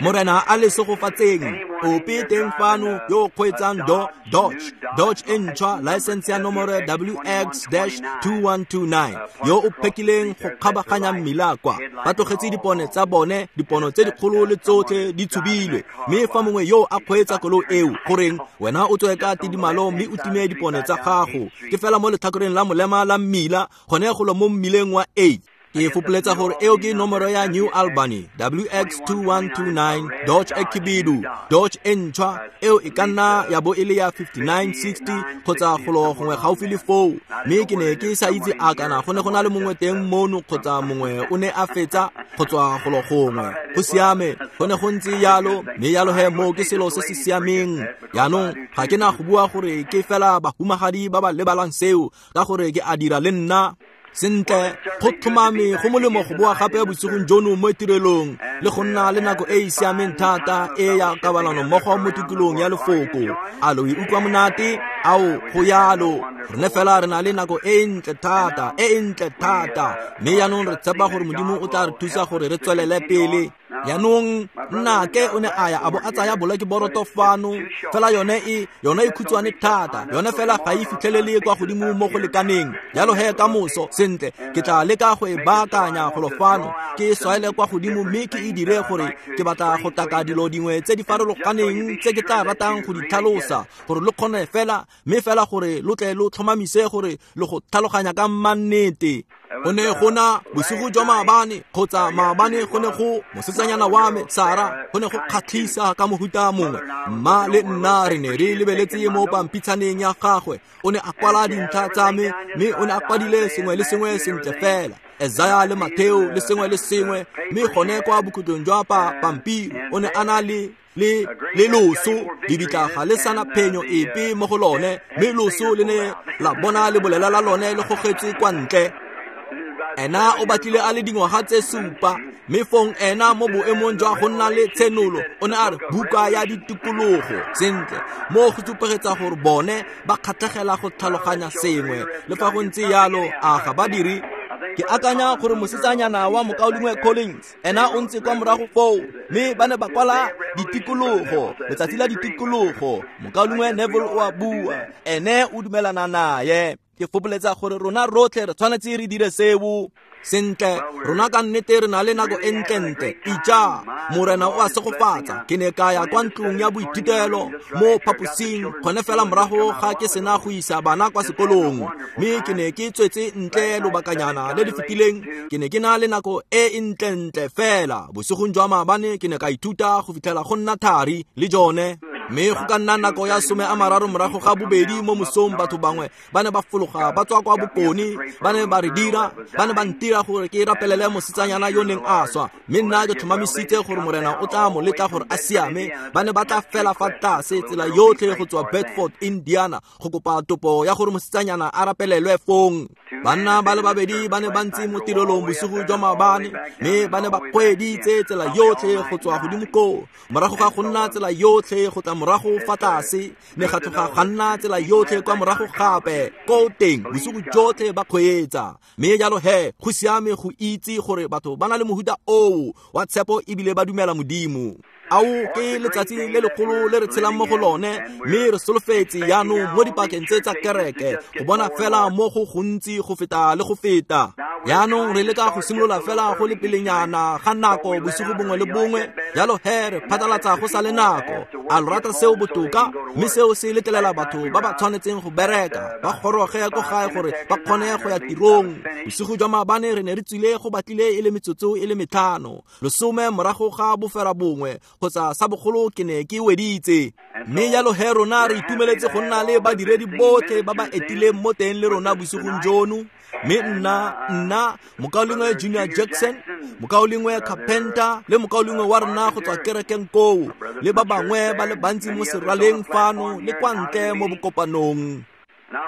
Morena a le segofatseng. Ope teng fano yo o kgweetsang Dodge, Dodge e ntšhwa, license ya nomoro WX-2129, yo o phekileng go kgabaganya mmila kwa. Ba tlogetse dipone tsa bone, dipono tse dikgolo le tsotlhe di tshubilwe. Mme fa mongwe yo a kgweetsa koloi eo, goreng wena o tswe ka tidimalo mme o time dipone tsa gago. Ke fela mo letlhakoreng la molema la mmila, gone golo mo mmileng wa 8. Ke fopoletsa gore eo ke nomoro ya New Albany, WX2129, Dodge e khibidu, Dodge e ntšhwa, eo e ka nna ya bo e le ya 5960 kgotsa golo gongwe gaufi le foo. Mme ke ne ke sa itse a kana go ne go na le mongwe teng mono kgotsa mongwe o ne a fetsa go tswa golo gongwe. Go siame, go ne go ntse yalo, mme yalo he moo ke selo se se siameng. Jaanong ga ke na go bua gore ke fela bahumagadi ba ba lebalang seo, ka gore ke a dira le nna. Sentle, go tlhomame go molemo go boa gape bosigong jono mo tirelong le go nna le nako e e siameng thata e ya kabalano mmogo mo tikolong ya lefoko. A lo e utlwa monate? Ao, go yalo. Rene fela re na le nako e ntle thata, e ntle thata. Mme jaanong re tshepa gore Modimo o tla re thusa gore re tswelele pele. Jaanong nnake o ne a ya a bo a tsaya bolekeboroto fano, fela yone e yone e khutshwane thata, yone fela ga e fitlhelele kwa godimo mo go lekaneng. Jalo he ka moso, sentle, ke tla leka go e baakanya golo fano, ke e swaele kwa godimo mme ke e dire gore ke batla go taka dilo dingwe tse di farologaneng tse ke tla ratang go di tlhalosa, gore lo kgone fela, mme fela gore lo tle lo tlhomamise gore lo go tlhaloganya ka mannete. Go ne go na bosigo jwa maabane, kgotsa maabane go ne go mosetsanyana wa me Sara, go ne go kgatlhisa ka mohuta mongwe. Mma le nna re ne re lebeletse mo pampitshaneng ya gagwe. O ne a kwala dintlha tsa me, mme o ne a kwadile sengwe le sengwe sentle fela, Esaya le Matheo le sengwe le sengwe. Mme gone kwa bokhutlong jwa pampiri o ne a na le le loso, lebitla ga le sana phenyo epe mo go lone, mme loso le ne la bona lebolela la lone le gogetswe kwa ntle. Ena o batlile a le dingwaga tse 7, mme fong ena mo boemong jwa go nna le tshenolo o ne a re buka ya ditikologo. Sentle, mo go supegetsa gore bone ba kgatlhegela go tlhaloganya sengwe. Le fa go ntse yalo, a ga ba dire? Ke akanya gore mosetsanyana wa mokaulengwe Collins, ena o ntse kwa morago foo, mme ba ne ba kwala ditikologo, letsatsi la ditikologo. Mokaulengwe Neville o a bua, ene o dumelana naye. Ke fopoletsa gore rona rotlhe re tshwanetse re dire seo. Sentle, rona ka nnete re na le nako e ntlentle. Ija, Morena o a segofatsa. Ke ne ka ya kwa ntlong ya boithutelo mo phaposing gone fela morago ga ke sena go isa bana kwa sekolong, mme ke ne ke tswetse ntle lobakanyana le le fetileng. Ke ne ke na le nako e e ntlentle fela. Bosigong jwa maabane ke ne ka ithuta go fitlhela go nna thari le jone. Mme go ka nna nako ya 2:30 mo mosong, batho bangwe ba ne ba fologa ba tswa kwa bokone, ba ne ba re dira, ba ne ba ntira gore ke rapelele mosetsanyana yo neng a swa, mme nna ke tlhomamisitse gore Morena o tla mo letla gore a siame. Ba ne ba tla fela fa tlase tsela yotlhe go tswa Bedford, Indiana, go kopa topo ya gore mosetsanyana a rapelelwe fong. Banna ba le babedi ba ne ba ntse mo tirelong bosigo jwa maabane, mme ba ne ba kgweeditse tsela yotlhe go tswa godimo koo, morago ga go nna tsela yotlhe go tla morago fa tlase, ne ga tloga ga nna tsela yotlhe kwa morago gape ko teng bosigo jotlhe ba kgweetsa. Mme jalo he go siame go itse gore batho ba na le mohuta oo wa tshepo ebile ba dumela Modimo. Ao ke letsatsi le legolo le re tshelang mo go lone, mme re solofetse jaanong mo dipakeng tse tsa kereke go bona fela mo go gontsi go feta le go feta. Jaanong re leka go simolola fela go le pelenyana ga nako bosigo bongwe le bongwe, jalo he re phatlalatsa go sa le nako. A lo rata seo botoka? Mme seo se letlelela batho ba ba tshwanetseng go bereka ba goroge ko gae gore ba kgone go ya tirong. Bosigo jwa maabane re ne re tswile go batlile e le metsotso e le 5, 10 morago ga 9 kgotsa sa bogolo ke ne ke weditse. Mme jalo he rona re itumeletse go nna le badiredi botlhe ba ba etileng mo teng le rona bosigong jono. Mme nna mokaulengwe Junior Jackson, mokaulengwe Carpenter le mokaulengwe wa rona go tswa kerekeng koo, le ba bangwe ba le bantsi mo seraleng fano le kwa ntle mo bokopanong.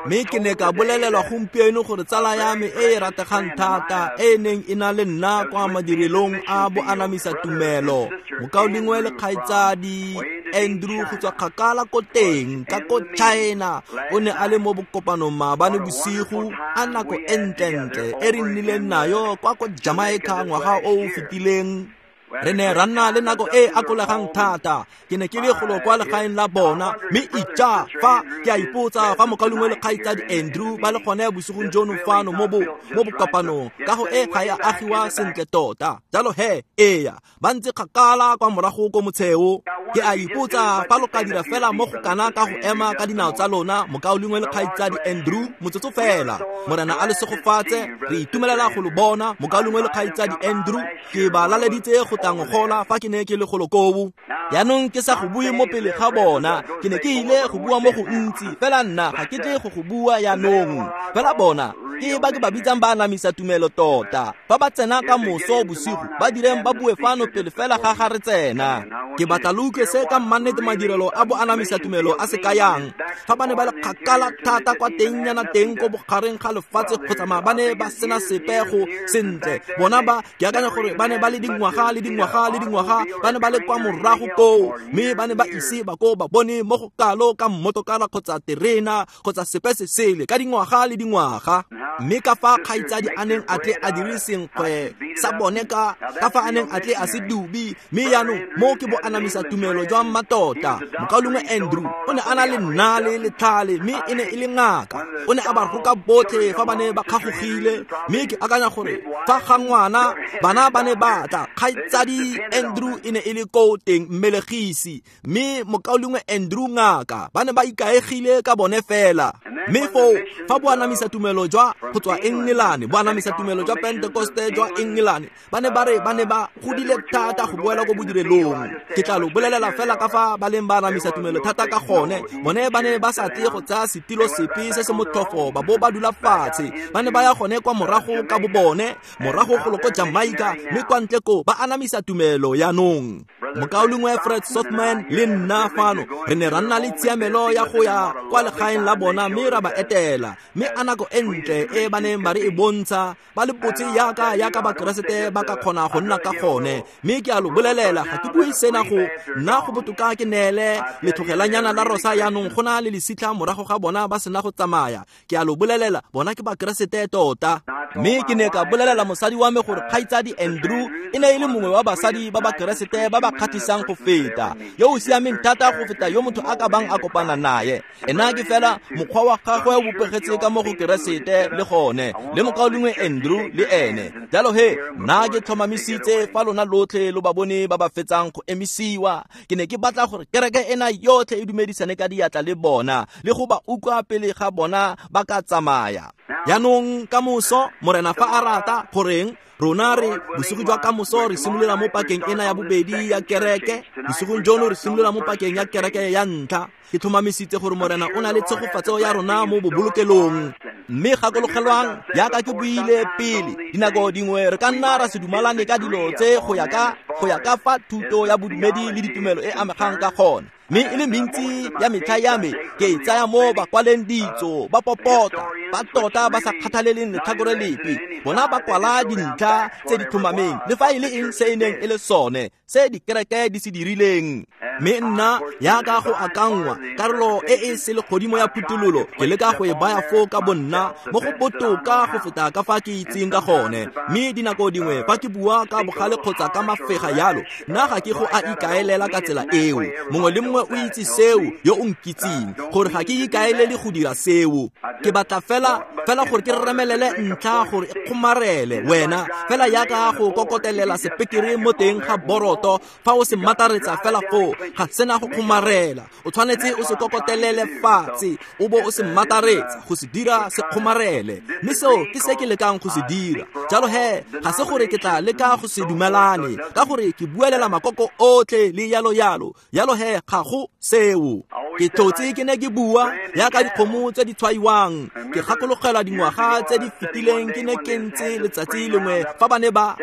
Mme ke ne ka bolelelwa gompieno gore tsala ya me e e rategang thata e e neng e na le nna kwa madirelong a boanamisa tumelo, mokaulengwe le kgaitsadi Andrew go tswa kgakala ko teng ka ko China, o ne a le mo bokopanong maabane bosigo. A nako e ntlentle e re nnileng nayo kwa ko Jamaica ngwaga o o fetileng. Re ne ra nna le nako e akolegang thata. Ke ne ke le golo kwa legaeng la bona, mme ija fa ke a ipotsa fa mokaulengwe le kgaitsadi Andrew ba le gone bosigong jono fano mo bokopanong, kago e ga e a agiwa sentle tota. Jalo he, eya, ba ntse kgakala kwa morago ko motsheo. Ke a ipotsa fa lo ka dira fela mo go kana ka go ema ka dinao tsa lona, mokaulengwe le kgaitsadi Andrew, motsotso fela. Morena a le segofatse, re itumelela go lo bona, mokaulengwe le kgaitsadi Andrew. Ke ba laleditse go tla ngogola fa ke ne ke le golo koo. Jaanong ke sa go bue mo pele ga bona, ke ne ke ile go bua mo go ntsi, fela nna ga ke tle go go bua jaanong. Fela bona ke ba ke ba bitsang ba anamisa tumelo tota. Fa ba tsena ka moso bosigo, ba direng ba bue fano pele fela ga ga re tsena. Ke batla lo utlwe se ka mmannete madirelo a bo anamisa tumelo a se kayang. Fa ba ne ba le kgakala thata kwa tengnyana teng ko bogareng ga lefatshe kgotsa ba ne ba sena sepe go sentle, bona ba ke akanya gore ba ne ba le dingwaga le dingwaga le dingwaga, ba ne ba le kwa morago koo, mme ba ne ba ise ba ko ba bone mo go kalo ka mmotokara kgotsa terena kgotsa sepe se sele ka dingwaga le dingwaga. Mme ka fa kgaitsadi a neng a tle a dire senkgwe sa bone ka fa a neng a tle a se dubi, mme jaanong mo ke bo anamisa tumelo jwa mmatota. Mokaulengwe Andrew o ne a na le nnale le tlhale, mme e ne e le ngaka. O ne a ba roka botlhe fa ba ne ba kgagogile, mme ke akanya gore fa ga ngwana bana ba ne ba tla, kgaitsadi Andrew e ne e le koo teng mmelegisi, mme mokaulengwe Andrew ngaka, ba ne ba ikaegile ka bone fela. Mme foo fa bo anamisa tumelo jwa go tswa Engelane, bo anamisa tumelo jwa Pentekoste jwa Engelane, ba ne ba re ba ne ba godile thata go boela ko bodirelong. Ke tla lo bolelela fela ka fa ba leng ba anamisa tumelo thata ka gone. Bone ba ne ba sa tle go tsaya setilo sepe se se motlhofo ba bo ba dula fatshe. Ba ne ba ya gone kwa morago ka bo bone, morago golo ko Jamaica, mme kwa ntle ko ba anamisa tumelo jaanong. Mokaulengwe Fred Sothmann le nna fano re ne ra nna le tshiamelo ya go ya kwa legaeng la bona, mme ra ba etela. Mme a nako e ntle e ba neng ba re e bontsha, ba le botse yaka Bakeresete ba ka kgona go nna ka gone. Mme ke a lo bolelela, ga ke bue sena go nna go botoka ke neele letlhogelanyana la rosa jaanong go na le lesitlha morago ga bona ba sena go tsamaya. Ke a lo bolelela, bona ke Bakeresete tota. Mme ke ne ka bolelela mosadi wa me gore kgaitsadi Andrew e ne e le mongwe wa basadi ba Bakeresete ba ba kgatlhisang go feta, yo o siameng thata go feta yo motho a ka bang a kopana naye. Ena ke fela mokgwa wa gagwe o bopegetse ka mo go Keresete le gone, le mokaulengwe Andrew le ene. Jalo he, nna ke tlhomamisitse fa lona lotlhe lo ba bone ba ba fetsang go emisiwa. Ke ne ke batla gore kereke ena yotlhe e dumedisane ka diatla le bona, le go ba utlwa pele ga bona ba ka tsamaya. Jaanong ka moso, Morena fa a rata, goreng rona re bosigo jwa kamoso re simolola mo pakeng ena ya bobedi ya kereke. Bosigong jono re simolola mo pakeng ya kereke ya ntlha. Ke tlhomamisitse gore Morena o na le tshegofatso ya rona mo bobolokelong. Mme gakologelwang, jaaka ke buile pele, dinako dingwe re ka nna ra se dumalane ka dilo tse go ya ka fa thuto ya bodumedi le ditumelo e amegang ka gone. Mme e le mentsi ya metlha ya me ke e tsaya mo ba kwaleng ditso, ba popota, ba tota ba sa kgathaleleng letlhakore lepe. Bona ba kwala dintlha tse di tlhomameng le fa e le eng se e neng e le sone se dikereke di se dirileng. Mme nna yaka go akanngwa karolo e e selegodimo ya phuthololo, ke leka go e baya foo ka bonna mo go botoka go feta ka fa ke itseng ka gone. Mme dinako dingwe fa ke bua ka bogale kgotsa ka mafega yalo, nna ga ke go a ikaelela ka tsela eo. Mongwe le mongwe o itse seo yo o nkitseng, gore ga ke ikaelele go dira seo. Ke batla fela gore ke remelele ntlha gore e kgomarele wena, fela yaka go kokotelela sepekere mo teng ga boroto. Fa o se mataretsa fela foo, ga sena go kgomarela. O tshwanetse o se kokotelele fatshe, o bo o se mataretsa go se dira se kgomarele. Mme seo ke se ke lekang go se dira. Jalo he, ga se gore ke tla leka go se dumelane, ka gore ke buelela makoko otlhe le yalo yalo. Yalo he, ga go seo. Ke tlotse ke ne ke bua yaka dikgomo tse di tshwaiwang. Ke gakologelwa dingwaga tse di fetileng ke ne ke ntse letsatsi lengwe fa ba ne ba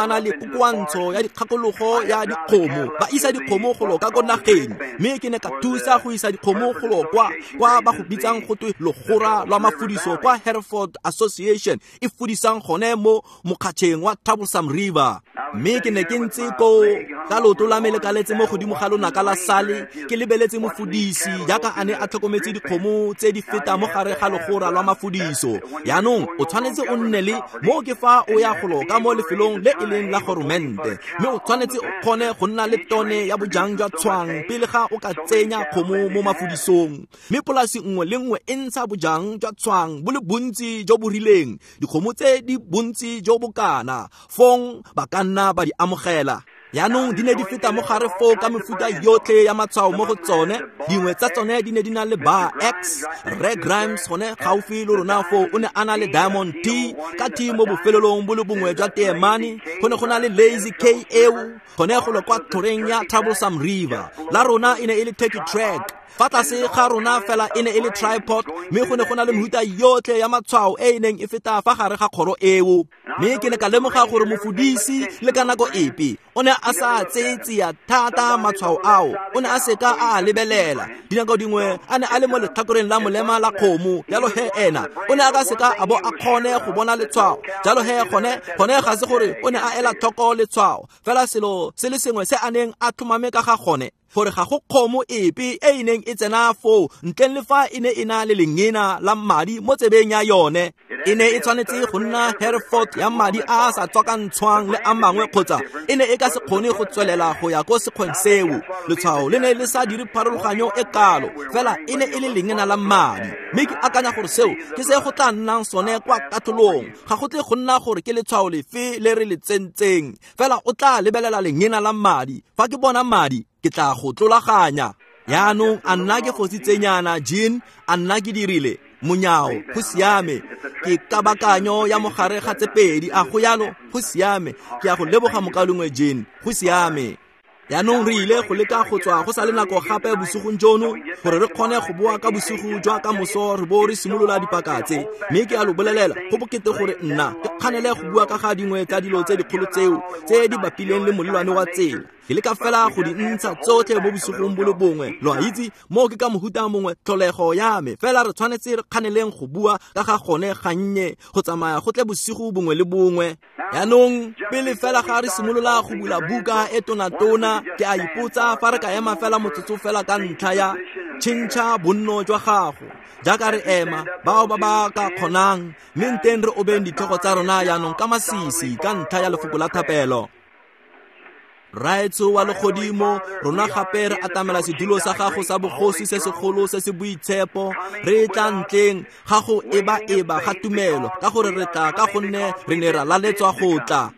na le kokoantsho ya dikgakologo kgoro ya dikgomo, ba isa dikgomo golo ka ko nageng. Mme ke ne ka thusa go isa dikgomo golo kwa ba go bitsang go twe logora lwa mafudiso kwa Hereford Association e fudisang gone mo mokgatšheng wa Troublesome River. Mme ke ne ke ntse koo ka leoto la me le kaletse mo godimo ga lonaka la sale, ke lebeletse mofudisi jaaka a ne a tlhokometse dikgomo tse di feta mo gare ga logora lwa mafudiso. Jaanong o tshwanetse o nne le mo ke fa o ya golo ka mo lefelong le e leng la goromente, mme o tshwanetse o kgone go nna le tone ya bojang jwa tshwang pele ga o ka tsenya kgomo mo mafudisong. Mme polasi nngwe le nngwe e ntsha bojang jwa tshwang bo le bontsi jo bo rileng, dikgomo tse di bontsi jo bokana, fong ba ka nna ba di amogela. Jaanong di ne di feta mo gare foo ka mefuta yotlhe ya matshwao mo go tsone. Dingwe tsa tsone di ne di na le bar X. Rre Grimes gone gaufi le rona foo o ne a na le Diamond T ka T mo bofelelong bo le bongwe jwa teemane. Go ne go na le Lazy K eo gone golo kwa tlhoreng ya Troublesome River. La rona e ne e le Turkey Track. Fa tlase ga rona fela e ne e le tripod, mme go ne go na le mehuta yotlhe ya matshwao e e neng e feta fa gare ga kgoro eo. Mme ke ne ka lemoga gore mofudisi le ka nako epe o ne a sa tseye tsia thata matshwao ao, o ne a seka a a lebelela. Dinako dingwe a ne a le mo letlhakoreng la molema la kgomo, jalo he ena o ne a ka seka a bo a kgone go bona letshwao. Jalo he gone ga se gore o ne a ela tlhoko letshwao, fela selo se le sengwe se a neng a tlhomame ka ga gone, gore ga go kgomo epe e e neng e tsena foo ntleng le fa e ne e na le lengena la madi mo tsebeng ya yone. E ne e tshwanetse go nna Hereford ya madi a a sa tswakantshwang le a mangwe, kgotsa e ne e ka se kgone go tswelela go ya ko sekgweng seo. Letshwao le ne le sa dire pharologanyo e kalo, fela e ne e le lengena la madi. Mme ke akanya gore seo ke se go tla nnang sone kwa katlholong. Ga go tle go nna gore ke letshwao lefe le re le tsentseng, fela o tla lebelela lengena la madi. Fa ke bona madi, ke tla go tlolaganya. Jaanong a nna ke fositsenyana, Jean, a nna ke dirile monyao, go siame. Ke kabakanyo ya mogare ga tse pedi, a go yalo, go siame. Ke a go leboga mokalengwe Jean, go siame. Jaanong re ile go leka go tswa go sa le nako gape bosigong jono gore re kgone go boa ka bosigo jwa ka moso re bo re simolola dipaka tse. Mme ke a lo bolelela, go bokete gore nna ke kganele go bua ka ga dingwe tsa dilo tse dikgolo tseo tse di bapileng le molelwane wa tsela. Ke leka fela go di ntsha tsotlhe mo bosigong bo le bongwe. Lo a itse, moo ke ka mohuta mongwe tlholego ya me, fela re tshwanetse re kganeleng go bua ka ga gone gannye go tsamaya go tle bosigo bongwe le bongwe. Jaanong pele fela ga re simolola go bula buka e tonatona, ke a ipotsa fa re ka ema fela motsotso fela ka ntlha ya tšhentšha bonno jwa gago. Jaaka re ema, bao ba ba ka kgonang, mme nteng re obeng ditlhogo tsa rona jaanong ka masisi ka ntlha ya lefoko la thapelo. Raetsho wa legodimo, rona gape re atamela sedulo sa gago sa bogosi se segolo se se boitshepo. Re tla ntleng ga go eba-eba ga tumelo, ka gore re tla ka gonne re ne ra laletswa go tla.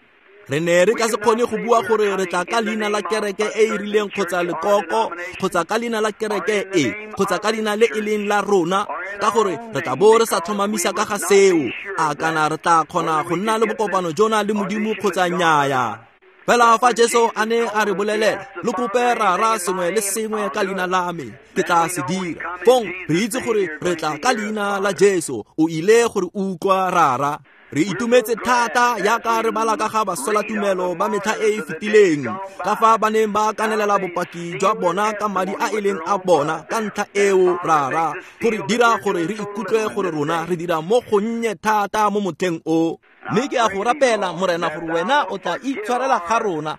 Re ne re ka se kgone go bua gore re tla ka leina la kereke e e rileng kgotsa lekoko, kgotsa ka leina la kereke e, kgotsa ka leina le e leng la rona, ka gore re tla bo re sa tlhomamisa ka ga seo. A kana re tla kgona go nna le bokopano jona le Modimo kgotsa nnyaya. Fela fa Jesu a ne a re bolelela, lo kope Rara sengwe le sengwe ka leina la me, ke tla se dira. Fong re itse gore re tla ka leina la Jesu, o ile gore utlwa Rara. Re itumetse thata jaaka re bala ka ga baswelatumelo ba metlha e e fetileng, ka fa ba neng ba kanelela bopaki jwa bona ka madi a e leng a bona. Ka ntlha eo, Rara, gore dira gore re ikutlwe gore rona re dira mo gonnye thata mo motlheng o. Mme ke a go rapela, Morena, gore wena o tla itshwarela ga rona,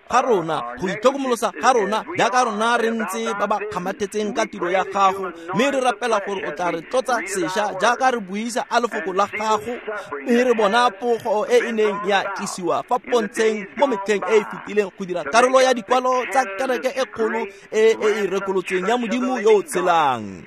go itlhokomolosa ga rona, jaaka rona re ntse ba ba kgamathetseng ka tiro ya gago. Mme re rapela gore o tla re tlotsa sešwa jaaka re buisa a lefoko la gago, mme re bona pogo e e neng ya tlisiwa fa pontsheng mo metlheng e e fetileng go dira karolo ya dikwalo tsa kereke e kgolo e e rekolotsweng ya Modimo yo o tshelang.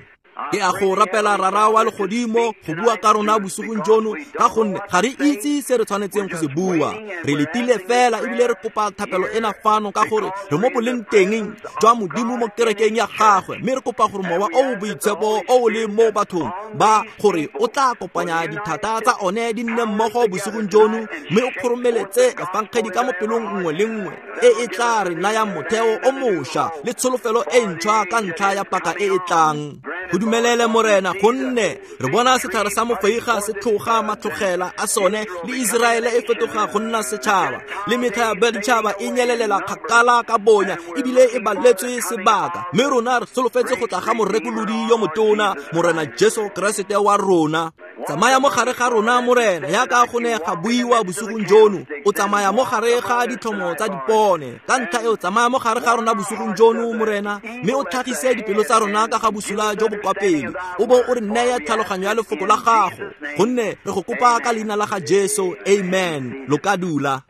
Ke a go rapela, Rara wa legodimo, go bua ka rona bosigong jono, ka gonne ga re itse se re tshwanetseng go se bua. Re letile fela ebile re kopa thapelo ena fano, ka gore re mo boleng teng jwa Modimo mo kerekeng ya gagwe, mme re kopa gore mowa o o boitshepo o o leng mo bathong ba, gore o tla kopanya dithata tsa one di nne mmogo bosigong jono, mme o kgoromeletse efangedi ka mo pelong nngwe le nngwe e e tla re nayang motheo o mošwa le tsholofelo e ntšhwa ka ntlha ya paka e e tlang. Go dumelele Morena, gonne re bona setlhare sa mofeiga se tlhoga matlogela a sone, le Iseraele e fetoga go nna setšhaba, le metlha ya baditšhaba e nyelelela kgakala ka bonya ebile e baletswe sebaka. Mme rona re solofetse go tla ga morekolodi yo motona, Morena Jesu Keresete wa rona. Tsamaya mo gare ga rona, Morena, yaka go ne ga buiwa bosigong jono. O tsamaya mo gare ga ditlhomo tsa dipone. Ka ntlha eo, tsamaya mo gare ga rona bosigong jono, Morena, mme o tlhagise dipelo tsa rona ka ga bosula jo bo kwa pele, o bo o re neye tlhaloganyo ya lefoko la gago, gonne re go kopa ka leina la ga Jesu. Amen. Lo ka dula.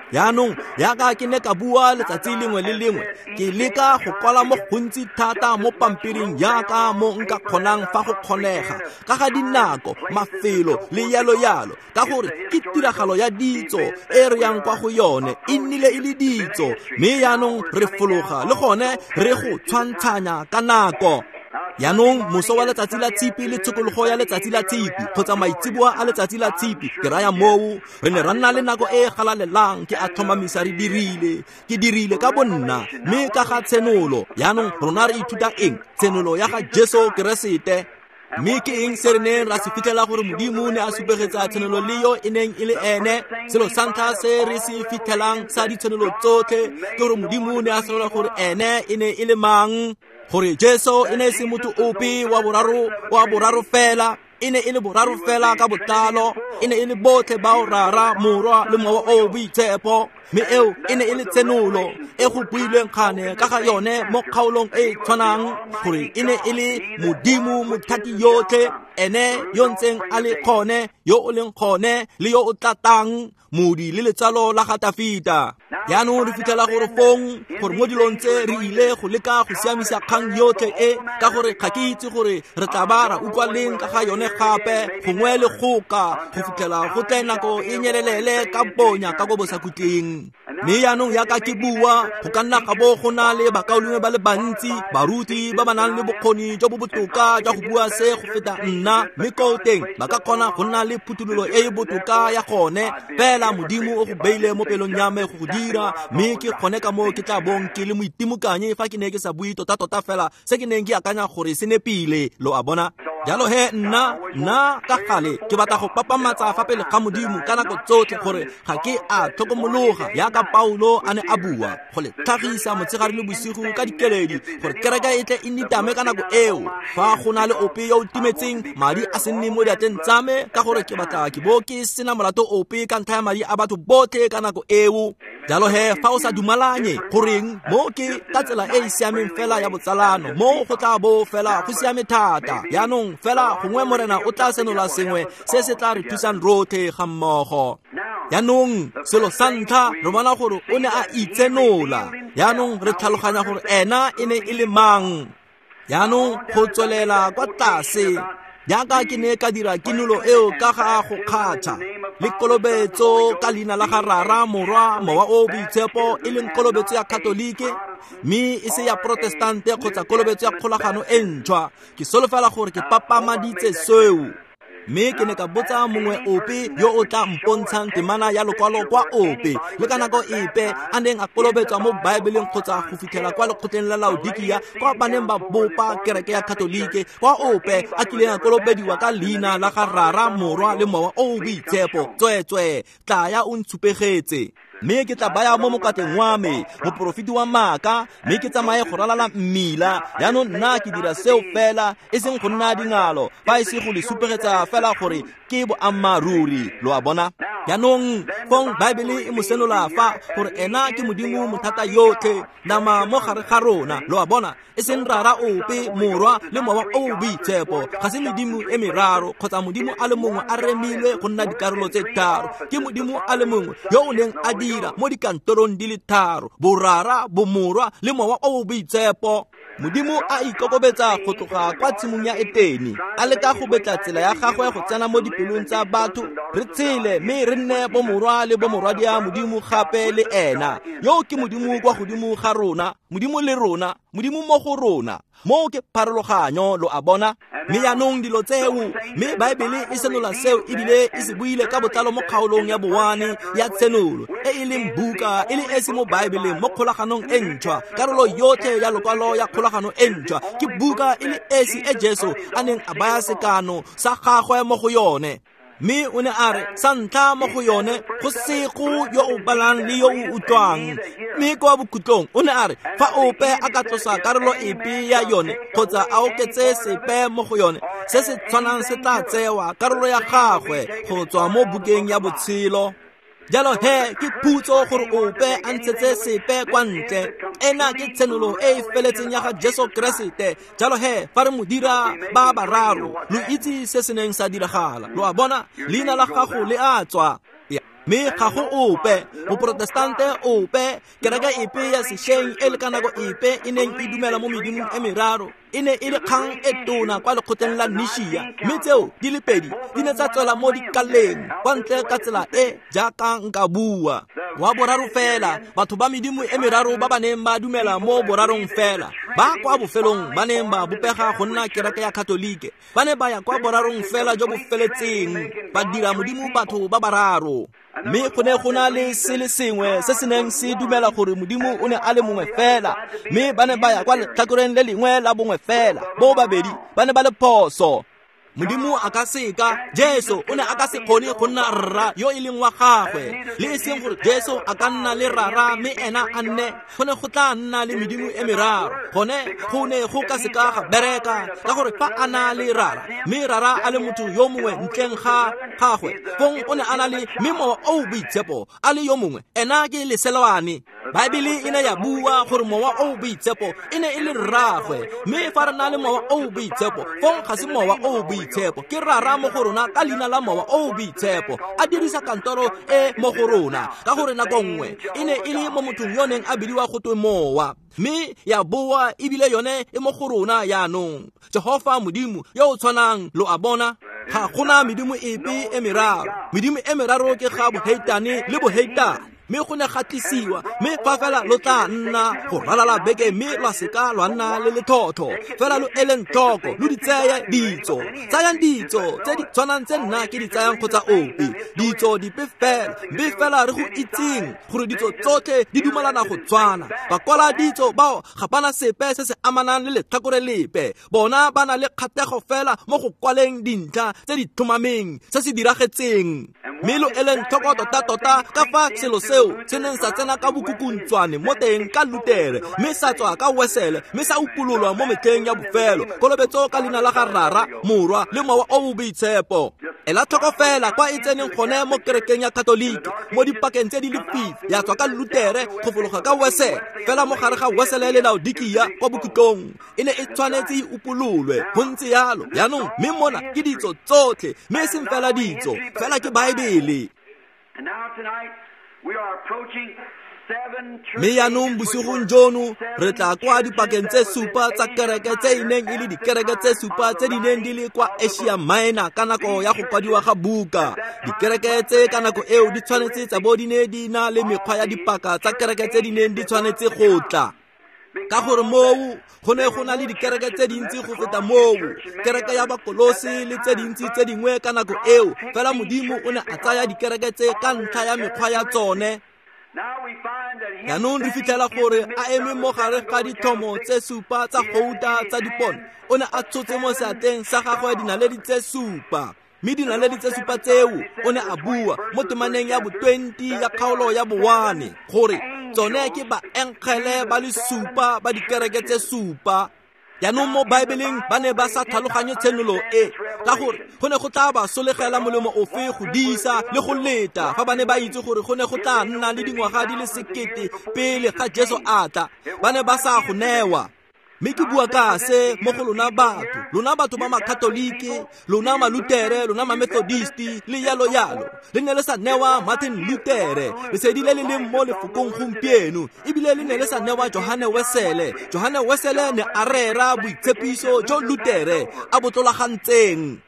Jaanong, yaka ke ne ka bua letsatsi lengwe le lengwe, ke leka go kwala mo gontsi thata mo pampiring yaka mo nka kgonang fa go kgonega, ka ga dinako, mafelo le yalo-yalo, ka gore ke tiragalo ya ditso e re yang kwa go yone, e nnile e le ditso, mme jaanong re fologa le gone re go tshwantshanya ka nako. Jaanong moso wa letsatsi la tshipi le tshokologo ya letsatsi la tshipi, kgotsa maitseboa a letsatsi la tshipi, ke raya moo, re ne ra nna le nako e e galalelang. Ke a tlhomamisa re dirile, ke dirile ka bonna, mme ka ga tshenolo. Jaanong rona re ithuta eng? Tshenolo ya ga Jesu Keresete. Mme ke eng se re neng ra se fitlhela gore Modimo ne a supegetsa tshenolo le yo e neng e le ene? Selo sa ntlha se re se fitlhelang sa ditshenolo tsotlhe ke gore Modimo ne a senola gore ene e ne e le mang, gore Jesu e ne e se motho ope wa boraro fela, e ne e le boraro fela ka botlalo, e ne e le botlhe bao Rara, Morwa le Mowa o Boitshepo. Mme eo e ne e le tshenolo e go builweng kgane ka ga yone mo kgaolong e e tshwanang, gore e ne e le Modimo mothati yotlhe, ene yo ntseng a le kgone, yo o leng kgone le yo o tlatang, modi le letsalo la ga Tafita. Jaanong re fitlhela gore fong, gore mo dilong tse re ile go leka go siamisa kgang yotlhe e, ka gore ga ke itse gore re tla ba ra utlwa leng ka ga yone gape, gongwe le goka, go fitlhela go tle nako e nyelelele ka bonya ka ko bosakhutleng. Mme jaanong yaka ke bua, go ka nna ga bo go na le bakaulengwe ba le bantsi, baruti ba ba nang le bokgoni jo bo botoka jwa go bua se go feta nna, mme koo teng ba ka kgona go nna le phuthololo e e botoka ya gone. Fela Modimo o go beile mo pelong ya me go go dira, mme ke kgone ka moo ke tla bong ke le moitimokanye fa ke ne ke sa bue tota-tota fela se ke neng ke akanya gore se nepile, lo a bona. Jalo he nna ka gale ke batla go papamatsa fa pele ga Modimo ka nako tsotlhe gore ga ke a tlhokomologa yaka Paulo a ne a bua, go le tlhagisa motshegare le bosigo ka dikeledi, gore kereke e tle e nitame ka nako eo. Fa go na le ope yo o timetseng, madi a se nne mo diatleng tsa me, ka gore ke batla ke bo ke sena molato ope ka ntlha ya madi a batho botlhe ka nako eo. Jalo he fa o sa dumalanye, goreng mo ke ka tsela e e siameng fela ya botsalano, mo go tla bo fela go siame thata. Jaanong fela gongwe Morena o tla senola sengwe se se tla re thusang rotlhe ga mmogo. Jaanong selo sa ntlha re bona gore o ne a itsenola. Jaanong re tlhaloganya gore ena e ne e le mang. Jaanong go tswelela kwa tlase, jaaka ke ne ka dira kinolo eo ka ga go kgatha le kolobetso ka leina la ga Rara, Morwa, Mowa o Boitshepo, e leng kolobetso ya Katolike, mme e se ya Protestante kgotsa kolobetso ya kgolagano e ntšhwa. Ke solofela gore ke papamaditse seo. Mme ke ne ka botsa mongwe ope yo o tla mpontshang temana ya lokwalo kwa ope le ka nako epe a neng a kolobetswa mo Baebeleng kgotsa go fitlhela kwa lekgotleng la Laodikia, kwa ba neng ba bopa kereke ya Katolike, kwa ope a kileng a kolobediwa ka leina la ga Rara, Morwa le Mowa o o Boitshepo. Tsweetswee, tlaya o ntshupegetse. Mme ke tla baya mo mokwatleng wa me moporofeti wa maaka, mme ke tsamaye go ralala mmila. Jaanong nna ke dira seo fela, e seng go nna dingalo, fa e se go le supegetsa fela gore ke boammaaruri, lo a bona. Jaanong fong Baebele e mo senola fa gore ena ke Modimo mothata yotlhe, nama mo gare ga rona, lo a bona, e seng Rara ope, Morwa le Mowa o o Boitshepo. Ga se medimo e meraro kgotsa Modimo a le mongwe a remilwe go nna dikarolo tse tharo. Ke Modimo a le mongwe yo o neng a dira mo dikantorong di le tharo, Borara, Bomorwa le Mowa o o Boitshepo. Modimo a ikokobetsa go tloga kwa tshimong ya Etene, a leka go betla tsela ya gagwe go tsena mo dipelong tsa batho, re tshele mme re nne bomorwa le bomorwadia Modimo gape le ena. Yo ke Modimo kwa godimo ga rona, Modimo le rona, Modimo mo go rona. Moo ke pharologanyo, lo a bona. Mme jaanong dilo tseo, mme Baebele e senola seo ebile e se buile ka botlalo mo kgaolong ya bowane ya tshenolo, e e leng buka e le esi mo Baebeleng mo kgolaganong e ntšhwa, karolo yotlhe ya lokwalo ya kgolagano e ntšhwa ke buka e le esi e Jesu a neng a baya sekano sa gagwe mo go yone. Mme o ne a re sa ntlha mo go yone go sego yo o balang le yo o utlwang. Mme kwa bokhutlong o ne a re fa ope a ka tlosa karolo epe ya yone kgotsa a oketse sepe mo go yone, se se tshwanang se tla tsewa karolo ya gagwe go tswa mo bukeng ya botshelo. Jalo he ke phutso gore ope a ntshetse sepe kwa ntle. Ena ke tshenolo e e feletseng ya ga Jesu Keresete. Jalo he fa re mo dira ba bararo, lo itse se se neng sa diragala. Lo a bona, leina la gago le a tswa. Mme ga go ope, moprotestante ope, kereke epe ya sešweng e le ka nako epe e neng e dumela mo medimong e meraro, e ne e le kgang e tona kwa lekgotleng la Nishia, mme tseo di le pedi di ne tsa tswela mo dikaleng kwa ntle ka tsela e jaaka nka bua. Wa boraro fela, batho ba medimo e meraro ba ba neng ba dumela mo borarong fela, ba kwa bofelong ba neng ba bopega go nna kereke ya Katolike, ba ne ba ya kwa borarong fela jo bo feletseng, ba dira modimo batho ba bararo. Mme go ne go na le se le sengwe se se neng se dumela gore modimo o ne a le mongwe fela, mme ba ne ba ya kwa letlhakoreng le lengwe la bongwe fela. Bo babedi ba ne ba le phoso. Modimo a ka seka, Jesu o ne a ka se kgone go nna rra yo e leng wa gagwe, le e seng gore Jesu a ka nna le rara mme ena a nne. Go ne go tla nna le medimo e meraro. Gone go ne go ka seka ga bereka, ka gore fa a na le rara mme rara a le motho yo mongwe ntleng ga gagwe, fong o ne a na le mme mowa o boitshepo a le yo mongwe, ena ke leselwane. Baebele e ne ya bua gore mowa o boitshepo e ne e le rragwe, mme fa re na le mowa o boitshepo, fong ga se mowa o boitshepo, ke rara mo go rona ka leina la mowa o boitshepo a dirisa kantoro e mo go rona, ka gore nako nngwe e ne e le mo mothong yo neng a bidiwa go twe mowa, mme ya boa ebile yone e mo go rona yaanong. Jehofa Modimo yo o tshwanang, lo a bona, ga gona medimo epe e meraro. Medimo e meraro ke ga boheitane le boheitane, mme go ne ga tlisiwa, mme fa fela lo tla nna go ralala beke mme lwa seka lwa nna le lethotho, fela lo eleng tlhoko, lo di tseye ditso. Tsayang ditso tse di tshwanang tse nna ke di tsayang kgotsa ope, ditso dipe fela, mme fela re go itseng gore ditso tsotlhe di dumalana go tshwana. Bakwala ditso bao ga bana sepe se se amanang le letlhakore lepe, bona ba na le kgatlhego fela mo go kwaleng dintlha tse di tlhomameng se se diragetseng. Mme lo eleng tlhoko tota-tota ka fa selo seo se neng sa tsena ka bokukuntswane mo teng ka Lutere, mme sa tswa ka Wesele, mme sa upololwa mo metlheng ya bofelo, kolobetso ka leina la ga Rara, Morwa le Mowa o o Boitshepo. Ela tlhoko fela kwa e tseneng gone mo kerekeng ya Katolike mo dipakeng tse di lefifi, ya tswa ka Lutere go fologa ka Wesele, fela mo gare ga Wesele le Laodikia kwa bokhutlong e ne e tshwanetse e upololwe. Go ntse yalo yaanong, mme mona ke ditso tsotlhe, mme e seng fela ditso, fela ke Baebele. Mme yaanong bosigong jono re tla kwa dipakeng tse supa tsa kereke tse e neng e le dikereke tse supa tse di neng di le kwa Asia Minor ka nako ya go kwadiwa ga buka. Dikereke tse ka nako eo di tshwanetse tsa bo di ne di na le mekgwa ya dipaka tsa kereke tse di neng di tshwanetse go tla, ka gore moo go ne go na le dikereke tse dintsi go feta moo, kereke ya Bakolose le tse dintsi tse dingwe ka nako eo. Fela Modimo o ne a tsaya dikereke tse ka ntlha ya mekgwa ya tsone. Jaanong re fitlhela gore a eme mo gare ga ditlhomo tse supa tsa gouta tsa dipone, o ne a tshotse mo seatleng sa gagwe dinaledi tse supa, mme dinaledi tse supa tseo o ne a bua mo temaneng ya bo-20 ya kgaolo ya bo-1 gore tsone ke baengele ba le supa ba dikereke tse supa. Jaanong mo Baebeleng ba ne ba sa tlhaloganye tshenolo e, ka gore go ne go tla ba solegela molemo ofe go disa le go leta fa ba ne ba itse gore go ne go tla nna le dingwaga di le 1000 pele ga Jesu a tla. Ba ne ba sa go newa. Mme ke bua ka se mo go lona batho, lona batho ba Makatolike, lona Malutere, lona Mamethodisti le yalo yalo. Le ne le sa newa Martin Lutere lesedi le le leng mo lefokong gompieno, ebile le ne le sa newa Johane Wesele. Johane Wesele ne a rera boitshepiso jo Lutere a bo tlolagantseng.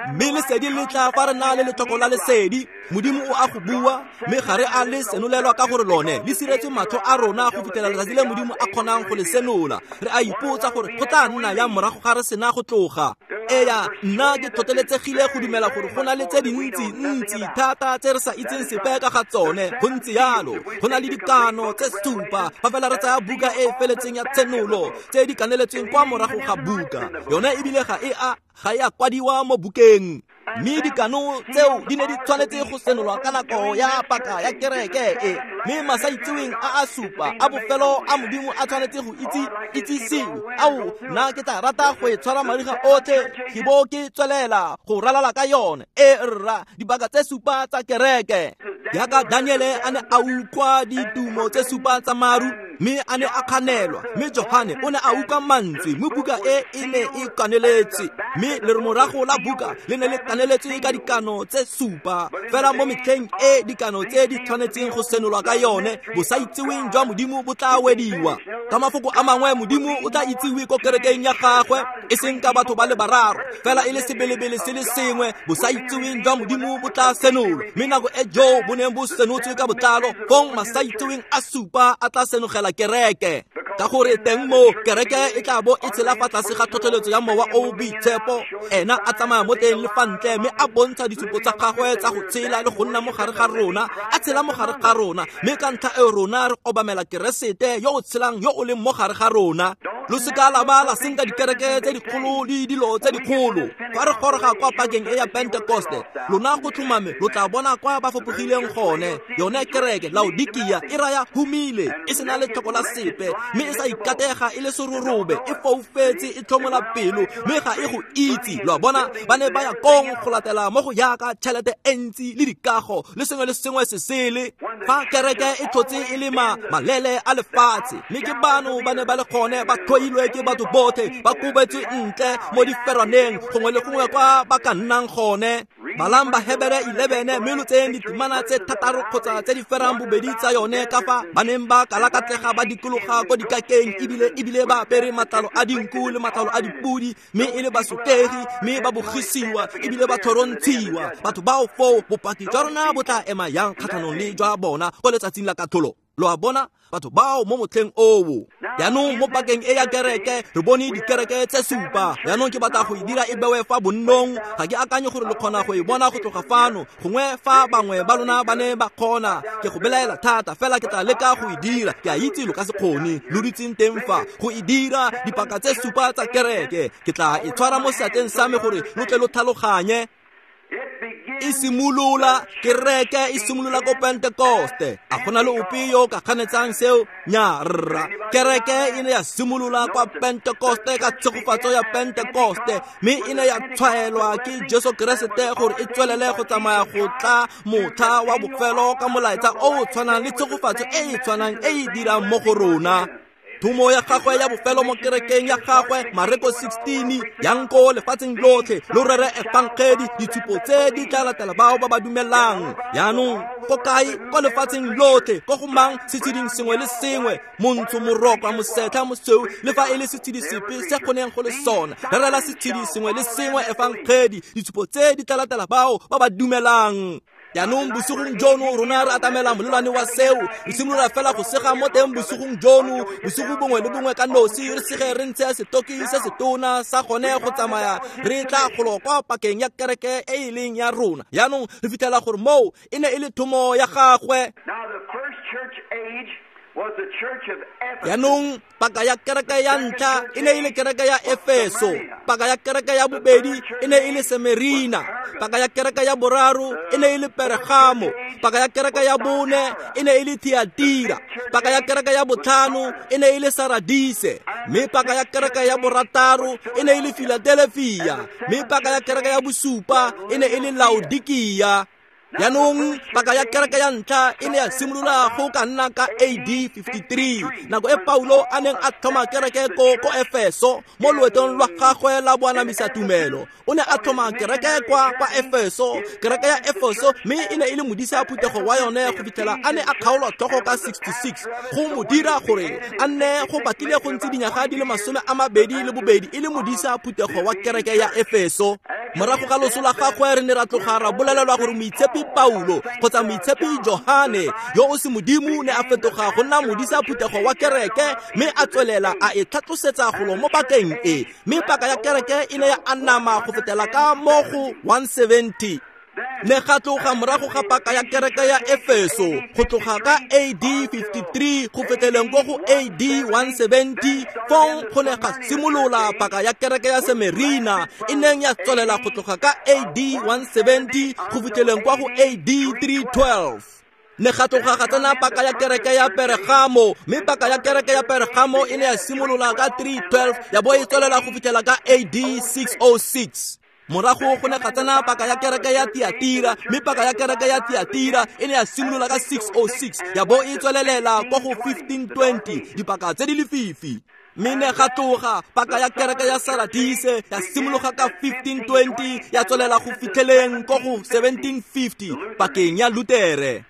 Mme lesedi le tla fa re na le letlhoko la lesedi. Modimo o a go bua, mme ga re a le senolelwa ka gore lone le siretse matlho a rona go fitlhela letsatsi le Modimo a kgonang go le senola. Re a ipotsa gore go tla nna yang morago ga re sena go tloga. Eya, nna ke tlhotlheletsegile go dumela gore go na le tse dintsi ntsi thata tse re sa itseng sepe ka ga tsone. Go ntse yalo, go na le dikano tse supa fa fela re tsaya buka e e feletseng ya Tshenolo tse di kaneletsweng kwa morago ga buka yone, ebile ga e a kwadiwa mo bukeng. Mme dikano tseo di ne di tshwanetse go senolwa ka nako ya paka ya kereke e, mme masaitseweng a a supa a bofelo a Modimo a tshwanetse go itsisiwe. Ao, nna ke tla rata go e tshwara mariga otlhe ke bo ke tswelela go ralala ka yone. E rra, dibaka tse supa tsa kereke. Jaaka Daniele a ne a utlwa ditumo tse supa tsa maru, mme a ne a kganelwa, mme Johane o ne a utlwa mantswe, mme buka e e ne e kaneletse, mme lemorago la buka le ne le kaneletswe ka dikano tse supa. Fela mo metlheng e dikano tse di tshwanetseng go senolwa ka yone, bosaitseweng jwa Modimo bo tla wediwa. Ka mafoko a mangwe, Modimo o tla itsiwe ko kerekeng ya gagwe, e seng ka batho ba le bararo, fela e le sebelebele se le sengwe. Bosaitseweng jwa Modimo bo tla senolwa, mme nako e joo bo neng bo senotswe ka botlalo, fong masaitseweng a supa a tla senogela kereke. Ka gore teng mo kereke e tla bo e tshela fa tlase ga tlhotlheletso ya Mowa o o Boitshepo, ena a tsamaya mo teng le fa ntle, mme a bontsha ditshupo tsa gagwe tsa go tshela le go nna mo gare ga rona, a tshela mo gare ga rona, mme ka ntlha eo rona re obamela Keresete yo o tshelang yo o leng mo gare ga rona. Lo seka la ba la senka dikereke tse dikgolo le dilo tse dikgolo. Fa re goroga kwa pakeng e ya Pentekoste, lona go tlhomame lo tla bona kwa ba fapogileng gone. Yone kereke Laodikia e raya humile, e sena letlhoko la sepe, mme e sa ikatega, e le serorobe, e foufetse, e tlhomola pelo, mme ga e go itse. Lo a bona, ba ne ba ya kong go latela mo go yaka tšhelete e ntsi le dikago le sengwe le sengwe se sele. Fa kereke e tlhotse e le malele a lefatshe, mme ke bano ba ne ba le gone ba tlhoilwe ke batho botlhe, ba kobetswe ntle mo diferaneng gongwe le gongwe kwa ba ka nnang gone. Balang Bahebere 11, mme lo tseyeng ditemana tse 6 kgotsa tse di ferang bobedi tsa yone, ka fa ba neng ba kalakatlega ba dikologa ko dikakeng, ebile ba apere matlalo a dinku le matlalo a dipudi, mme e le basotegi, mme ba bogisiwa ebile ba tlhorontshiwa. Batho bao foo, bopaki jwa rona bo tla ema yang kgatlhanong le jwa bona ko letsatsing la katlholo? Lo a bona, batho bao mo motlheng oo. Jaanong mo pakeng e ya kereke re bone dikereke tse supa. Jaanong ke batla go e dira e bewe fa bonnong. Ga ke akanye gore lo kgona go e bona go tloga fano, gongwe fa bangwe ba lona ba ne ba kgona. Ke go belaela thata, fela ke tla leka go e dira. Ke a itse lo ka se kgone, lo dutseng teng fa go e dira dipaka tse supa tsa kereke. Ke tla e tshwara mo seatleng sa me gore lo tle lo tlhaloganye. E simolola kereke e simolola ko Pentekoste. A gona le ope yo ka kganetsang seo? Nya rra. Kereke e ne ya simolola kwa Pentekoste ka tshegofatso ya Pentekoste, mme e ne ya tshwaelwa ke Jesu Keresete gore e tswelele go tsamaya go tla motlha wa bofelo ka molaetsa o o tshwanang le tshegofatso e e tshwanang e e dirang mo go rona. Thomo ya gagwe ya bofelo mo kerekeng ya gagwe, Mareko 16, yang ko lefatsheng lotlhe lo rere efangedi, ditshupo tse di tla latela bao ba ba dumelang. Jaanong ko kae? Ko lefatsheng lotlhe, ko go mang? Setsheding sengwe le sengwe, montsho, morokwa, mosetlha, mosweu, le fa e le setshedi sepe se kgoneng go le sona. Rerela setshedi sengwe le sengwe efangedi, ditshupo tse di tla latela bao ba ba dumelang. Jaanong bosigong jono rona re atamela molelwane wa seo, re simolola fela go sega mo teng bosigong jono, bosigo bongwe le bongwe ka nosi, re sege re ntshe setoki se setona sa gone go tsamaya re tla golo kwa pakeng ya kereke e e leng ya rona. Jaanong re fitlhela gore moo e ne e le thomo ya gagwe. Jaanong paka ya kereke ya ntlha e ne e le kereke ya Efeso, paka ya kereke ya bobedi e ne e le Semerina, paka ya kereke ya boraro e ne e le Pergamo, paka ya kereke ya bone e ne e le Thiatira, paka ya kereke ya botlhano e ne e le Saradise, mme paka ya kereke ya borataro e ne e le Philadelphia, mme paka ya kereke ya bosupa e ne e le Laodikia. Jaanong paka ya kereke ya ntlha e ne ya simolola go ka nna ka AD 53, nako e Paulo a neng a tlhoma kereke ko Efeso mo loetong lwa gagwe la boanamisa tumelo. O ne a tlhoma kereke kwa Efeso, kereke ya Efeso, mme e ne e le modisa phuthego wa yone go fitlhela a ne a kgaolwa tlhogo ka 66, go mo dira gore a nne go batlile go ntse dinyaga di le 22 e le modisa phuthego wa kereke ya Efeso. Morago ga loso la gagwe re ne ra tloga ra bolelelwa gore Moitshepi Paulo kgotsa Moitshepi Johane yo o se modimo ne a fetoga go nna modisa phuthego wa kereke mme a tswelela a e tlhatlosetsa golo mo pakeng e, mme paka ya kereke e ne ya anama go fetela ka mo go 170. Ne ga tloga morago ga paka ya kereke ya Efeso go tloga ka AD 53 go feteleng ko go AD 170, fong go ne ga simolola paka ya kereke ya Semerina e neng ya tswelela go tloga ka AD 170 go fitlheleng kwa go AD 312. Ne ga tloga ga tsena paka ya kereke ya Pergamo, mme paka ya kereke ya Pergamo e ne ya simolola ka 312 ya bo e tswelela go fitlhela ka AD 606. Morago go ne ga tsena paka ya kereke ya Tiatira, mme paka ya kereke ya Tiatira e ne ya simolola ka 606 ya bo e tswelelela kwa go 1520, dipaka tse di lefifi. Mme ne ga tloga paka ya kereke ya Saradise ya simologa ka 1520 ya tswelela go fitlheleng ko go 1750 pakeng ya Lutere.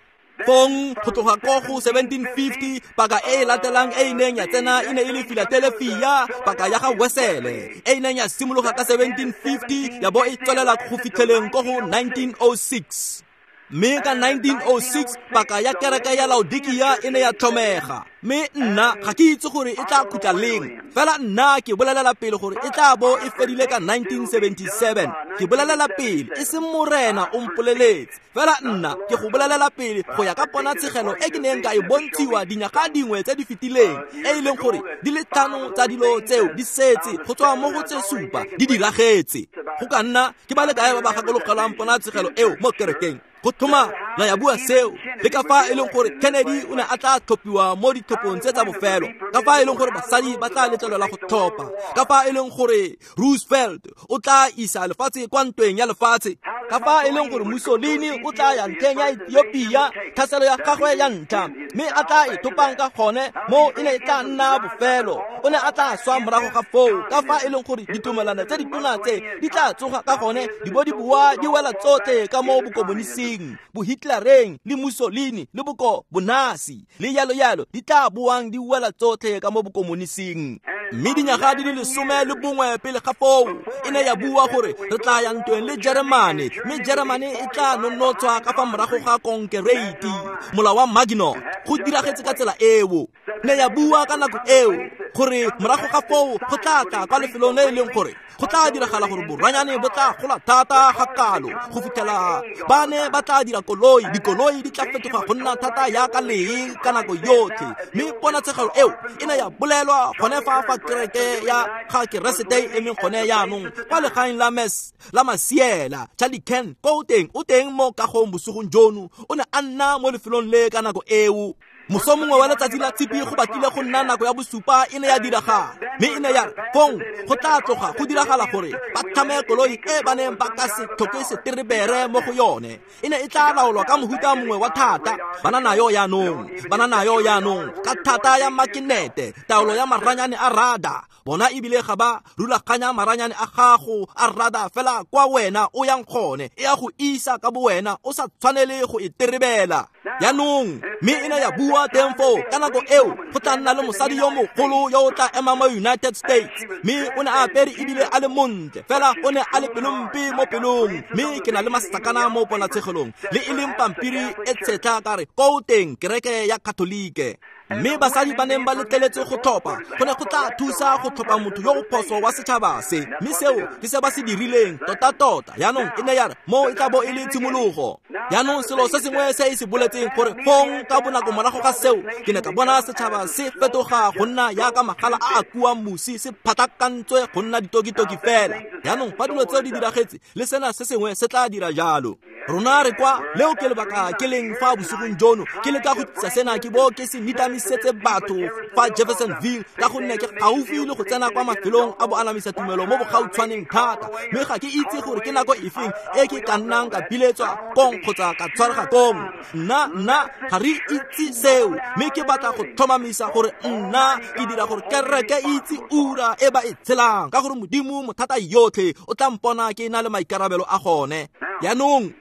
Fong go tloga ko go 1750 paka e e latelang e e neng ya tsena e ne e le Philadelphia, paka ya ga Wesele e e neng ya simologa ka 1750 ya bo e tswelela go fitlheleng ko go 1906. Mme ka 1906 paka ya kereke ya Laodikia e ne ya tlhomega, mme nna ga ke itse gore e tla khutla leng, fela nna ke bolelela pele gore e tla bo e fedile ka 1977. Ke bolelela pele, e seng Morena o mpoleletse, fela nna ke go bolelela pele go ya ka ponatshegelo e ke neng ka e bontshiwa dinyaga dingwe tse di fetileng, e e leng gore di le 5 tsa dilo tseo di setse go tswa mo go tse 7 di diragetse. Go ka nna ke ba le kae ba ba gakologelwang ponatshegelo eo mo kerekeng? Go thoma la ya bua seo, le ka fa e leng gore Kennedy o ne a tla tlhophiwa mo ditlhophong tse tsa bofelo, ka fa e leng gore basadi ba tla letlelelwa go tlhopha, ka fa e leng gore Roosevelt o tla isa lefatshe kwa ntweng ya lefatshe, ka fa e leng gore Mussolini o tla ya ntlheng ya Ethiopia, tlhaselo ya gagwe ya ntlha, mme a tla e thopang ka gone mo e ne e tla nna bofelo, o ne a tla swa morago ga foo, ka fa e leng gore ditumelano tse ditona tse di tla tsoga ka gone di bo di boa di wela tsotlhe ka mo bokomonising, bohitlereng le Mussolini le boko bonasi le yalo yalo di tla boang di wela tsotlhe ka mo bokomonising. Mme dinyaga di le 11 pele ga foo e ne ya bua gore re tla ya ntweng le Jeremane, mme Jeremane e tla nonotshwa ka fa morago ga konkereiti, molao wa Maginot. Go diragetse ka tsela eo. Ne ya bua ka nako eo gore morago ga foo go tla tla kwa lefelong le e leng gore go tla diragala gore boranyane bo tla gola thata ga kalo go fitlhela ba ne ba tla dira koloi, dikoloi di tla fetoga go nna thata yaka lee ka nako yotlhe. Mme ponatshegelo eo e ne ya bolelwa gone fa kereke ya ga Keresete e emeng gone jaanong kwa legaeng la mes la Masiela. Charlie Ken ko teng o teng mo kagong bosigong jono, o ne a nna mo lefelong le ka nako eo. Moso mongwe wa letsatsi la tshipi go batlile go nna nako ya bosupa e ne ya diragala, mme e ne ya re fong go tla tloga go diragala gore ba tlhame koloi e ba neng ba ka se tlhoke seterebere mo go yone. E ne e tla laolwa ka mohuta mongwe wa thata, ba na nayo jaanong ka thata ya makinete, taolo ya maranyane a rada. Bona ebile ga ba rulaganya maranyane a gago a rada fela kwa wena o yang gone, e ya go isa ka bowena o sa tshwanele go e terebela. Jaanong mme e ne ya bua teng foo ka nako eo go tla nna le mosadi yo mogolo yo o tla emang mo United States, mme o ne a apere ebile a le montle, fela o ne a le pelompe mo pelong. Mme ke na le masakana mo ponatshegelong le e leng pampiri e tshetlha ka re ko teng kereke ya Katolike. Mme basadi ba neng ba letleletswe go tlhopha go ne go tla thusa go tlhopha motho yo o phoso wa setšhaba se, mme seo ke se ba se dirileng tota-tota. Jaanong e ne ya re mo e tla bo e le tshimologo. Jaanong selo se sengwe se e se boletseng gore fong ka bonako morago ga seo ke ne ka bona setšhaba se fetoga go nna yaka magala a a kuang mosi, se phatakantswe go nna ditokitoki fela. Jaanong fa dilo tseo di diragetse le sena se sengwe se tla dira jalo. Rona re kwa leo ke lebaka ke leng fa bosigong jono ke leka go tlisa sena ke bo ke se nitamisetse batho fa Jeffersonville, ka gonne ke gaufi le go tsena kwa mafelong a boanamisa tumelo mo bogautshwaneng thata, mme ga ke itse gore ke nako efeng e ke ka nnang ka biletswa kong kgotsa ka tshwarega kong. Nna ga re itse seo, mme ke batla go tlhomamisa gore nna ke dira gore kereke e itse ura e ba e tshelang, ka gore Modimo mothata yotlhe o tla mpona ke na le maikarabelo a gone. Jaanong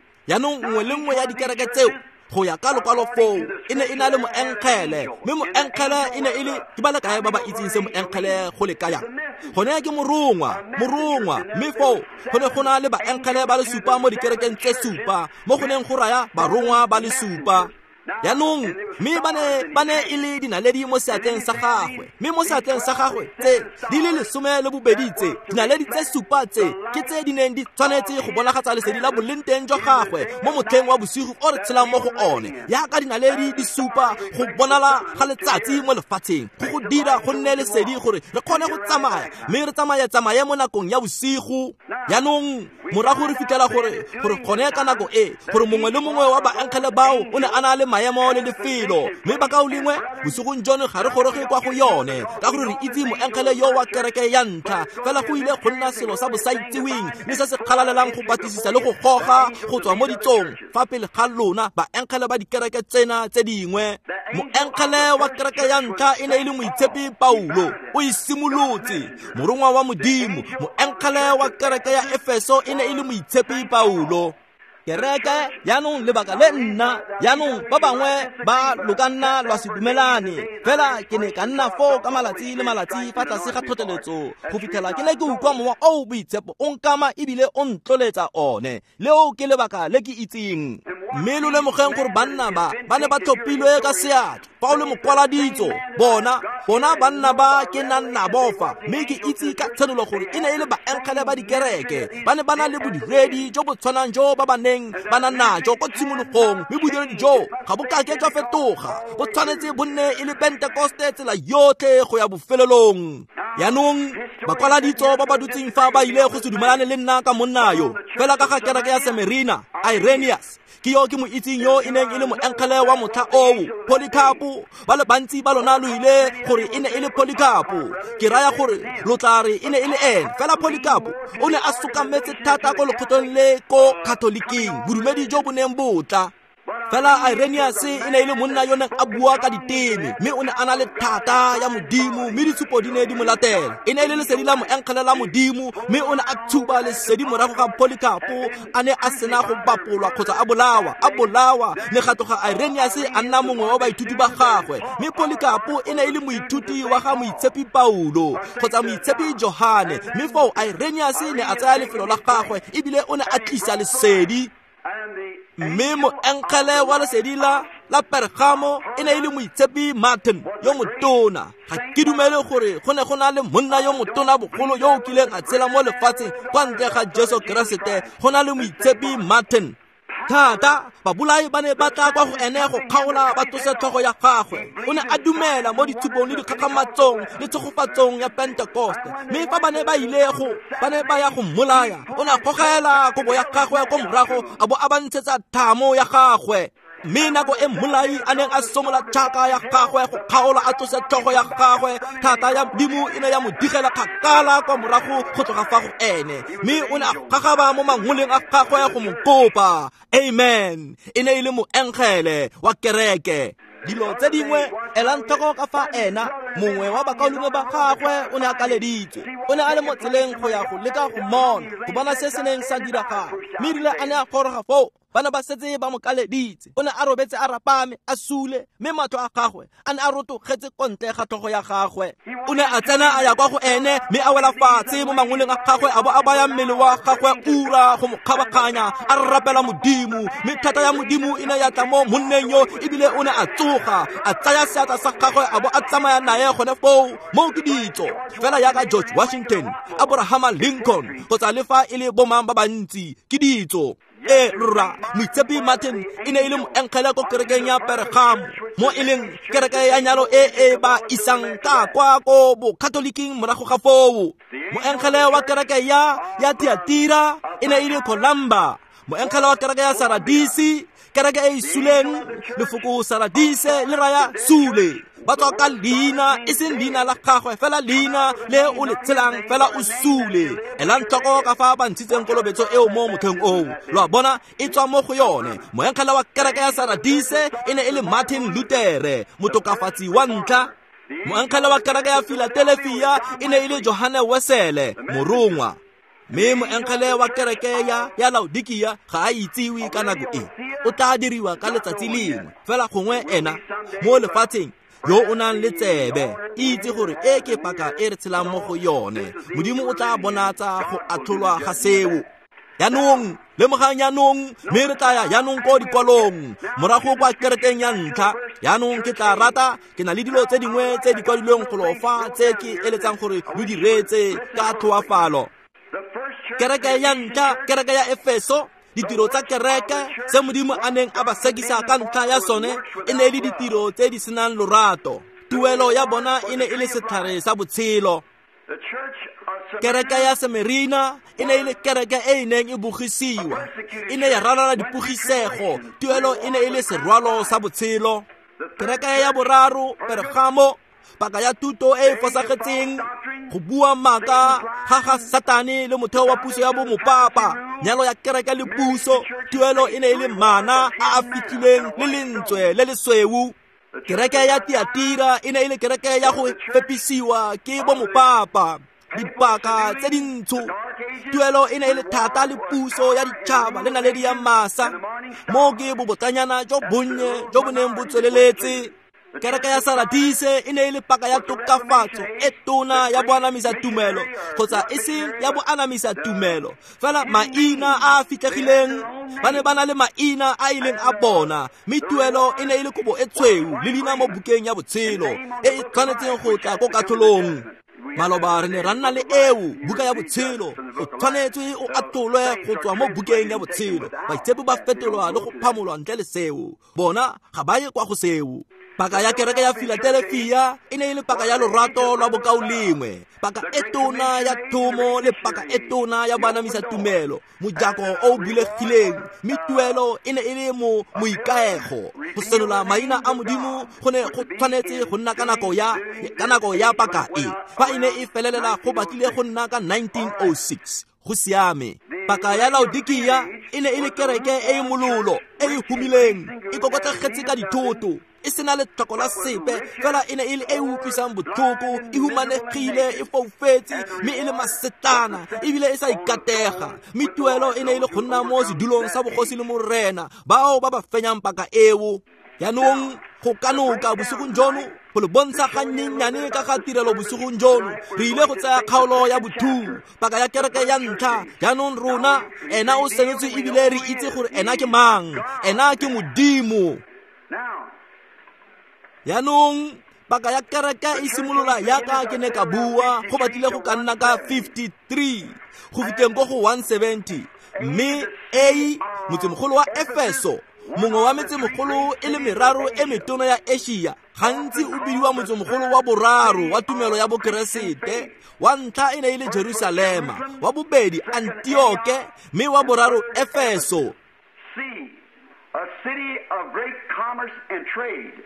nngwe le nngwe ya dikereke tseo Go ya ka lokwalo foo e ne e na le moengele, mme moengele e ne e le ke ba le kae ba ba itseng se moengele go le kaya? Gone ke morongwa, mme foo go ne go na le baengele ba le supa mo dikerekeng tse supa, mo go neng go raya barongwa ba le supa. Jaanong mme ba ne e le dinaledi mo seatleng sa gagwe, mme mo seatleng sa gagwe tse di le 12 tse dinaledi tse supa tse ke tse di neng di tshwanetse go bonagatsa lesedi la boleng teng jwa gagwe mo motlheng wa bosigo o re tshelang mo go one, yaka dinaledi di supa go bonala ga letsatsi mo lefatsheng, go dira go nne lesedi gore re kgone go tsamaya, mme re tsamaye mo nakong ya bosigo. Jaanong morago re fitlhela gore gone ka nako e gore mongwe le mongwe wa baengele bao o ne a na le maemo le lefelo, mme bakaulengwe bosigong jono ga re goroge kwa go yone ka gore re itse moengele yo wa kereke ya ntlha, fela go ile go nna selo sa bosaitseweng le se se kgalalelang go batlisisa le go goga go tswa mo ditsong fa pele ga lona baengele ba dikereke tsena tse dingwe. Moengele wa kereke ya ntlha e ne e le moitshepi Paulo, o e simolotse, morongwa wa Modimo. Moengele wa kereke ya Efeso e ne e le moitshepi Paulo. Kereke jaanong lebaka le nna jaanong ba bangwe ba lo ka nna lwa se dumelane, fela ke ne ka nna foo ka malatsi le malatsi fa tlase ga tlhotlheletso go fitlhela ke ne ke utlwa mowa o boitshepo o nkama ebile o ntloletsa one. Leo ke lebaka le ke itseng. Mme lo lemogeng gore banna ba ba ne ba tlhophilwe ka seatla. Fa o le mokwaladitso, bona banna ba ke nang nabo fa, mme ke itse ka tshenolo gore e ne e le baengele ba dikereke. Ba ne ba na le bodiredi jo bo tshwanang jo ba ba neng ba na najo ko tshimologong, mme bodiredi jo ga bo kake jwa fetoga, bo tshwanetse bo nne e le Pentekoste tsela yotlhe go ya bofelelong. Jaanong bakwaladitso ba ba dutseng fa ba ile go se dumelane le nna ka monna yo, fela ka ga kereke ya Semerina, Irenaeus ke yo ke mo itseng yo e neng e le moengele wa motlha oo, Polycarpo. Ba le bantsi ba lona lo ile gore e ne e le Polycarpo, ke raya gore lo tla re e ne e le ene, fela Polycarpo o ne a sokametse thata ko lekgotleng le ko Catholic-ing, bodumedi jo bo neng bo tla. Fela Irenaeus e ne e le monna yo neng a bua ka diteme, mme o ne a na le thata ya Modimo, mme ditshupo di ne di mo latela. E ne e le lesedi la moengele la Modimo, mme o ne a tshuba lesedi morago ga Polycarpo a ne a sena go bapolwa kgotsa a bolawa. Ne ga tloga Irenaeus a nna mongwe wa baithuti ba gagwe, mme Polycarpo e ne e le moithuti wa ga moitshepi Paulo kgotsa moitshepi Johane, mme foo Irenaeus ne a tsaya lefelo la gagwe ebile o ne a tlisa lesedi. Mme moengele wa lesedi la Pergamo e ne e le moitshepi Martin yo motona. Ga ke dumele gore go ne go na le monna yo motona bogolo yo o kileng a tshela mo lefatsheng kwa ntle ga Jesu Keresete, go na le moitshepi Martin. Thata babolai ba ne ba tla kwa go ene go kgaola ba tlose tlhogo ya gagwe. O ne a dumela mo ditshupong le dikgakgamatsong le tshegofatsong ya Pentekoste, mme fa ba ne ba ile go ba ne ba ya go mmolaya, o ne a gogela kobo ya gagwe ko morago a bo a ba ntshetsa thamo ya gagwe. Mme nako e mmolai a neng a somola tšhaka ya gagwe go kgaola a tlose tlhogo ya gagwe, thata ya Modimo e ne ya mo digela kgakala kwa morago go tloga fa go ene, mme o ne a gagaba mo mangoleng a gagwe go mo kopa. Amen. E ne e le moengele wa kereke. Dilo tse dingwe elang tlhoko ka fa ena mongwe wa bakaulengwe ba gagwe o ne a kaleditswe, o ne a le mo tseleng go ya go leka go mmona, go bona se se neng sa diragala. Mme erile a ne a goroga foo, ba ne ba setse ba mo kaleditse. O ne a robetse a rapame a sule, mme matlho a gagwe a ne a rotogetse ko ntle ga tlhogo ya gagwe. O ne a tsena a ya kwa go ene, mme a wela fatshe mo mangoleng a gagwe a bo a baya mmele wa gagwe ura go mo kgabaganya, a rapela Modimo. Mme thata ya Modimo e ne ya tla mo monneng yo, ebile o ne a tsoga a tsaya seatla sa gagwe a bo a tsamaya nae gone foo. Moo ke ditso fela yaka George Washington, Abraham Lincoln kgotsa le fa e le bomang ba bantsi, ke ditso. E rra, moitshepi Martin e ne e le moengele ko kerekeng ya Pergamo, mo e leng kereke ya nyalo e e ba isang ka kwa ko bokatoliking morago ga foo. Moengele wa kereke ya Tiatira e ne e le Columba. Moengele wa kereke ya Saradisi, kereke e e suleng, lefoko Saradise le raya sule. Ba tswa ka leina, e seng leina la gagwe, fela leina le o le tshelang, fela o sule. Elang tlhoko ka fa ba ntshitseng kolobetso eo mo motlheng oo. Lo a bona, e tswa mo go yone. Moengele wa kereke ya Saradise e ne e le Martin Luther, motokafatsi wa ntlha. Moengele wa kereke ya Philadelphia e ne e le Johane Wesele, morongwa. Mme moengele wa kereke ya Laodikia ga a itsiwe ka nako e. O tla diriwa ka letsatsi lengwe, fela gongwe ena mo lefatsheng yo o nang le tsebe itse gore e ke paka e re tshelang mo go yone. Modimo o tla bonatsa go atlholwa ga seo. Jaanong lemogang jaanong, mme re tla ya jaanong ko dikwalong morago kwa kerekeng ya ntlha. Jaanong ke tla rata, ke na le dilo tse dingwe tse di kwadilweng golo fa tse ke eletsang gore lo di reetse ka tlhoafalo. Kereke ya ntlha, kereke ya Efeso, ditiro tsa kereke se Modimo a neng a ba sekisa ka ntlha ya sone e ne e le ditiro tse di senang lorato. Tuelo ya bona e ne e le setlhare sa botshelo. Kereke ya Semerina e ne e le kereke e e neng e bogisiwa, e ne ya ralala dipogisego. Tuelo e ne e le serwalo sa botshelo. Kereke ya boraro, Pergamo, paka ya thuto e e fosagetseng, go bua maaka ga ga Satane le motheo wa puso ya bomopapa, nyalo ya kereke le puso. Tuelo e ne e le mana a a fitlhilweng le lentswe le lesweu. Kereke ya Tiatira e ne e le kereke ya go fepisiwa ke bomopapa, dipaka tse dintsho. Tuelo e ne e le thata le puso ya ditšhaba le naledi ya masa. Mo ke bobotlanyana jo bonnye jo bo neng bo tsweleletse. Kereke ya Saradise e ne e le paka ya tokafatso e tona ya boanamisa tumelo, kgotsa e seng ya boanamisa tumelo fela, maina a a fitlhegileng. Ba ne ba na le maina a ileng a bona, mme tuelo e ne e le kobo e tshweu le leina mo bukeng ya botshelo e e tshwanetseng go tla ko katlholong. Maloba re ne ra nna le eo buka ya botshelo, o tshwanetswe o atolwe go tswa mo bukeng ya botshelo. Baitshepi ba fetolwa le go phamolwa ntle le seo, bona ga ba ye kwa go seo. Paka ya kereke ya Philadelphia e ne e le paka ya lorato lwa bokaulengwe, paka e tona ya thomo le paka e tona ya boanamisa tumelo, mojako o o bulegileng. Mme tuelo e ne e le mo moikaego. Go senola maina a Modimo go ne go tshwanetse go nna ka nako ya paka e. Fa e ne e felelela go batlile go nna ka 1906. Go siame. Paka ya Laodikia e ne e le kereke e e mololo, e e humileng, e kokotlegetse ka dithoto, e sena letlhoko la sepe, fela e ne e le e utlwisang botlhoko, e humanegile, e foufetse, mme e le masetlana, ebile e sa ikatega. Mme tuelo e ne e le go nna mo sedulong sa bogosi le morena, bao ba ba fenyang paka eo. Jaanong go kanoka bosigong jono, go le bontsha gannyenyane ka ga tirelo bosigong jono, re ile go tsaya kgaolo ya bothu, paka ya kereke ya ntlha. Jaanong rona, ena o senotswe ebile re itse gore ena ke mang, ena ke Modimo. Jaanong paka ya kereke e simolola yaka ke ne ka bua, go batlile go ka nna ka 53 go fitlheng ko go 170. Mme A, motsemogolo wa Efeso, mongwe wa metsemogolo e le meraro e metona ya Asia, gantsi o bidiwa motsemogolo wa boraro wa tumelo ya bokeresete. Wa ntlha e ne e le Jerusalema, wa bobedi Antioke, mme wa boraro Efeso. A city of great commerce and trade.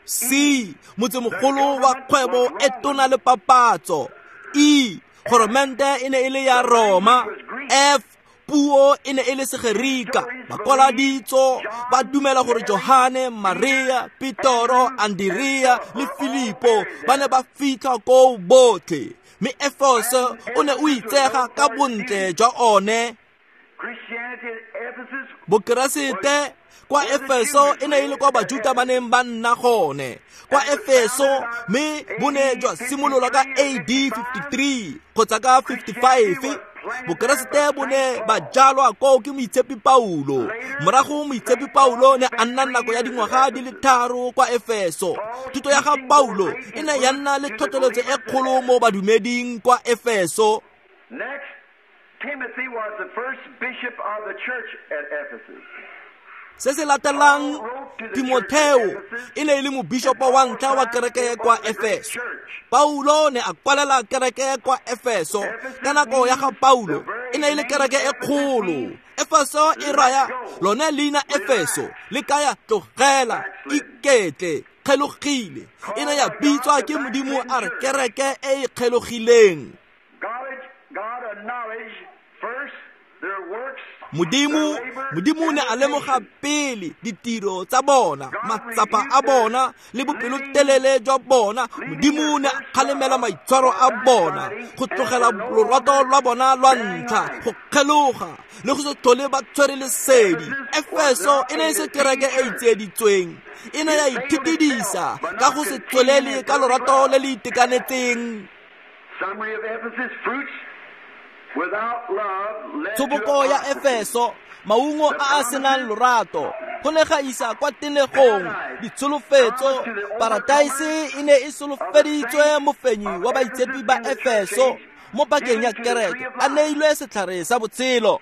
C, motsemogolo wa kgwebo e tona le papatso. E, goromente e ne e le ya Roma. F, puo e ne e le Segerika. Bakwaladitso ba dumela gore Johane, Maria, Petoro, Andrea le Filipo ba ne ba fitlha koo botlhe. Mme Efeso o ne o itsega ka bontle jwa one. Bokeresete kwa Efeso e ne e le kwa Bajuta ba neng ba nna gone kwa Efeso, mme bo ne jwa simololwa ka AD 53 kgotsa ka 55. Bokeresete bo ne ba jalwa koo ke Moitshepi Paulo. Morago Moitshepi Paulo ne a nna nako ya dingwaga di le 3 kwa Efeso. Thuto ya ga Paulo e ne ya nna le tlhotlheletso e kgolo mo badumeding kwa Efeso. Next, Timothy was the first bishop of the church at Ephesus. Se se latelang, Timotheo e ne e le mobishopo wa ntlha wa kereke kwa Efeso. Paulo ne a kwalela kereke kwa Efeso. Ka nako ya ga Paulo e ne e le kereke e kgolo. Efeso e raya lone leina Efeso le kaya tlogela, iketle, kgelogile. E ne ya bitswa ke Modimo a re kereke e e kgelogileng. Modimo ne a lemoga pele ditiro tsa bona, matsapa a bona le bopelotelele jwa bona. Modimo ne a kgalemela maitshwaro a bona, go tlogela lorato lwa bona lwa ntlha, go kgeloga le go se tlhole ba tshwere lesedi. Efeso e ne e se kereke e tsieditsweng, e ne ya ithitidisa ka go se tswelele ka lorato le le itekanetseng. Tshoboko ya Efeso, maungo a a senang lorato, go ne ga isa kwa tenegong. Ditsholofetso, parataise e ne e solofeditswe mofenyi wa baitshepi ba Efeso mo pakeng ya kereke, a neilwe setlhare sa botshelo.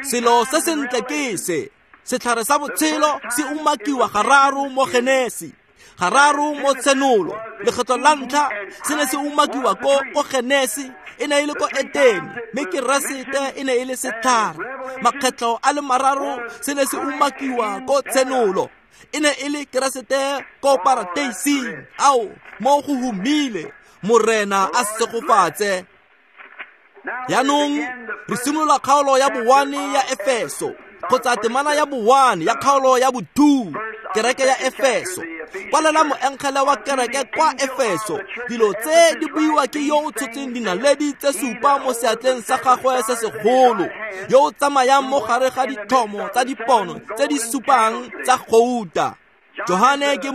Selo se sentle ke se, setlhare sa botshelo se umakiwa gararo mo Genesi, gararo mo Tshenolo. Lekgetlo la ntlha se ne se umakiwa ko Genesi, e ne e le ko Etene, mme Keresete e ne e le setlhare. Makgetlo a le mararo se ne se umakiwa ko Tshenolo, e ne e le Keresete ko parateising. Ao, mo go humile, Morena a segofatse. Jaanong re simolola kgaolo ya bo-1 ya Efeso, kgotsa temana ya bo-1 ya kgaolo ya bo-2, kereke ya Efeso. Kwalela moengele wa kereke kwa Efeso, dilo tse di buiwa ke yo o tshotseng dinaledi tse supa mo seatleng sa gagwe se segolo, yo o tsamayang mo gare ga ditlhomo tsa dipono tse di supang tsa gouta. Johane ke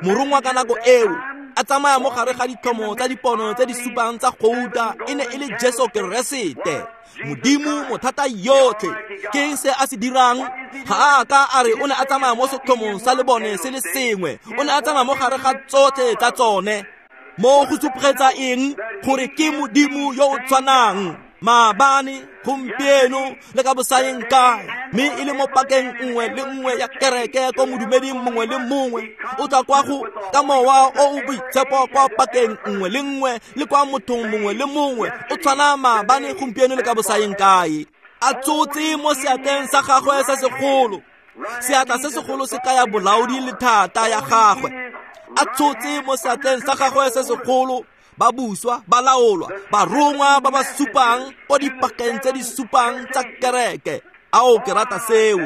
morongwa ka nako eo, a tsamaya mo gare ga ditlhomo tsa dipono tse di supang tsa gouta, e ne e le Jesu Keresete, Modimo mothata yotlhe. Ke eng se a se dirang? Ga a ka a re o ne a tsamaya mo setlhomong sa lebone se le sengwe, o ne a tsamaya mo gare ga tsotlhe tsa tsone. Mo go supegetsa eng? Gore ke Modimo yo o tshwanang maabane, gompieno le ka bosayeng kae, mme e le mo pakeng nngwe le nngwe ya kereke ko modumeding mongwe le mongwe. O tla kwa go ka mowa o o boitshepo kwa pakeng nngwe le nngwe le kwa mothong mongwe le mongwe. O tshwana maabane, gompieno le ka bosayeng kae. A tsotse mo seatleng sa gagwe se segolo. Seatla se segolo se kaya bolaodi le thata ya gagwe. A tsotse mo seatleng sa gagwe se segolo, ba buswa, ba laolwa, barongwa ba ba supang ko dipakeng tse di supang tsa kereke. Ao, ke rata seo.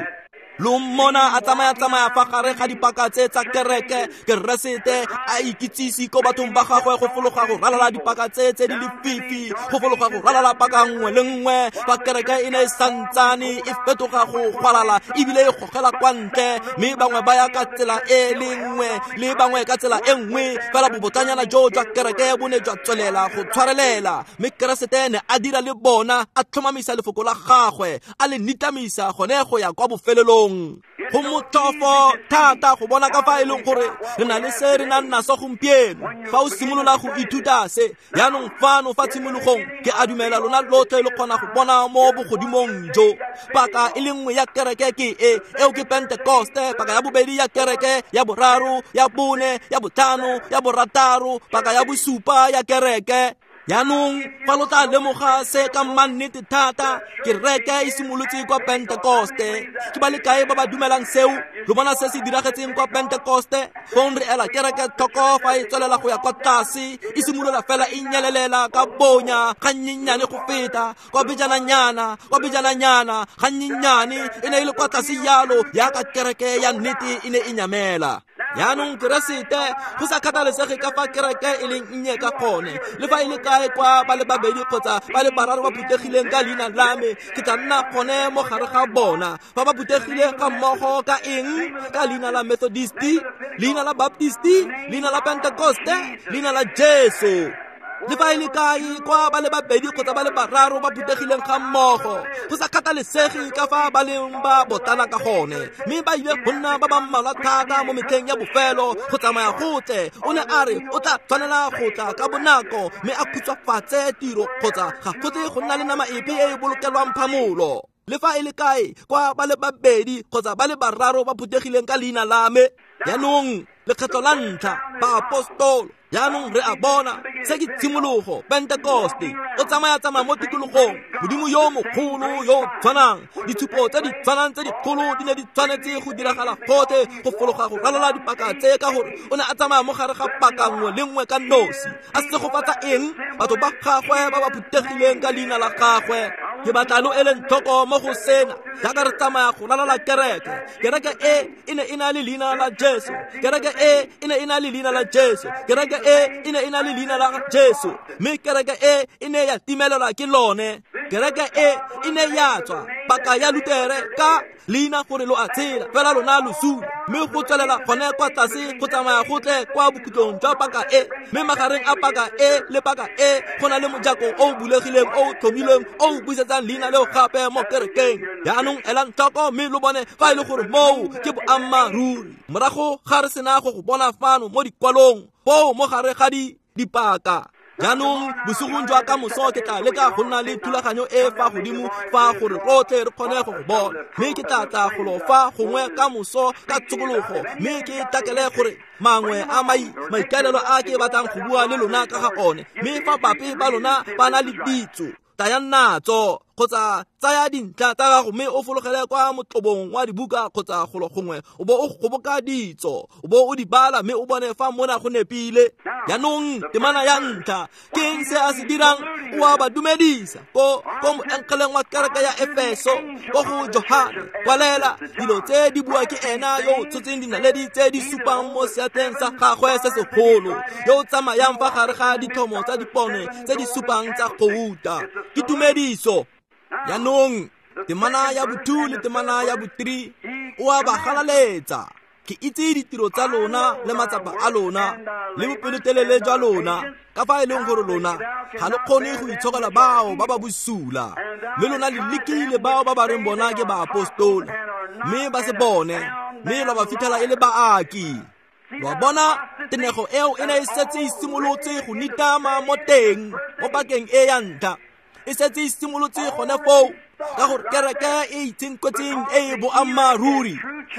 Lo mmona a tsamaya-tsamaya fa gare ga dipaka tse tsa kereke, Keresete a ikitsise ko bathong ba gagwe go fologa go ralala dipaka tse tse di lefifi, go fologa go ralala paka nngwe le nngwe. Fa kereke e ne e santsane e fetoga go gwalala ebile e gogela kwa ntle, mme bangwe ba ya ka tsela e le nngwe le bangwe ka tsela e nngwe, fela bobotlanyana jo jwa kereke bo ne jwa tswelela go tshwarelela. Mme Keresete ne a dira le bona, a tlhomamisa lefoko la gagwe, a le nitamisa gone go ya kwa bofelelong. Go motlhofo thata go bona ka fa e leng gore re na le se re nang naso gompieno. Fa o simolola go ithuta se jaanong fano fa tshimologong, ke a dumela lona lotlhe lo kgona go bona mo bogodimong jo. Paka e le nngwe ya kereke ke e, eo ke Pentekoste. Paka ya bobedi ya kereke, ya boraro, ya bone, ya botlhano, ya borataro, paka ya bosupa ya kereke. Jaanong fa lo tla lemoga se ka mannete thata, kereke e simolotse kwa Pentekoste. Ke ba le kae ba ba dumelang seo? Lo bona se se diragetseng kwa Pentekoste? Fong re ela kereke tlhoko fa e tswelela go ya kwa tlase, e simolola fela e nyelelela ka bonya ga nnyenyane go feta kwa bejananyana, kwa bejananyana ga nnyenyane. E ne e le kwa tlase jalo yaka kereke ya nnete e ne e nyamela. Jaanong Keresete, go sa kgathalesege ka fa kereke e leng nnye ka gone, le fa e le kae kwa ba le babedi kgotsa ba le bararo ba phuthegileng ka leina la me, ke tla nna gone mo gare ga bona. Fa ba phuthegile ga mmogo ka eng? Ka leina la Methodisti, leina la Baptisti, leina la Pentekoste, leina la Jesu. Le fa e le kae kwa ba le babedi kgotsa ba le bararo ba phuthegileng ga mmogo, go sa kgathalesege ka fa ba leng ba botlana ka gone, mme ba ile go nna ba ba mmalwa thata mo metlheng ya bofelo go tsamaya gotle. O ne a re o tla tshwanela go tla ka bonako mme a khutshwafatse tiro, kgotsa ga go tle go nna le nama epe e e bolokelwang phamolo. Le fa e le kae kwa ba le babedi kgotsa ba le bararo ba phuthegileng ka leina la me. Jaanong lekgetlo la ntlha baapostolo Jaanong re a bona se ke tshimologo Pentekoste o tsamaya-tsamaya mo tikologong Modimo yo mogolo yo o tshwanang ditshupo tse di tshwanang tse dikgolo di ne di tshwanetse go diragala gotlhe go fologa go ralala dipaka tse ka gore o ne a tsamaya mo gare ga paka nngwe le nngwe ka nosi a segofatsa eng batho ba gagwe ba ba phuthegileng ka leina la gagwe. Ke batla lo eleng tlhoko mo go sena jaaka re tsamaya go ralala kereke. Kereke e e ne e na le leina la Jesu. Kereke e e ne e na le leina la Jesu. Kereke e e ne e na le leina la Jesu. Mme kereke e e ne ya timelelwa ke lone. Kereke e e ne ya tswa paka ya Lutere ka leina gore lo a tshela fela lona lo sule mme go tswelela gone kwa tlase go tsamaya go tle kwa bokhutlong jwa paka e mme magareng a paka e le paka e go na le mojako o o bulegileng o o tlhomilweng o o busetsang leina leo gape mo kerekeng. Jaanong elang tlhoko mme lo bone fa e le gore moo ke boammaaruri. Morago ga re sena go go bona fano mo dikwalong foo mo gare ga dipaka. Jaanong bosigong jwa ka moso ke tla leka go nna le thulaganyo e fa godimo fa gore rotlhe re kgone go go bona mme ke tla tla golo fa gongwe ka moso ka tshokologo mme ke takele gore mangwe a maikaelelo a ke batlang go bua le lona ka ga one mme fa bape ba lona ba na le ditso tayang natso kgotsa tsaya dintlha tsa gago mme o fologele kwa motlobong wa dibuka kgotsa golo gongwe o bo o goboka ditso o bo o di bala mme o bone fa mona go nepile. Jaanong temana ya ntlha ke eng se a se dirang? O a ba dumedisa ko moengeleng wa kereke ya Efeso ko go Johane kwalela dilo tse di bua ke ena yo o tshotseng dinaledi tse di supang mo seatleng sa gagwe se segolo yo o tsamayang fa gare ga ditlhomo tsa dipone tse di supang tsa gouta. Ke tumediso. Jaanong temana ya bo-2 le temana ya bo-3 o a ba galaletsa. Ke itse ditiro tsa lona le matsapa a lona le bopelotelele jwa lona ka fa e leng gore lona ga lo kgone go itshokela bao ba ba bosula mme lona le lekile bao ba ba reng bona ke baapostola mme ba se bone mme lwa ba fitlhela e le baaki. Wa bona tenego eo e ne e setse e simolotse go nitama mo teng mo pakeng e ya ntlha e setse e simolotse gone foo ka gore kereke e itshenkotseng e e boammaaruri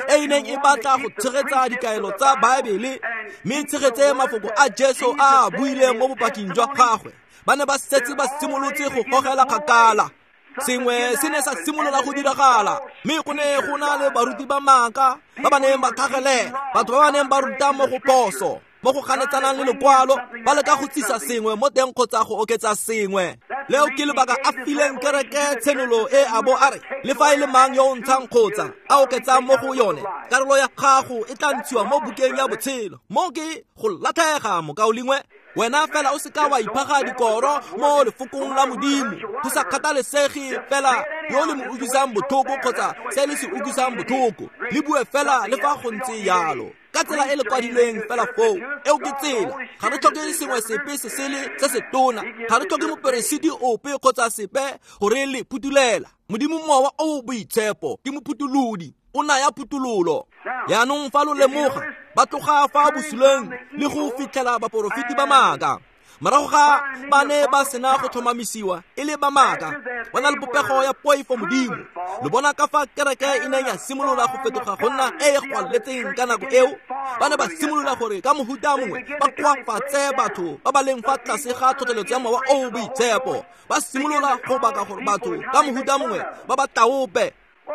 e e neng e batla go tshegetsa dikaelo tsa Baebele mme tshegetse mafoko a Jesu a a buileng mo bopaking jwa gagwe ba ne ba setse ba simolotse go gogela kgakala. Sengwe se ne sa simolola go diragala mme go ne go na le baruti ba maaka ba ba neng ba tlhagelela batho ba ba neng ba ruta mo go phoso mo go ganetsanang le lekwalo ba leka go tsisa sengwe mo teng kgotsa go oketsa sengwe. Leo ke lebaka a fileng kereke tshenolo e a bo a re le fa e le mang yo o ntshang kgotsa a oketsang mo go yone karolo ya gago e tla ntshiwa mo bukeng ya botshelo. Mo ke go latlhega mokaulengwe. Wena fela o seka wa iphaga dikoro mo lefokong la Modimo go sa kgathalesege fela yo le mo utlwisang botlhoko kgotsa se le se utlwisang botlhoko le bue fela le fa go ntse yalo ka tsela e le kwadilweng fela foo. Eo ke tsela. Ga re tlhoke sengwe sepe se sele se se tona, ga re tlhoke moperesiti ope kgotsa sepe gore le phutulela. Modimo mowa o o boitshepo ke mophutulodi o naya phutulolo. Jaanong fa lo lemoga ba tloga fa bosuleng le go fitlhela baporofeti ba maaka morago ga ba ne ba sena go tlhomamisiwa e le ba maaka ba na le popego ya poifo Modimo. Lo bona ka fa kereke e neng ya simolola go fetoga go nna e e gwaletseng ka nako eo ba ne ba simolola gore ka mohuta mongwe ba koafatse batho ba ba leng fa tlase ga tlhotlheletso ya mowa o o boitshepo ba simolola go baka gore batho ka mohuta mongwe ba ba taope.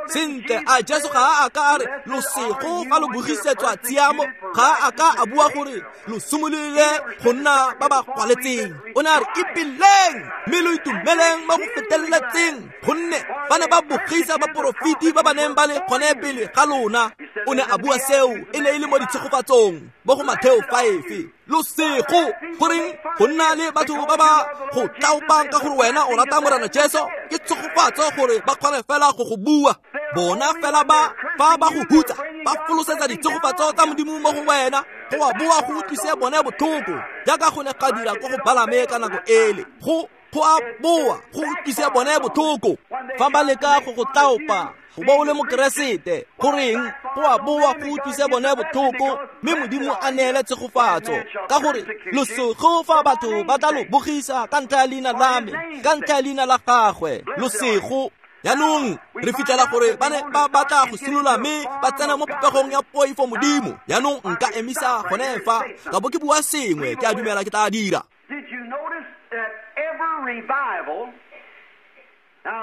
Sentle a Jesu ga a ka a re losego fa lo bogisetswa tshiamo ga a ka a bua gore lo simolole go nna ba ba kwaletseng. O ne a re ipeleng mme lo itumeleng mo go feteletseng gonne ba ne ba bogisa baporofeti ba ba neng ba le gone pele ga lona. O ne a bua seo e ne e le mo ditshegofatsong mo go Matheo 5. Losego goreng go nna le batho ba ba go tlaopang ka gore wena o rata Morena Jesu ke tshegofatso gore ba kgone fela go go bua. Bona fela ba fa ba go hutsa ba folosetsa ditshegofatso tsa Modimo mo go wena go a boa go utlwise bone botlhoko jaaka go ne ga dira ko go Balame ka nako ele go a boa go utlwise bone botlhoko fa ba leka go go tlaopa go bo o le mokeresete goreng go a boa go utlwise bone botlhoko mme Modimo a neele tshegofatso ka gore losego fa batho ba tla lo bogisa ka ntlha ya leina la me ka ntlha ya leina la gagwe losego. Jaanong re fitlhela gore ba ne ba batla go simolola mme ba tsena mo popegong ya poifo modimo. Jaanong nka emisa gone fa ka bo ke bua sengwe, ke a dumela ke tla dira.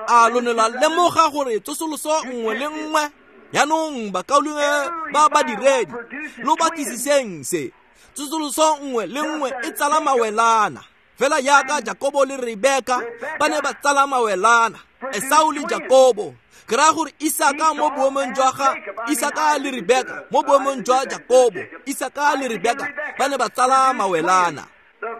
A lo ne la lemoga gore tsosoloso nngwe le nngwe? Jaanong bakaulengwe ba badiredi, lo batlisiseng se. Tsosoloso nngwe le nngwe e tsala mawelana. Fela jaaka Jakobo le Rebeka ba ne ba tsala mawelana, Esau le Jakobo. Ke raya gore Isaka mo boemong jwa ga Isaka le Rebeka mo boemong jwa Jakobo, Isaka le Rebeka ba ne ba tsala mawelana.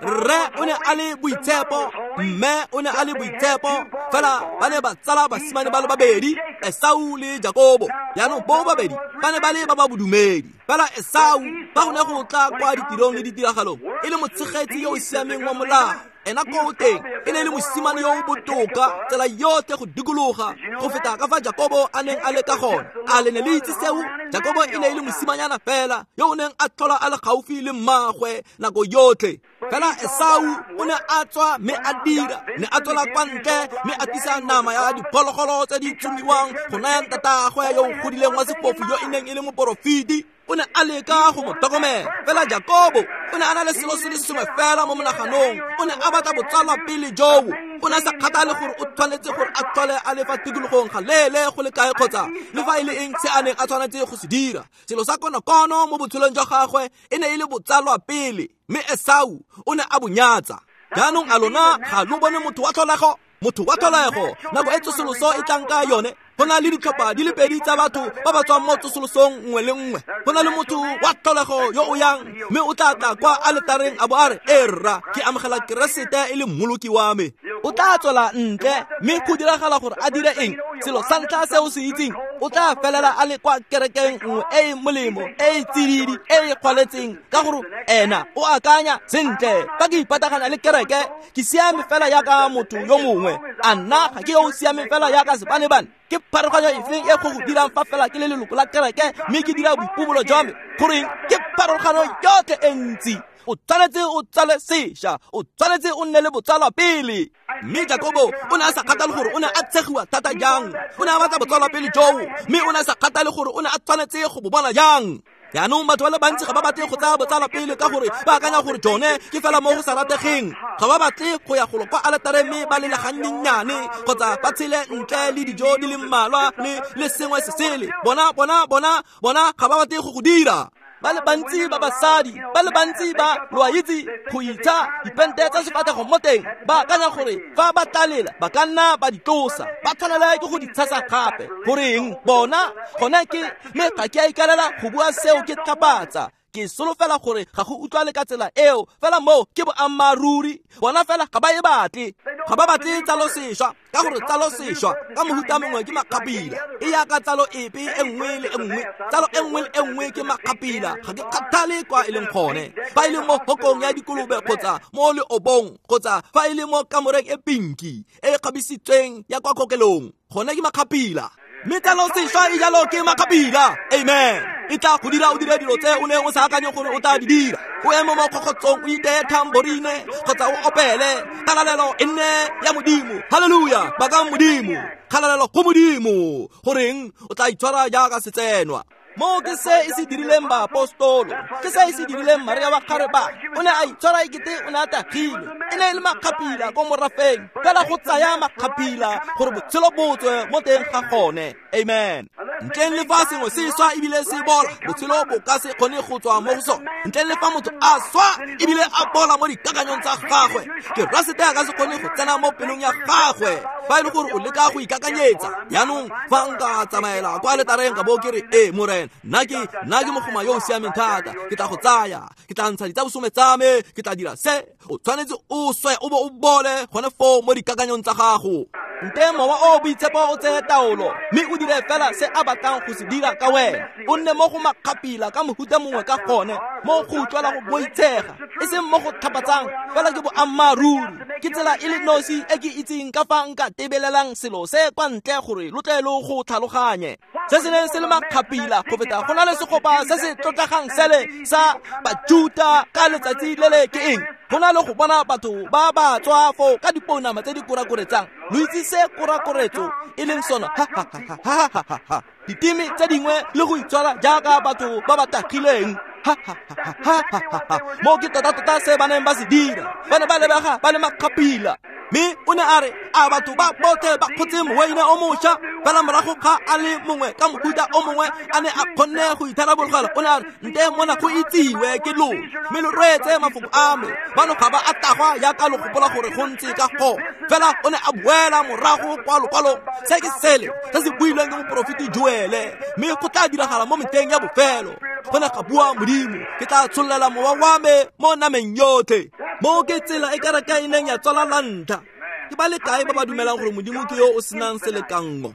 Rre o ne a le boitshepo, mme o ne a le boitshepo, fela ba ne ba tsala basimane ba le babedi, Esau le Jakobo. Jaanong bo babedi ba ne ba le ba ba bodumedi. Fela Esau ba go ne go tla kwa ditirong le ditiragalong e le motshegetsi yo o siameng wa molao. Ena ko teng e ne e le mosimane yo o botoka tsela yotlhe go dikologa go feta ka fa Jakobo a neng a le ka gone. A le ne le itse seo? Jakobo e ne e le mosimanyana fela yo o neng a tlhola a le gaufi le mmaagwe nako yotlhe. Fela Esau o ne a tswa mme a dira, ne a tswela kwa ntle mme a tlisa nama ya diphologolo tse di tsomiwang go naya ntatagwe yo o godileng wa sefofu yo e neng e le moporofeti. O ne a leka go mo tlhokomela. Fela Jakobo o ne a na le selo se le sengwe fela mo monaganong, o ne a batla botsalwa pele joo. O ne a sa kgathale gore o tshwanetse gore a tlhole a le fa tikologong ga leele go le kae kgotsa le fa e le eng se a neng a tshwanetse go se dira. Selo sa konokono mo botshelong jwa gagwe e ne e le botsalwa pele, mme Esau o ne a bo nyatsa. Jaanong a lona ga lo bone motho wa tlholego? Motho wa tlholego nako e tsosoloso e tlang ka yone, go na le ditlhopha di le pedi tsa batho ba ba tswang mo tsosolosong nngwe le nngwe. Go na le motho wa tlholego yo o yang mme o tla tla kwa aletareng a bo a re, e rra, ke amogela Keresete e le mmoloki wa me. O tla tswela ntle mme go diragala gore a dire eng? Selo sa ntlha se o se itseng, o tla felela a le kwa kerekeng nngwe e e molemo, e e tsididi, e e kgwaletseng, ka gore ena o akanya sentle, fa ke ipatagana le kereke ke siame fela jaaka motho yo mongwe. A nna ga ke yo o siameng fela jaaka sebanebane? Ke pharologanyo efeng e go go dirang fa fela ke le leloko la kereke mme ke dira boipobolo jwa me? Goreng, ke pharologano yotlhe e ntsi. O tshwanetse o tsale sešwa, o tshwanetse o nne le botsalwa pele. Mme Jakobo o ne a sa kgathale gore o ne a tshegiwa thata jang, o ne a batla botsalwa pele joo, mme o ne a sa kgathale gore o ne a tshwanetse go bo bona jang. Jaanong batho ba le bantsi ga ba batle go tsaya botsalwa pele ka gore ba akanya gore jone ke fela mo go sa rategeng. Ga ba batle go ya golo kwa aletareng mme ba lele gannyenyane kgotsa ba tshele ntle le dijo di le mmalwa le sengwe se sele. Bona ga ba batle go go dira. Ba le bantsi ba basadi, ba le bantsi ba lo a itse go itsa dipente tsa sefatlhego mo teng, ba akanya gore fa ba tlalela ba ka nna ba di tlosa, ba tshwanela ke go di tshasa gape. Goreng bona gone ke mme ga ke a ikaelela go bua seo ke tlhapatsa. Ke solofela gore ga go utlwale ka tsela eo, fela moo ke boammaaruri. Bona fela ga ba e batle, ga ba batle tsalo sešwa, ka gore tsalo sešwa ka mohuta mongwe ke makgapila. E yaka tsalo epe e nngwe le e nngwe, tsalo e nngwe le e nngwe ke makgapila. Ga ke kgathale kwa e leng gone, fa e le mo hokong ya dikolobe kgotsa mo leobong kgotsa fa e le mo kamoreng e pinki e e kgabisitsweng ya kwa kokelong, gone ke makgapila. Mme tsalo sešwa e jalo ke makgapila. Amen. E tla go dira o dire dilo tse o neng o sa akanye gore o tla di dira. O eme mo kgokgotsong o iteye tamborine kgotsa o opele kgalalelo e nne ya Modimo. Haleluya, bakang Modimo, kgalalelo go Modimo. Goreng o tla itshwara jaaka setsenwa? Mo ke se e se dirileng baapostolo, ke se e se dirileng Maria wa Kgareba. O ne a itshwara ekete o ne a tagilwe. E ne e le makgapila ko morafeng, fela go tsaya makgapila gore botshelo bo tswe mo teng ga gone. Amen. Ntleng le fa sengwe se swa ebile se bola, botshelo bo ka se kgone go tswa mo go sone. Ntleng le fa motho a swa ebile a bola mo dikakanyong tsa gagwe, Keresete a ka se kgone go tsena mo pelong ya gagwe. Fa e le gore o leka go ikakanyetsa, jaanong fa nka tsamaela kwa aletareng ka bo ke re, ee Morena, nna ke mogoma yo o siameng thata, ke tla go tsaya, ke tla ntsha ditsabosome tsa me, ke tla dira se. O tshwanetse o swe o bo o bole gone foo mo dikakanyong tsa gago. Nte mowa o boitshepo o tseye taolo mme o dire fela se a batlang go se dira ka wena. O nne mo go makgapila ka mohuta mongwe ka gone, mo go utlwela go boitshega, e seng mo go tlhapatsang, fela ke boammaaruri. Ke tsela e le nosi e ke itseng ka fa nka tebelelang selo se kwa ntle gore lo tle lo go tlhaloganye. Se se neng se le makgapila go feta go na le segopa se se tlotlegang sele sa Bajuta ka letsatsi le le ke eng? Go na le go bona batho ba ba tswa foo ka dipounama tse di korakoretsang. Lo itse se korakoretso e leng sona, ha ha ha ha ha ha. Diteme tse dingwe le go itshwara jaaka batho ba ba tagileng, ha ha ha ha ha ha. Mo ke tota-tota se ba neng ba se dira, ba ne ba lebega ba le makgapila. Mme o ne a re a batho ba botlhe ba kgotse moweine o mošwa, fela morago ga a le mongwe ka mohuta o mongwe a ne a kgonne go itharabologela, o ne a re nte mona go itsiwe ke lona, mme lo reetse mafoko a me. Bano ga ba a tagwa jaaka lo gopola gore go ntse ka gone. Fela o ne a boela morago kwa lokwalong, se ke sele se se builweng ke moporofeti Joele, mme go tla diragala mo metlheng ya bofelo, go ne ga bua Modimo, ke tla tshollela mowa wa me mo nameng yotlhe. Mo ke tsela e kereke e neng ya tswala la ntlha. Ke ba le kae ba ba dumelang gore Modimo ke yo o senang selekanngo?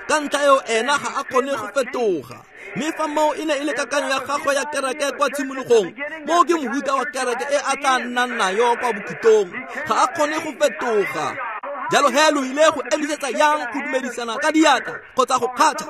Ka ntlha eo ena ga a kgone go fetoga. Mme fa moo e ne e le kakanyo ya gagwe ya kereke kwa tshimologong, moo ke mohuta wa kereke e a tla nnang nayo kwa bokhutlong. Ga a kgone go fetoga. Jalo he lo ile go emisetsa yang go dumedisana ka diatla kgotsa go kgatha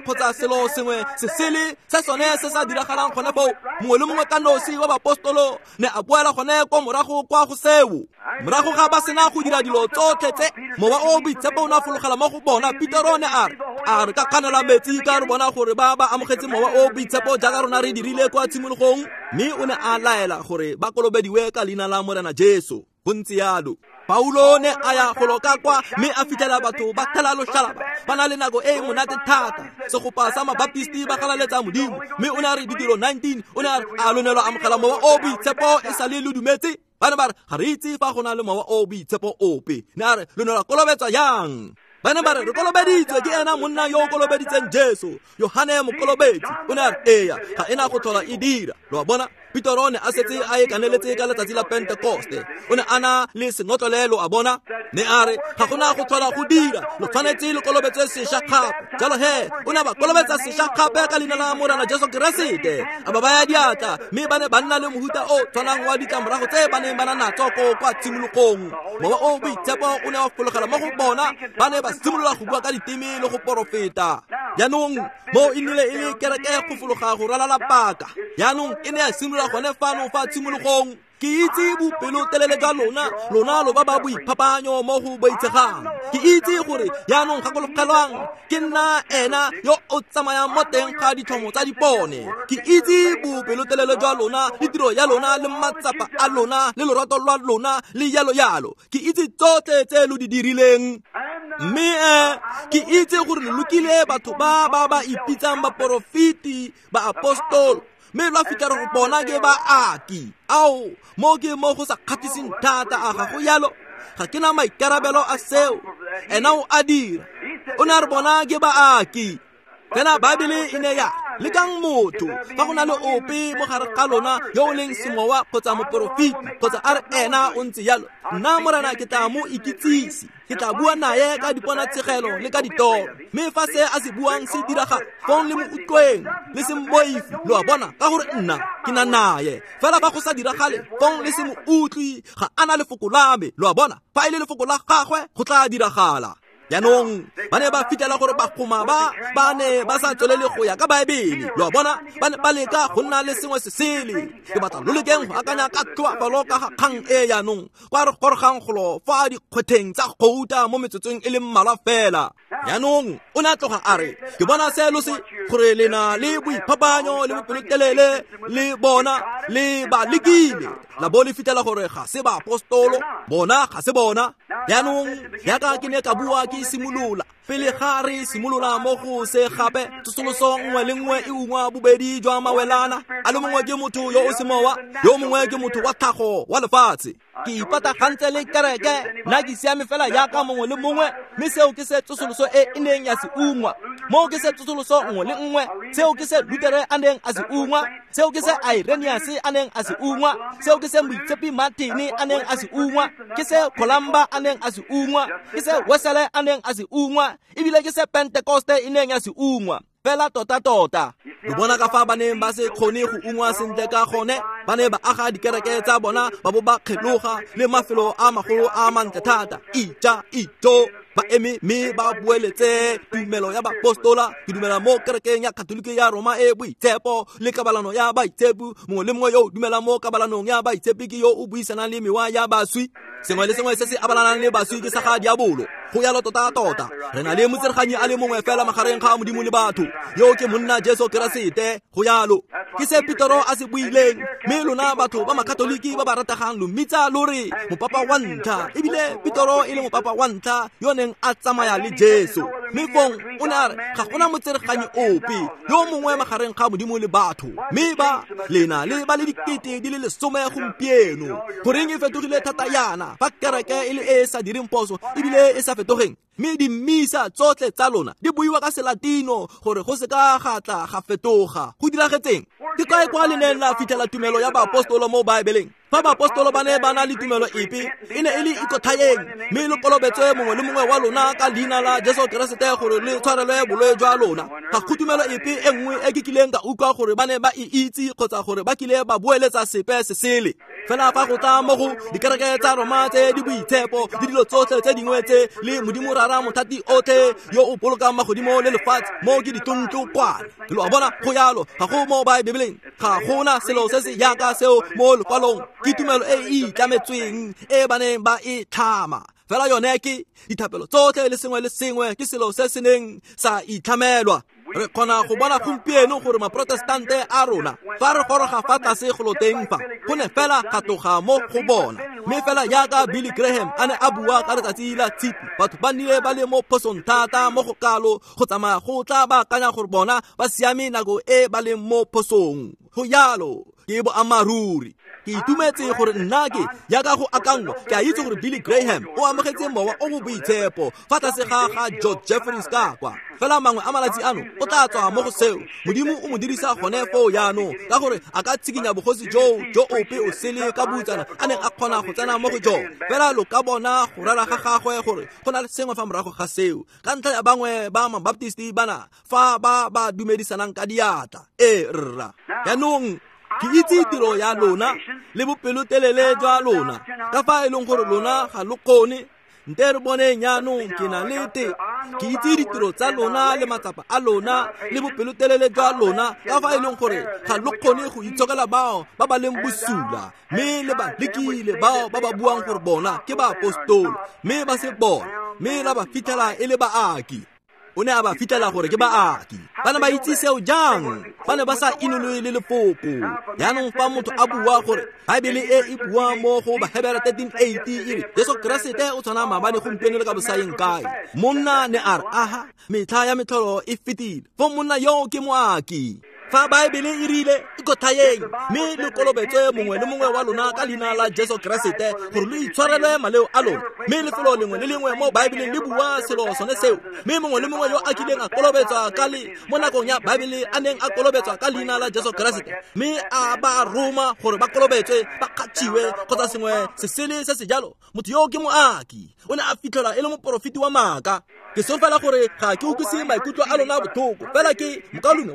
kgotsa selo sengwe se sele se sone se sa diragalang gone foo? Mongwe le mongwe ka nosi wa bapostolo ne a boela gone kwa morago kwa go seo. Morago ga ba sena go dira dilo tsotlhe tse, mowa o boitshepo o ne a fologela mo go bona. Petero ne a re, a re ka kganela metsi ka re bona gore ba ba amogetse mowa o boitshepo jaaka rona re dirile kwa tshimologong. Mme o ne a laela gore ba kolobediwe ka leina la Morena Jesu. Go ntse yalo. Paulo ne a ya go loka kwa mme a fitlhela batho ba thela loshalaba, ba na le nako e e monate thata. Segopa sa mabaptisti ba galaletsa Modimo. Mme o ne a re Ditiro 19, o ne a re a lo ne lwa amogela mowa o boitshepo e sa le lo dumetse? Ba ne ba re ga re itse fa go na le mowa o boitshepo ope. Ne a re lo ne lwa kolobetswa yang? Ba ne ba re re kolobeditswe ke ena monna yo o kolobeditseng Jesu, Yohane Mokolobetsi. O ne a re eya, ga ena go tlhola e dira. Lo a bona? Petero ne a setse a e kaneletse ka letsatsi la Pentekoste. O ne a na le senotlolelo, a bona. Ne a re ga gona go tlhola go dira, lo tshwanetse lo kolobetswe sešwa gape. Jalo he o ne a ba kolobetsa sešwa gape ka leina la Morena Jesu Keresete, a ba baya diatla, mme ba ne ba nna le mohuta o tshwanang wa ditlamorago tse ba neng ba na natso ko kwa tshimologong. Mowa o boitshepo o ne wa fologela mo go bona, ba ne ba simolola go bua ka diteme le go porofeta. Jaanong mo e nnile e le kereke go fologa go ralala paka. Jaanong e ne ya simolola gone fano fa tshimologong. Ke itse bopelotelele jwa lona, lona lo ba ba boiphapanyo mo go boitshegang. Ke itse gore jaanong gakologelwang, ke nna ena yo o tsamayang mo teng ga ditlhomo tsa dipone. Ke itse bopelotelele jwa lona le tiro ya lona le matsapa a lona le lorato lwa lona le yalo yalo. Ke itse tsotlhe tse lo di dirileng. Mme ke itse gore lo lokile batho ba ba ba ipitsang baporofeti, baapostolo, mme lwa fitlha re go bona ke baaki. Ao, mo ke mo go sa kgathiseng thata, a ga go yalo? Ga ke na maikarabelo a seo. Ena o a dira. O ne a re bona ke baaki. Fela Baebele e ne ya lekang motho fa go na le ope mo gare ga lona yo o leng semowa kgotsa moporofeti kgotsa a re ena o ntse yalo, nna Morena ke tla mo ikitsise, ke tla bua naye ka diponatshegelo le ka ditoro. Mme fa se a se buang se diragala, fong le mo utlweng, le se mmoife, lo a bona, ka gore nna ke na naye. Fela fa go sa diragale, fong le se mo utlwe, ga a na lefoko la me, lo a bona. Fa e le lefoko la gagwe, go tla diragala. Jaanong ba ne ba fitlhela gore bagoma ba ba ne ba sa tswelele go ya ka Baebele, lo a bona, ba ne ba leka go nna le sengwe se sele. Ke batla lo lekeng go akanya ka tlhoafalo ka ga kgang e jaanong, kwa re gorogang golo fa dikgwetheng tsa gouta mo metsotsong e le mmalwa fela. Jaanong o ne a tloga a re, ke bona se lo se gore le na le boiphapanyo le bopelotelele, le bona le ba lekile, la bo le fitlhela gore ga se baapostolo, bona ga se bona. Jaanong jaaka ke ne ka bua ke simolola, pele ga re simolola mo go se gape, tsosoloso nngwe le nngwe e ungwa bobedi jwa mawelana. A le mongwe ke motho yo o semowa, yo mongwe ke motho wa tlhago wa lefatshe. Ke ipatagantse le kereke, nna ke siame fela jaaka mongwe le mongwe, mme seo ke se tsosoloso e e neng ya se ungwa. Moo ke se tsosoloso nngwe le nngwe, seo ke se Lutere a neng a se ungwa, seo ke se Irenaeus a neng a se ungwa, seo ke se Moitshepi Martin a neng a se ungwa, ke se Columba a neng a se ungwa, ke se Wesele a neng a se ungwa, ebile ke se Pentekoste e neng ya se ungwa. Fela tota-tota. Lo bona ka fa ba neng ba se kgone go ungwa sentle ka gone, ba ne ba aga dikereke tsa bona ba bo ba kgeloga le mafelo a magolo a mantle thata. Ija, ijo, ba eme mme ba boeletse tumelo ya bapostola. Ke dumela mo kerekeng ya Katoliki ya Roma e boitshepo le kabalano ya baitshepi. Mongwe le mongwe yo o dumelang mo kabalanong ya baitshepi ke yo o buisanang le mewa ya baswi. Sengwe le sengwe se se abalanang le baswi ke sa ga diabolo. Go yalo tota-tota. Re na le motsereganyi a le mongwe fela magareng ga Modimo le batho, yo ke monna Jesu Keresete. Go yalo. Ke se Petero a se buileng. Mme lona batho ba Makatoliki ba ba rategang lo mmitsa lo re mopapa wa ntlha, ebile Petero e le mopapa wa ntlha yo neng a tsamaya le Jesu. Mme fong o ne a re ga gona motsereganyi ope yo mongwe magareng ga Modimo le batho. Mme ba lena le ba le 10,000 gompieno. Goreng e fetogile thata yana fa kereke e le e e sa direng phoso ebile e sa fetogeng? Mme dimmisa tsotlhe tsa lona di buiwa ka Selatino gore go se ka ga tla ga fetoga. Go diragetseng? Ke kae kwa le neng la fitlhela tumelo ya baapostolo mo Baebeleng? Fa baapostolo ba ne ba na le tumelo epe, e ne e le ikotlhayeng, mme lo kolobetswe mongwe le mongwe wa lona ka leina la Jesu Keresete gore le tshwarelwe bolwetse jwa lona. Ga go tumelo epe e nngwe e ke kileng ka utlwa gore ba ne ba e itse kgotsa gore ba kile ba boeletsa sepe se sele. Fela fa go tla mo go dikereke tsa Roma tse di boitshepo le dilo tsotlhe tse dingwe tse le Modimo Rara mothati otlhe yo o bolokang magodimo le lefatshe, mo ke ditontlokwane. Lo a bona, go yalo, ga go mo Baebeleng, ga gona selo se se yaka seo mo lekwalong. Ke tumelo e e itlametsweng e ba neng ba e tlhama. Fela yone ke dithapelo tsotlhe le sengwe le sengwe ke selo se se neng sa itlhamelwa. Re kgona go bona gompieno gore maprotestante a rona fa re goroga fa tlase go loteng fa, go ne fela ga tloga mo go bona. Mme fela jaaka Billy Graham a ne a bua ka letsatsi la Tshipi, batho ba nnile ba le mo phosong thata mo go kalo go tsamaya go tla ba akanya gore bona ba siame nako e ba leng mo phosong. Go yalo, ke boammaaruri. Ke itumetse gore nna ke jaaka go akangwa, ke a itse gore Billy Graham o amogetse mowa o o boitshepo fa tlase ga ga George Jeffreys ka kwa. Fela mangwe a malatsi ano o tla tswa mo go seo. Modimo o mo dirisa gone foo jaanong, ka gore a ka tshikinya bogosi joo jo ope o sele ka boutsana a neng a kgona go tsena mo go jone. Fela lo ka bona go rera ga gagwe gore go na le sengwe fa morago ga seo, ka ntlha ya bangwe ba Mabaptisti bana fa ba ba dumedisanang ka diatla. Ee rra. Jaanong ke itse tiro ya lona le bopelotelele jwa lona, ka fa e leng gore lona ga lo kgone. Nte re boneng jaanong, ke na le te. Ke itse ditiro tsa lona le matsapa a lona le bopelotelele jwa lona, ka fa e leng gore ga lo kgone go itshokela bao ba ba leng bosula, mme le ba lekile bao ba ba buang gore bona ke baapostolo, mme ba se bona, mme la ba fitlhela e le baaki. O ne a ba fitlhela gore ke baaki. Ba ne ba itse seo jang? Ba ne ba sa inoloe le lefoko. Jaanong fa motho a bua gore Baebele e e bua mo go Bahebere 13:8 e re Jesu Keresete o tshwana maabane gompieno le ka bosaeng kae, monna ne a re aha, metlha ya metlholo e fetile. Fo monna yo ke moaki. Fa Baebele e rile ikotlhayeng mme le kolobetswe mongwe le mongwe wa lona ka leina la Jesu Keresete gore lo itshwarelwe maleo a lona, mme lefelo lengwe le lengwe mo Baebeleng le bua selo sone seo, mme mongwe le mongwe yo a kileng a kolobetswa ka le mo nakong ya Baebele a neng a kolobetswa ka leina la Jesu Keresete, mme a ba roma gore ba kolobetswe, ba kgathiwe kgotsa sengwe se sele se se jalo, motho yo ke moaki. O ne a fitlhelwa e le moporofeti wa maaka. Ke solofela gore ga ke utlwise maikutlo a lona botlhoko, fela ke mokalume,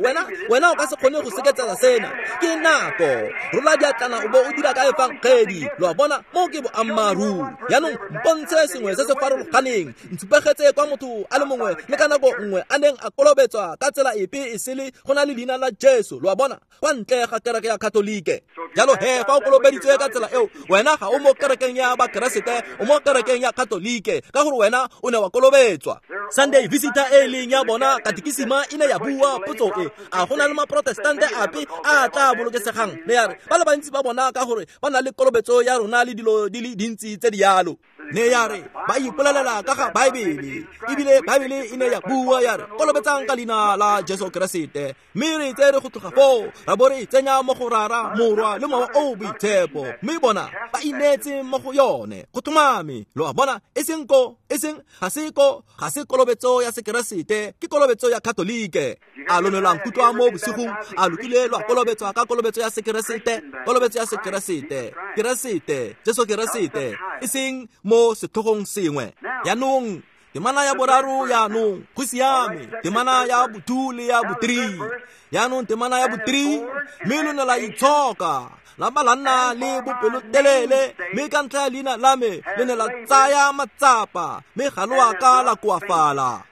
wena o ka se kgone go seketsela sena. Ke nako rola diatlana o bo o dira ka efangedi. Lo a bona, mo ke boammaaruri. Jaanong mpontshe sengwe se se farologaneng, ntshupegetse kwa motho a le mongwe le ka nako nngwe a neng a kolobetswa ka tsela epe e sele go na le leina la Jesu. Lo a bona, kwa ntle ga kereke ya Katolike. Jalo he fa o kolobeditswe ka tsela eo, wena ga o mo kerekeng ya Bakeresete, o mo kerekeng ya Katolike, ka gore wena o ne wa kolobetswa. Sunday Visitor e leng ya bona katekisima e ne ya bua potso e, a go na le maprotestante ape a tla bolokesegang? Ne ya re ba le bantsi ba bona ka gore ba na le kolobetso ya rona le dilo di le dintsi tse di yalo. Ne ya re ba ipolelela ka ga Baebele, ebile Baebele e ne ya bua ya re kolobetsang ka leina la Jesu Keresete, mme re tsere go tloga foo ra bo re tsenya mo go Rara, Morwa le Mowa o Boitshepo, mme bona ba ineetse mo go yone. Go tlhomame, lo a bona, e seng ko, e seng ga se ko, ga se kolobetso ya Sekeresete, ke kolobetso ya Katolike. A lo ne lwa nkutlwa mo bosigong? A lo kile lwa kolobetswa ka kolobetso ya Sekeresete? Kolobetso ya Sekeresete, Keresete, Jesu Keresete, e seng mo setlhogong sengwe. Jaanong temana ya boraro jaanong, go siame, temana ya bo-2 le ya bo-3. Jaanong temana ya bo-3, mme lo ne la itshoka, la ba la nna le bopelotelele, mme ka ntlha ya leina la me le ne la tsaya matsapa, mme ga lo a ka la koafala.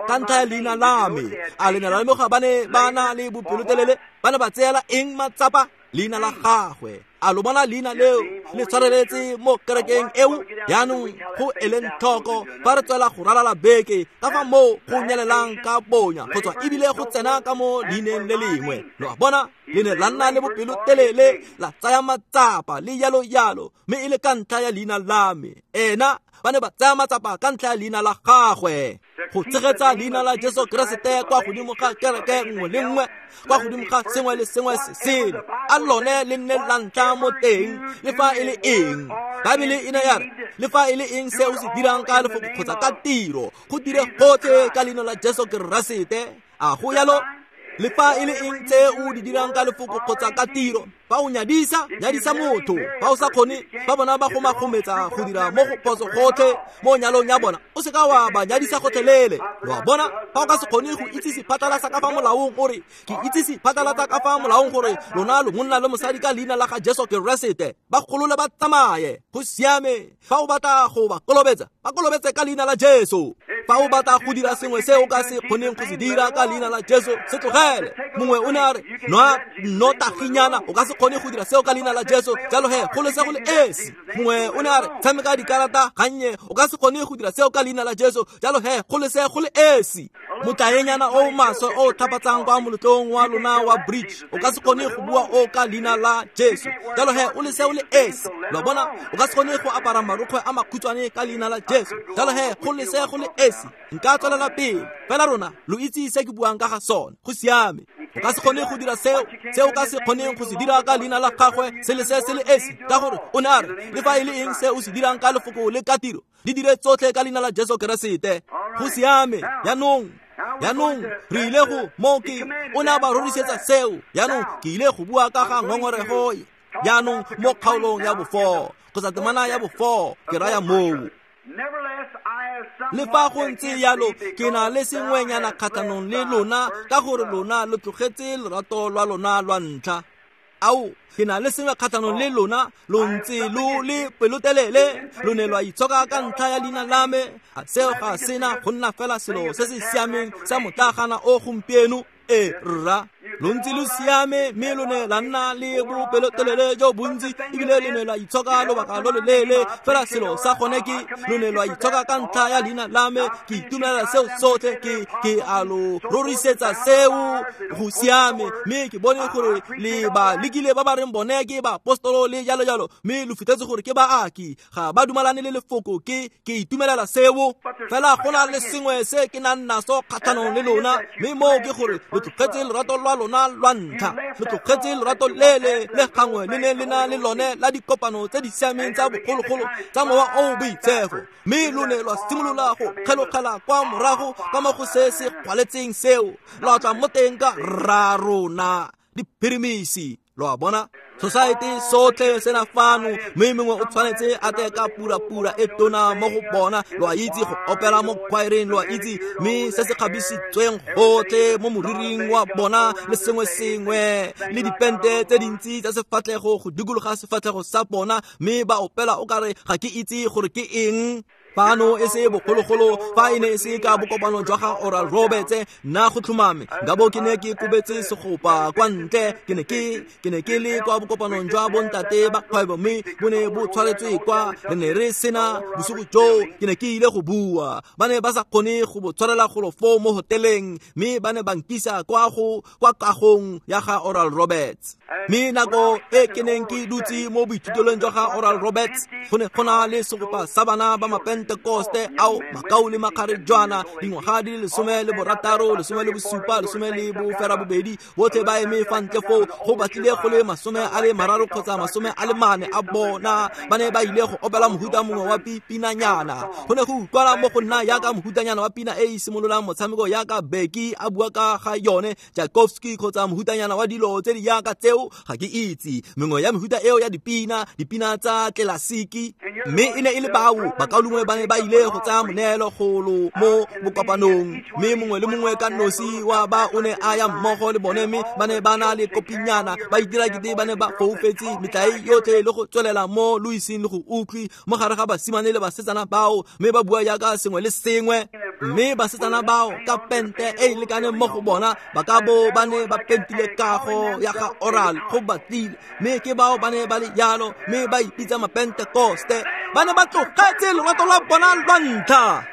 Ka ntlha ya leina la me, a le ne la lemoga ba ne ba na le bopelotelele? Ba ne ba tseela eng matsapa? Leina la gagwe. A lo bona leina leo le tshwareletse mo kerekeng eo? Jaanong go eleng tlhoko fa re tswela go ralala beke ka fa moo go nyelelang ka bonya go tswa ebile go tsena ka mo leineng le lengwe. Lo a bona, le ne la nna le bopelotelele, la tsaya matsapa le yalo yalo, mme e le ka ntlha ya leina la me. Ena ba ne ba tsaya matsapa ka ntlha ya leina la gagwe, go tshegetsa leina la Jesu Keresete kwa godimo ga kereke nngwe le nngwe, kwa godimo ga sengwe le sengwe se sele. A lone le nne la ntlha mo teng, le fa e le eng. Baebele e ne ya re, le fa e le eng se o se dirang ka lefoko kgotsa ka tiro, go dire gotlhe ka leina la Jesu Keresete. A go yalo? Le fa e le eng tse o di dirang ka lefoko kgotsa ka tiro, fa o nyadisa, nyadisa motho. Fa o sa kgone, fa bona ba gomagometsa go dira mo go phoso gotlhe mo nyalong ya bona, o seka wa ba nyadisa gotlhelele. Lo a bona, fa o ka se kgone go itsise phatlalatsa ka fa molaong gore ke itsise phatlalatsa ka fa molaong gore lona lo monna le mosadi ka leina la ga Jesu Keresete, ba golole ba tsamaye. Go siame. Fa o batla go ba kolobetsa, ba kolobetse ka leina la Jesu. Fa o batla go dira sengwe se o ka se kgoneng go se dira ka leina la Jesu, se tlogele. Mongwe o ne a re, nwa nnotaginyana, o ka se kgone go dira seo ka leina la Jesu, jalo he go lese go le esi. Mongwe o ne a re, tshameka dikarata gannye, o ka se kgone go dira seo ka leina la Jesu, jalo he go lese go le esi. Motlaenyana o maswe o thapatsang kwa moletlong wa lona wa bridge, o ka se kgone go bua o ka leina la Jesu, jalo he o lese o le esi. Lo bona, o ka se kgone go apara marokgwe a makhutshwane ka leina la Jesu, jalo he go lese go le esi. Nka tswelela pele, fela rona lo itse se ke buang ka ga sone. Go siame. O ka se kgone go dira seo, se o ka se kgoneng go se dira ka leina la gagwe, se le se se le esi, ka gore o ne a re, le fa e le eng se o se dirang ka lefoko le ka tiro, di dire tsotlhe ka leina la Jesu Keresete. Go siame. Jaanong re ile go mo ke o ne a ba rorisetsa seo. Jaanong ke ile go bua ka ga ngongorego jaanong mo kgaolong ya bo-4 kgotsa temana ya bo-4, ke raya moo. Le fa go ntse yalo, ke na le sengwenyana kgatlhanong le lona, ka gore lona lo tlogetse lorato lwa lona lwa ntlha. Ao, ke na le sengwe kgatlhanong le lona, lo ntse lo le pelotelele, lo ne lwa itshoka ka ntlha ya leina la me. A seo ga sena go nna fela selo se se siameng sa motlagana o gompieno? E rra, lo ntse lo siame, mme lo ne la nna le bopelotelele jo bontsi, ebile le ne la itshoka lobaka lo loleele. Fela selo sa gone ke, lo ne lwa itshoka ka ntlha ya leina la me. Ke itumelela seo sotlhe, ke a lo rorisetsa seo. Go siame. Mme ke bone gore le ba lekile ba ba reng bone ke baapostolo le jalo jalo, mme lo fitlhetse gore ke baaki, ga ba dumalane le lefoko. Ke itumelela seo. Fela go na le sengwe se ke nang naso kgatlhanong le lona, mme moo ke gore lo tlogetse lorato lwa lona lwa ntlha. Lo tlogetse lorato lele le gangwe le ne le na le lone la dikopano tse di siameng tsa bogologolo tsa mowa o boitshepo, mme lo ne lwa simolola go kgelogela kwa morago ka mo go se se kgwaletseng seo, lwa tla mo teng ka rra rona diphirimisi. Lo a bona, society sotlhe sena fano, mme mongwe o tshwanetse a tle ka purapura e tona mo go bona. Lo a itse go opela mo choireng, lo a itse, mme se se kgabisitsweng gotlhe mo moriring wa bona le sengwe sengwe, le dipente tse dintsi tsa sefatlhego go dikologa sefatlhego sa bona, mme ba opela o kare ga ke itse gore ke eng. Fano e se bogologolo, fa e ne e se ka bokopano jwa ga Oral Roberts, nna go tlhomame nka bo ke ne ke kobetse segopa kwa ntle. Ke ne ke le kwa bokopanong jwa bontate ba kgwebo, mme bo ne bo tshwaretswe kwa. Re ne re sena bosigo joo, ke ne ke ile go bua. Ba ne ba sa kgone go bo tshwarela golo foo mo hoteleng, mme ba ne ba nkisa kwa kagong ya ga Oral Roberts. Mme nako e ke neng ke dutse mo boithutelong jwa ga Oral Roberts, go ne go na le segopa sa bana ba Mapentekoste ao makau le makgarejwana, dingwaga di le 16, 17, 18, botlhe ba eme fa ntle foo. Go batlile go le 30 kgotsa 40 a bona ba ne ba ile go opela mohuta mongwe wa pinanyana. Go ne go utlwala mo go nna yaka mohutanyana wa pina e e simololang motshameko yaka Becky a bua ka ga yone, Tchaikovsky kgotsa mohutanyana wa dilo tse di yaka tseo, ga ke itse mengwe ya mehuta eo ya dipina, dipina tsa tlelasiki. Mme e ne e le bao bakaulengwe ba ne ba ile go tsaya moneelo golo mo bokopanong, mme mongwe le mongwe ka nosi wa ba o ne a ya mmogo le bone, mme ba ne ba na le kopinyana, ba itira kete ba ne ba foufetse metlae yotlhe le go tswelela mo lo iseng le go utlwe mo gare ga basimane le basetsana bao, mme ba bua yaka sengwe le sengwe. Mme basetsana bao ka pente e e lekaneng mo go bona ba ka bo ba ne ba pentile kago ya ga Oral go batlile, mme ke bao ba ne ba le jalo, mme ba ipitsa mapentekoste. Ba ne ba tlogetse lorato lwa bona lwa ntlha.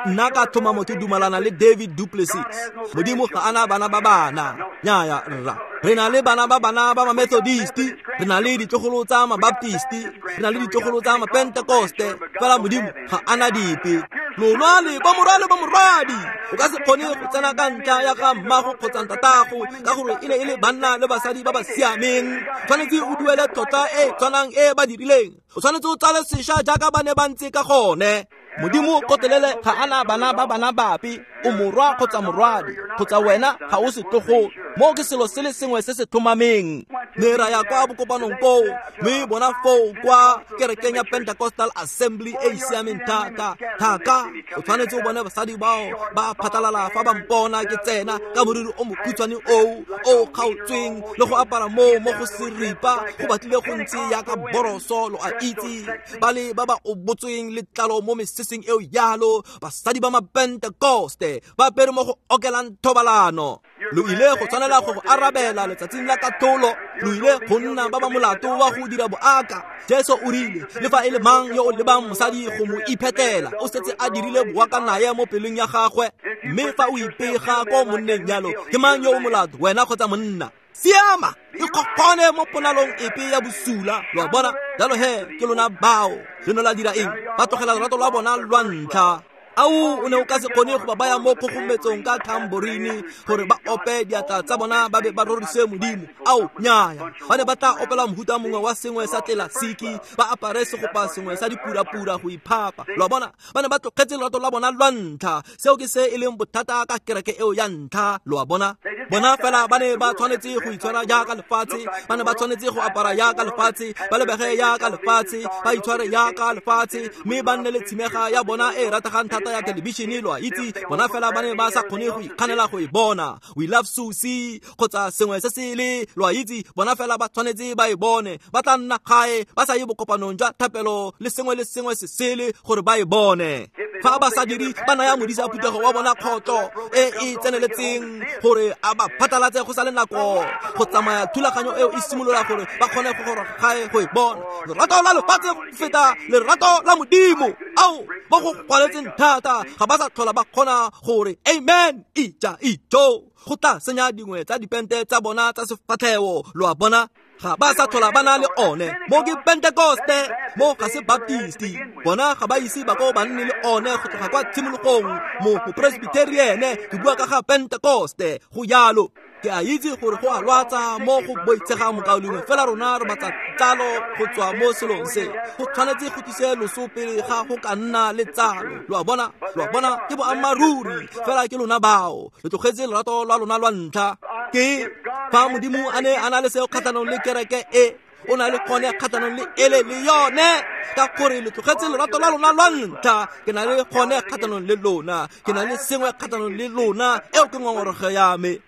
Nna ka tlhomamo ke dumalana le David Duplessis. Modimo ga ana bana ba bana. Nnyaya rra. Re na le bana ba bana ba Mamethodisti, re na le ditlogolo tsa Mabaptisti, re na le ditlogolo tsa Mapentekoste, fela Modimo ga ana dipe. Lona le bomorwa le bomorwadi, o ka se kgone go tsena ka ntlha ya ga mmago kgotsa ntatago, ka gore e ne e le banna le basadi ba ba siameng. Tshwanetse o duele tlotla e tshwanang e ba dirileng. O tshwanetse o tsale sešwa jaaka ba ne ba ntse ka gone. Modimo kotelele ga ana bana ba bana bape, o morwa kgotsa morwadi, kgotsa wena ga o setlogolo. Mo ke selo se le sengwe se se tlhomameng. Ne ra ya kwa bokopanong koo, mme bona foo kwa kerekeng ya Pentecostal Assembly e e siameng thata thaka. O tshwanetse o bone basadi bao ba phatlalala fa ba mpona ke tsena ka moriri o mokhutshwane oo o kgaotsweng le go apara moo mo go seripa go batlile go ntse yaka boroso, lo a itse, ba le ba ba obotsweng letlalo mo meseseng eo yalo. Basadi ba Mapentekoste ba apere mo go okelang thobalano. Lo ile go tshwanela go go arabela letsatsing la katlholo. Lo ile go nna ba ba molato wa go dira boaka. Jesu o rile, le fa e le mang yo o lebang mosadi go mo iphetela, o setse a dirile boaka naye mo pelong ya gagwe. Mme fa o ipega ko monneng jalo, ke mang yo o molato, wena kgotsa monna? Siama, ikgokgone mo ponalong epe ya bosula. Lo a bona? Jalo he, ke lona bao. Le ne la dira eng? Ba tlogela lorato lwa bona lwa ntlha. Ao, o ne o ka se kgone go ba baya mo kgogometsong ka tamborini gore ba ope diatla tsa bona ba be ba rorise Modimo. Ao, nnyaya. Ba ne ba tla opela mohuta mongwe wa sengwe sa tlelasiki, ba apare segopa sengwe sa dipurapura go iphapa. Lo a bona? Ba ne ba tlogetse lorato lwa bona lwa ntlha. Seo ke se e leng bothata ka kereke eo ya ntlha. Lo a bona? Bona fela ba ne ba tshwanetse go itshwara jaaka lefatshe, ba ne ba tshwanetse go apara jaaka lefatshe, ba lebege jaaka lefatshe, ba itshware jaaka lefatshe, mme ba nne le tshimega ya bona e rategang thata ya thelebišene. Lo a itse, bona fela ba ne ba sa kgone go ikganela go e bona. We Love Susie kgotsa sengwe se se le, lo a itse, bona fela ba tshwanetse ba e bone. Ba tla nna gae ba sa ye bokopanong jwa thapelo le sengwe le sengwe se sele gore ba e bone. Fa ba sa dire, ba naya modisa phuthego wa bona kgotlo e e tseneletseng gore a ba phatlalatse go sa le nako go tsamaya thulaganyo eo e simolola gore ba kgone go goroga gae go e bona. Lerato la lefatshe go feta lerato la Modimo. Ao, ba go kwaletseng thata ga ba sa tlhola ba kgona gore amen, ija ijo. Go tla senya dingwe tsa dipente tsa bona tsa sefatlhego. Lo a bona? Ga ba sa tlhola ba na le one. Mo ke Pentekoste, mo ga se Baptisti. Bona ga ba ise ba ko ba nne le one go tloga kwa tshimologong. Mo Mopresbiteriene, ke bua ka ga Pentekoste, go jalo. Ke a itse gore go a lwatsa mo go boitshegang mokaulengwe, fela rona re batla tsalo go tswa mo selong se. Go tshwanetse go tlise loso pele ga go ka nna le tsalo. Lo a bona? Lo a bona? Ke boammaaruri, fela ke lona bao. Lo tlogetse lorato lwa lona lwa ntlha. Ke fa Modimo a ne a na le seo kgatlhanong le kereke e, o na le gone kgatlhanong le ele le yone, ka gore le tlogetse lorato lwa lona lwa ntlha. Ke na le gone kgatlhanong le lona, ke na le sengwe kgatlhanong le lona, eo ke ngongorego ya me.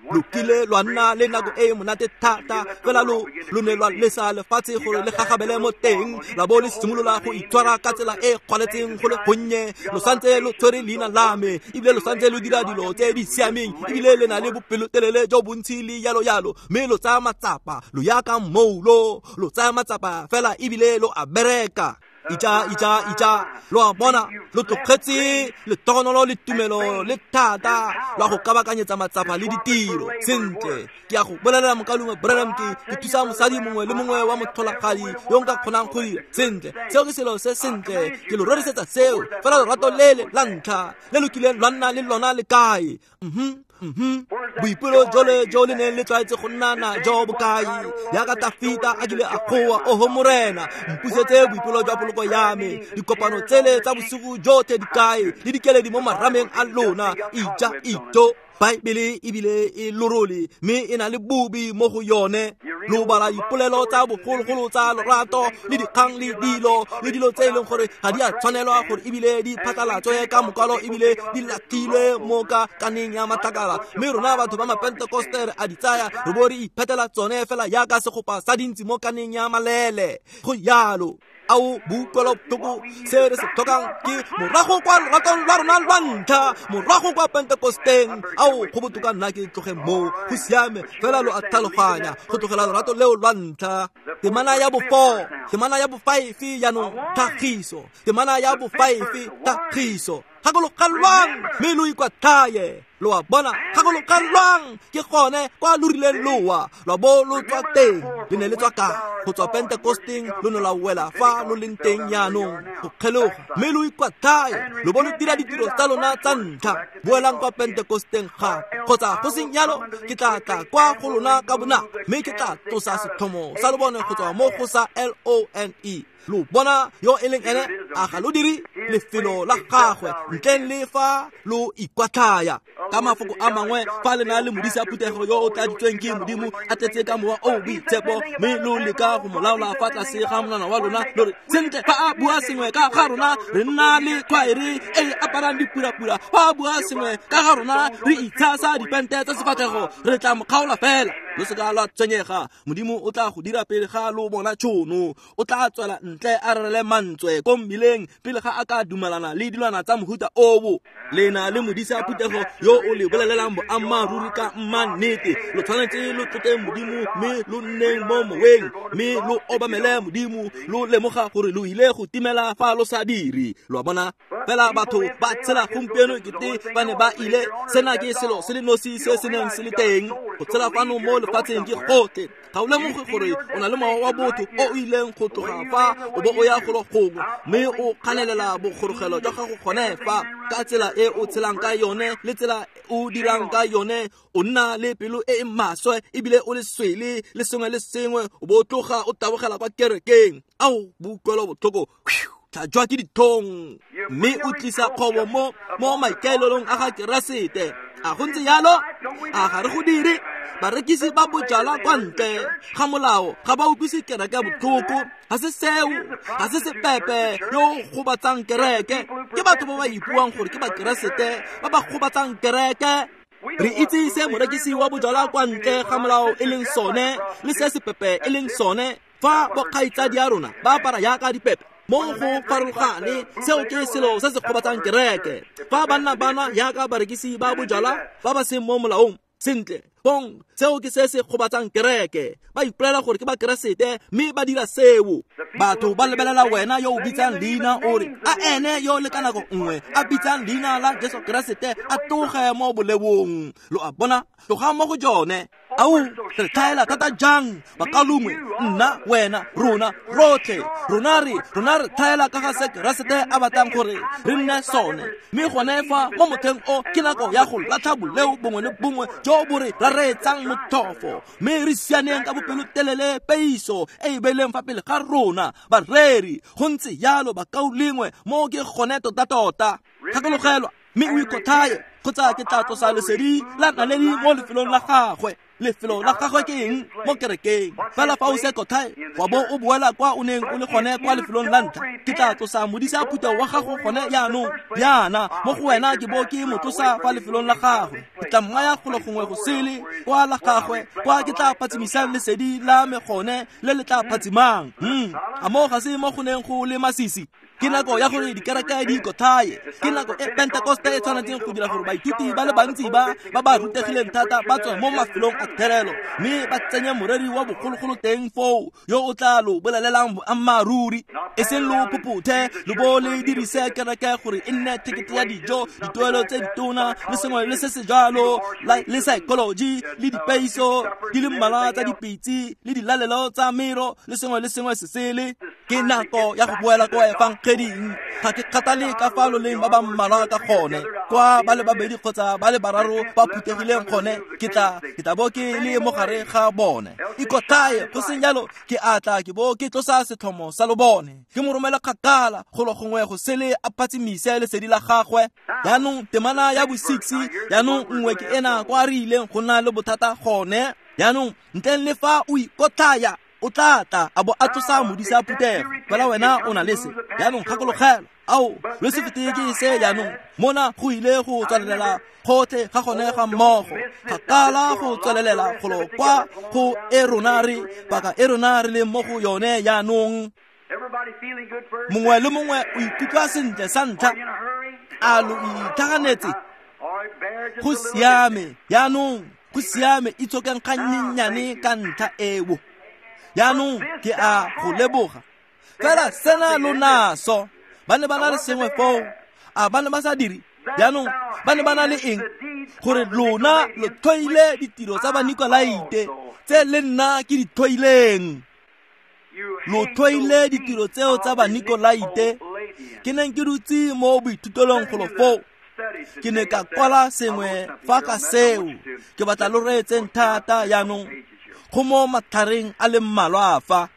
Lo kile lwa nna le nako e e monate thata, fela lo ne lwa lesa lefatshe gore le gagabele mo teng, la bo le simolola go itshwara ka tsela e kgwaletseng go le gonnye. Lo santse lo tshwere leina la me, ebile lo santse lo dira dilo tse di siameng, ebile le na le bopelotelele jo bontsi le yalo yalo, mme lo tsaya matsapa, lo ya ka moulo, lo tsaya matsapa fela ebile lo a bereka. Ija, ija, ija. Lo a bona, lo tlogetse letogonolo le tumelo le thata lwa go kabakanyetsa matsapa le ditiro. Sentle, ke a go bolelela mokaulengwe Branham, ke thusa mosadi mongwe le mongwe wa motlholagadi yo nka kgonang go dira. Sentle, seo ke selo se sentle, ke lo rorisetsa seo. Fela lorato lele la ntlha le lo kileng lwa nna le lona le kae? Boipelo jole jo le neng le tlwaetse go nna na jo bokae? Jaaka Tafita a kile a goa, oho Morena, mpusetse boipelo jwa poloko ya me. Dikopano tsele tsa bosigo jotlhe di kae? Le dikeledi mo marameng a lona. Ija ijo. Baebele ebile e lorole, mme e na le bobi mo go yone. Lo bala dipolelo tsa bogologolo tsa lorato le dikgang le dilo tse e leng gore ga di a tshwanelwa gore ebile di phatlalatswe ka mokwalo ebile di latlhilwe mo ka kaneng ya matlakala. Mme rona batho ba mapentekoste re a di tsaya re bo re iphetela tsone fela jaaka segopa sa dintsi mo kaneng ya malele. Go jalo. Ao boutlwelobotlhoko, se re se tlhokang ke morago kwa loratong lwa rona lwa ntlha, morago kwa Pentekosteng. Ao go botoka nna ke tloge moo, go siame fela lo a tlhaloganya go tlogela lorato leo lwa ntlha. Temana ya bo-4, temana ya bo-5 jaanong tlhagiso, temana ya bo-5 tlhagiso. Gakologelwang mme lo ikwatlhaye. Lo a bona, gakologelwang ke gone kwa lo rileng lowa lwa bo lo tswa teng. Le ne le tswa kae? Go tswa Pentekosteng lo ne la wela fa lo leng teng jaanong go kgeloga, mme lo ikwatlhaye lo bo lo dira ditiro tsa lona tsa ntlha. Boelang kwa Pentekosteng gape, kgotsa go seng jalo ke tla tla kwa go lona ka bonako, mme ke tla tlosa setlhomo sa lobone go tswa mo go sa L-O-N-E. Lo bona yo e leng ene, a ga lo dire lefelo la gagwe ntleng le fa lo ikwatlhaya. Ka mafoko a mangwe, fa le na le modisa phuthego yo o tladitsweng ke Modimo a tletse ka mowa o boitshepo, mme lo leka go mo laola fa tlase ga monwana wa lona, lo re sentle fa a bua sengwe ka ga rona re nna le khwaere e e aparang dipurapura, fa a bua sengwe ka ga rona re itshasa dipente tsa sefatlhego, re tla mo kgaola fela. Lo seka lwa tshwenyega, Modimo o tla go dira pele ga lo bona tšhono. O tla tswela ntle a rerele mantswe ko mmileng pele ga a ka dumalana le dilwana tsa mohuta oo. Le na le modisa phuthego yo o le bolelelang boammaaruri ka mmannete. Lo tshwanetse lo tlotle Modimo mme lo nneng mo moweng, mme lo obamele Modimo, lo lemoga gore lo ile go timela fa lo sa dire. Lo a bona? Fela batho ba tshela gompieno kete ba ne ba ile. Sena ke selo se le nosi se se neng se le teng. Go tshela fano mo lefatsheng ke gotlhe. Ga o lemoge gore o na le mowa wa botho o o ileng go tloga fa o bo o ya golo gongwe, mme o kganelela bogorogelo jwa gago gone fa. Ka tsela e o tshelang ka yone le tsela o dirang ka yone, o nna le pelo e e maswe ebile o le swele le sengwe le sengwe, o bo o tloga o tabogela kwa kerekeng. Ao boutlwelobotlhoko, tlhajwa ke dithong, mme o tlisa kgobo mo maikaelelong a ga Keresete. A go ntse jalo? A ga re go dire? Barekisi ba bojalwa kwa ntle ga molao ga ba utlwise kereke botlhoko. Ga se seo, ga se sepepe yo o gobatsang kereke. Ke batho ba ba ipuang gore ke Bakeresete ba ba gobatsang kereke. Re itse se morekisi wa bojalwa kwa ntle ga molao e leng sone le se sepepe e leng sone. Fa bokgaitsadi ya rona ba apara jaaka dipepe mo go farologane, seo ke selo se se gobatsang kereke. Fa banna ba nwa jaaka barekisi ba bojalwa ba ba seng mo molaong, sentle bong, seo ke se se gobatsang kereke. Ba ipolela gore ke Bakeresete mme ba dira seo. Batho ba lebelela wena yo o bitsang leina o re a ene yo le ka nako nngwe a bitsang leina la Jesu Keresete a tloge mo bolewong. Lo a bona? Tloga mo go jone. Ao re tlhaela thata jang bakalongwe, nna, wena, rona rotlhe. Rona re tlhaela ka ga se Keresete a batlang gore re nne sone. Mme gone fa mo motlheng o ke nako ya go latlha boleo bongwe le bongwe jo bo re rareetsang motlhofo, mme re sianeng ka bopelotelele peiso e e beileng fa pele ga rona bareri. Go ntse jalo bakaulengwe, mo ke gone tota-tota. Gakologelwa mme o ikwatlhaye, kgotsa ke tla tlosa lesedi la naledi mo lefelong la gagwe. Lefelo la gagwe ke eng? Mo kerekeng. Fela fa o se kotlhae wa bo o boela kwa o neng o le gone kwa lefelong la ntlha, ke tla tlosa modisa phuthego wa gago gone jaanong jaana mo go wena, ke bo ke mo tlosa fa lefelong la gagwe. Ke tla mmaya golo gongwe go sele kwa la gagwe, kwa ke tla phatsimisang lesedi la me gone le le tla phatsimang. A mo ga se mo go neng go le masisi? Ke nako ya gore dikereke di ikothaye. Ke nako e Pentekoste e tshwanetseng go dira gore baithuti ba le bantsi ba ba rutegileng thata ba tswe mo mafelong a therelo, mme ba tsenye moreri wa bogologolo teng foo yo o tla lo bolelelang boammaaruri. E seng lo phophothe lo bo le dirise kereke gore e nne thekete ya dijo, dituelo tse ditona le sengwe le se se jalo, le psychology le dipeiso di le mmalwa tsa dipitse le dilalelo tsa mero le sengwe le sengwe se sele. Ke nako ya go boela kwa efangeding. Ga ke kgathale ka fa lo leng ba ba mmalwa ka gone, kwa ba le babedi kgotsa ba le bararo ba phuthegileng gone, ke tla bo ke le mo gare ga bone. Ikothaye, go seng jalo ke a tla ke bo ke tlosa setlhomo sa lobone, ke mo romela kgakala golo gongwe go sele a phatsimise lesedi la gagwe. Jaanong temana ya bo-6, jaanong nngwe ke ena kwa re ileng go nna le bothata gone. Jaanong ntleng le fa o ikotlhaya o tla tla a bo a tlosa modisa phuthego, fela wena o na le se. Jaanong gakologelwa, ao lo se fete ke se jaanong mona go ile go tswalelela gotlhe ga gone ga mmogo, kgakala go tswalelela golo kwa go e rona re paka e rona re leng mo go yone jaanong. Mongwe le mongwe o ikutlwa sentle sa ntlha, a lo itlhaganetse? Go siame jaanong, go siame, itshokeng gannyenyane ka ntlha eo. Jaanong ke a go leboga. Fela sena lo naso, ba ne ba na le sengwe foo, a ba ne ba sa dire? Jaanong ba ne ba na le eng? Gore lona lo tlhoile ditiro tsa Banikolaite tse le nna ke di tlhoileng. Lo tlhoile ditiro tseo tsa Banikolaite. Ke neng ke dutse mo boithutelong golo foo, ke ne ka kwala sengwe fa ka seo. Ke batla lo reetseng thata jaanong, go mo matlhareng a le mmalwa fa.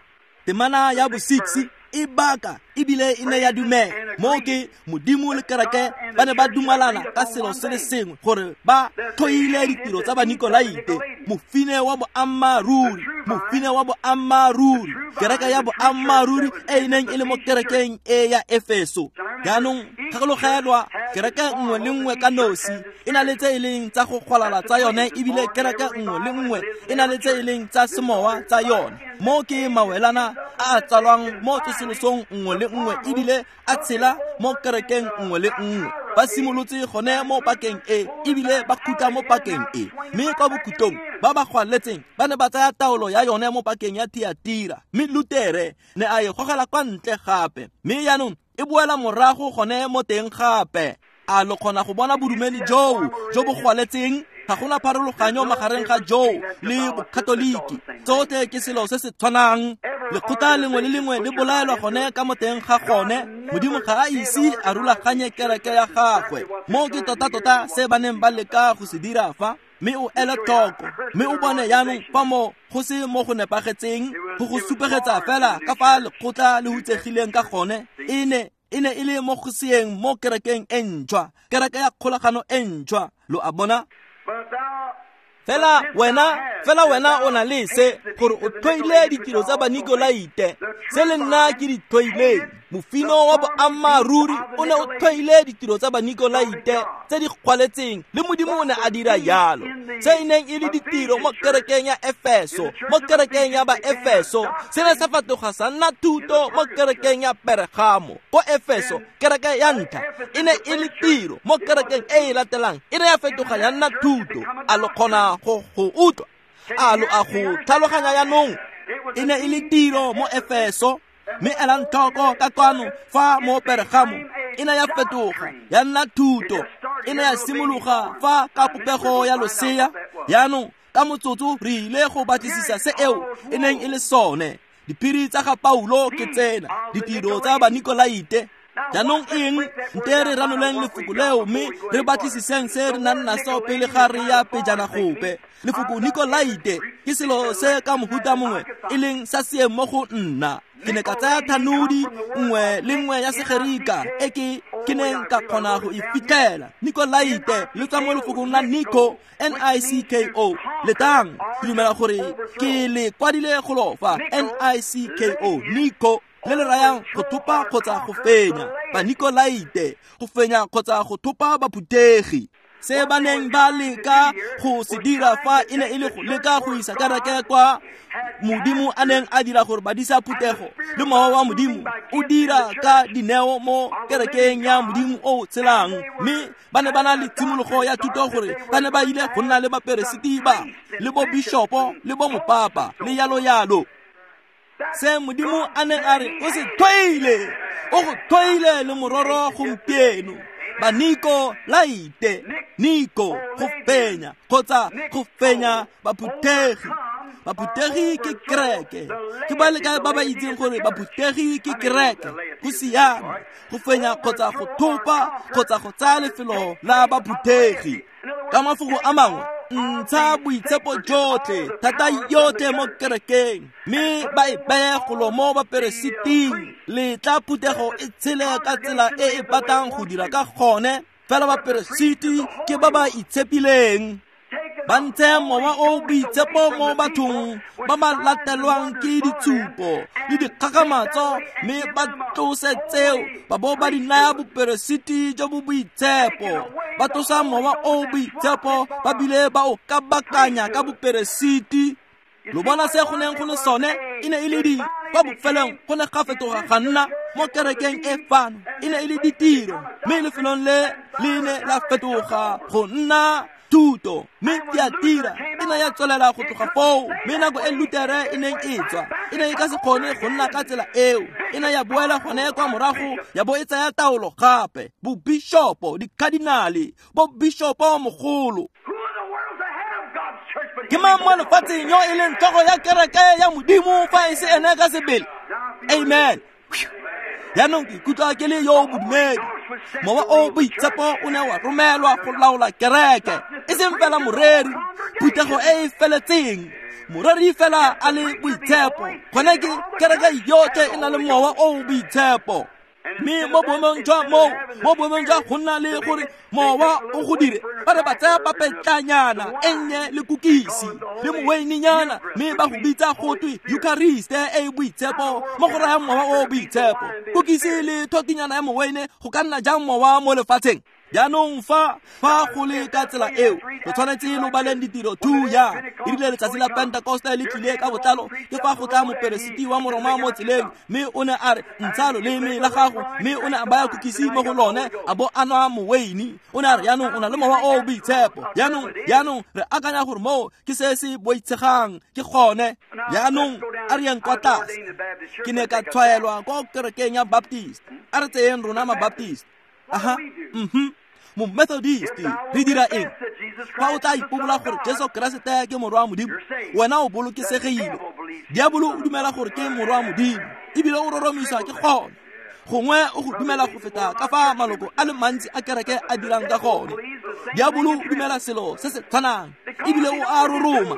Temana ya bo-6 e baka ebile e ne ya dumela mo ke Modimo le kereke ba ne ba dumalana ka selo se le sengwe, gore ba tlhoile ditiro tsa Banikolaite, mofine wa boammaaruri, mofine wa boammaaruri, kereke ya boammaaruri e e neng e le mo kerekeng e ya Efeso. Jaanong gakologelwa, kereke nngwe le nngwe ka nosi e na le tse e leng tsa go gwalala tsa yone, ebile kereke nngwe le nngwe e na le tse e leng tsa semowa tsa yone. Mo ke mawelana a a tsalwang mo tsosolosong nngwe le nngwe, ebile a tshela mo kerekeng nngwe le nngwe. Ba simolotse gone mo pakeng e, ebile ba khutla mo pakeng e. Mme kwa bokhutlong ba ba gwaletseng ba ne ba tsaya taolo ya yone mo pakeng ya Thiatira, mme Lutere ne a e gogela kwa ntle gape, mme jaanong e boela morago gone mo teng gape. A lo kgona go bona bodumedi joo jo bo gwaletseng? Ga gona pharologanyo magareng ga joo le bokatoliki, tsotlhe ke selo se se tshwanang. Lekgotla lengwe le lengwe le bolaelwa gone ka mo teng ga gone. Modimo ga a ise a rulaganye kereke ya gagwe. Mo ke tota-tota se ba neng ba leka go se dira fa, mme o ele tlhoko, mme o bone jaanong fa mo go se mo go nepagetseng, go go supegetsa fela ka fa lekgotla le hutsegileng ka gone. E ne e le mo go seeng mo kerekeng e ntšhwa, kereke ya kgolagano e ntšhwa, lo a bona? Fela wena o na le se, gore o tlhoile ditiro tsa Banikolaite se le nna ke di tlhoileng. Mofino wa boammaaruri o ne o tlhoile ditiro tsa Banikolaite tse di gwaletseng, le Modimo o ne a dira jalo. Se e neng e le ditiro mo kerekeng ya Efeso, mo kerekeng ya Baefeso, se ne sa fetoga sa nna thuto mo kerekeng ya Peregamo. Ko Efeso, kereke ya ntlha e ne e le tiro, mo kerekeng e e latelang e ne ya fetoga ya nna thuto. A lo kgona go utlwa? A lo a go tlhaloganya jaanong? E ne e le tiro mo Efeso, mme elang tlhoko ka kwano fa mo Peregamo e ne ya fetoga ya nna thuto. E ne ya simologa fa ka popego ya losea. Jaanong ka motsotso re ile go batlisisa se eo e neng e le sone. Diphiri tsa ga Paulo ke tsena, ditiro tsa Banikolaite. Jaanong eng? Nte re ranoleng lefoko leo mme re batlisiseng se re nang naso pele ga re ya pejana gope. Lefoko Nikolaite ke selo se ka mohuta mongwe e leng sa seeng mo go nna. Ke ne ka tsaya thanodi nngwe le nngwe ya Segerika e ke neng ka kgona go e fitlhela. Nikolaite le tswa mo lefokong la Niko, N-I-C-K-O. Letang, ke dumela gore ke le kwadile golo fa, N-I-C-K-O, Niko, le le rayang go thopa kgotsa go fenya. Banikolaite, go fenya kgotsa go thopa baphuthegi. Se ba neng ba leka go se dira fa e ne e le go leka go isa kereke kwa Modimo a neng a dira gore badisa phuthego le mowa wa Modimo o dira ka dineo mo kerekeng ya Modimo o tshelang. Mme ba ne ba na le tshimologo ya thuto gore ba ne ba ile go nna le baperesiti ba le bo bishopo le bo mopapa le yalo yalo. Se Modimo a neng a re o se tlhoile, o go tlhoile le mororo gompieno. Banikolaite, Niko go fenya kgotsa go fenya baphuthegi. Baphuthegi ke kereke. Ke ba le kae ba ba itseng gore baphuthegi ke kereke? Go siame go fenya kgotsa go thopa kgotsa go tsaya lefelo la baphuthegi. Ka mafoko a mangwe, ntsha boitshepo jotlhe, thata yotlhe mo kerekeng, mme ba e beye golo mo baperesiting. Letla phuthego e tshele ka tsela e e batlang go dira ka gone, fela baperesiti ke ba ba itshepileng. Ba ntshe mowa o boitshepo mo bathong ba ba latelwang ke ditshupo le dikgakgamatso, mme ba tlose tseo ba bo ba di naya boperesiti jo bo boitshepo. Ba tlosa mowa o boitshepo ba bile ba o kabakanya ka boperesiti. Lo bona se go neng go le sone e ne e le di kwa bofelong go ne ga fetoga ga nna mo kerekeng e fano e ne e le ditiro, mme lefelong le le ne la fetoga go nna thuto, mme Thiatira e ne ya tswelela go tloga foo. Mme nako e Lutere e neng e tswa e ne e ka se kgone go nna ka tsela eo, e ne ya boela gone kwa morago ya bo e tsaya taolo gape. Bobishopo, dikadinale, bobishopo mogolo. Ke mang mo lefatsheng yo e leng tlhogo ya kereke ya Modimo fa e se ene ka sebele? Amen. Jaanong ke ikutlwa ke le yo bodumedi. Mowa o boitshepo o ne wa romelwa go laola kereke, e seng fela moreri, phuthego e e feletseng. Moreri fela a le boitshepo, gone ke kereke yotlhe e na le mowa o boitshepo. Mme mo boemong jwa moo, mo boemong jwa go nna le gore mowa o go dire, ba re ba tsaya papetlanyana e nnye le kukisi le moweininyana, mme ba go bitsa go twe Eucharist e e boitshepo, mo go rayang mowa o boitshepo. Kukisi le thotinyana ya moweine go ka nna jang mowa mo lefatsheng? Jaanong fa go le ka tsela eo, lo tshwanetse lo baleng ditiro 2 ya e rile letsatsi la Pentekoste le tlile ka botlalo, ke fa go tla moperesiti wa Moroma mo tseleng, mme o ne a re ntsha loleme la gago, mme o ne a baya kukisi mo go lone a bo a nwa moweini. O ne a re jaanong o na le mowa o boitshepo. Jaanong re akanya gore moo ke se se boitshegang, ke gone. Jaanong a re yeng kwa tlase. Ke ne ka tshwaelwa kwa kerekeng ya Baptist. A re tseyeng rona ma-Baptist. Aha, Mo Methodist re dira eng? Fa o tla ipobola gore Jesu Keresete ke morwa wa Modimo, wena o bolokesegile. Diabolo o dumela gore ke morwa wa Modimo, ebile o roromisa ke gone. Gongwe o go dumela go feta ka fa maloko a le mantsi a kereke a dirang ka gone. Diabolo o dumela selo se se tshwanang, ebile o a roroma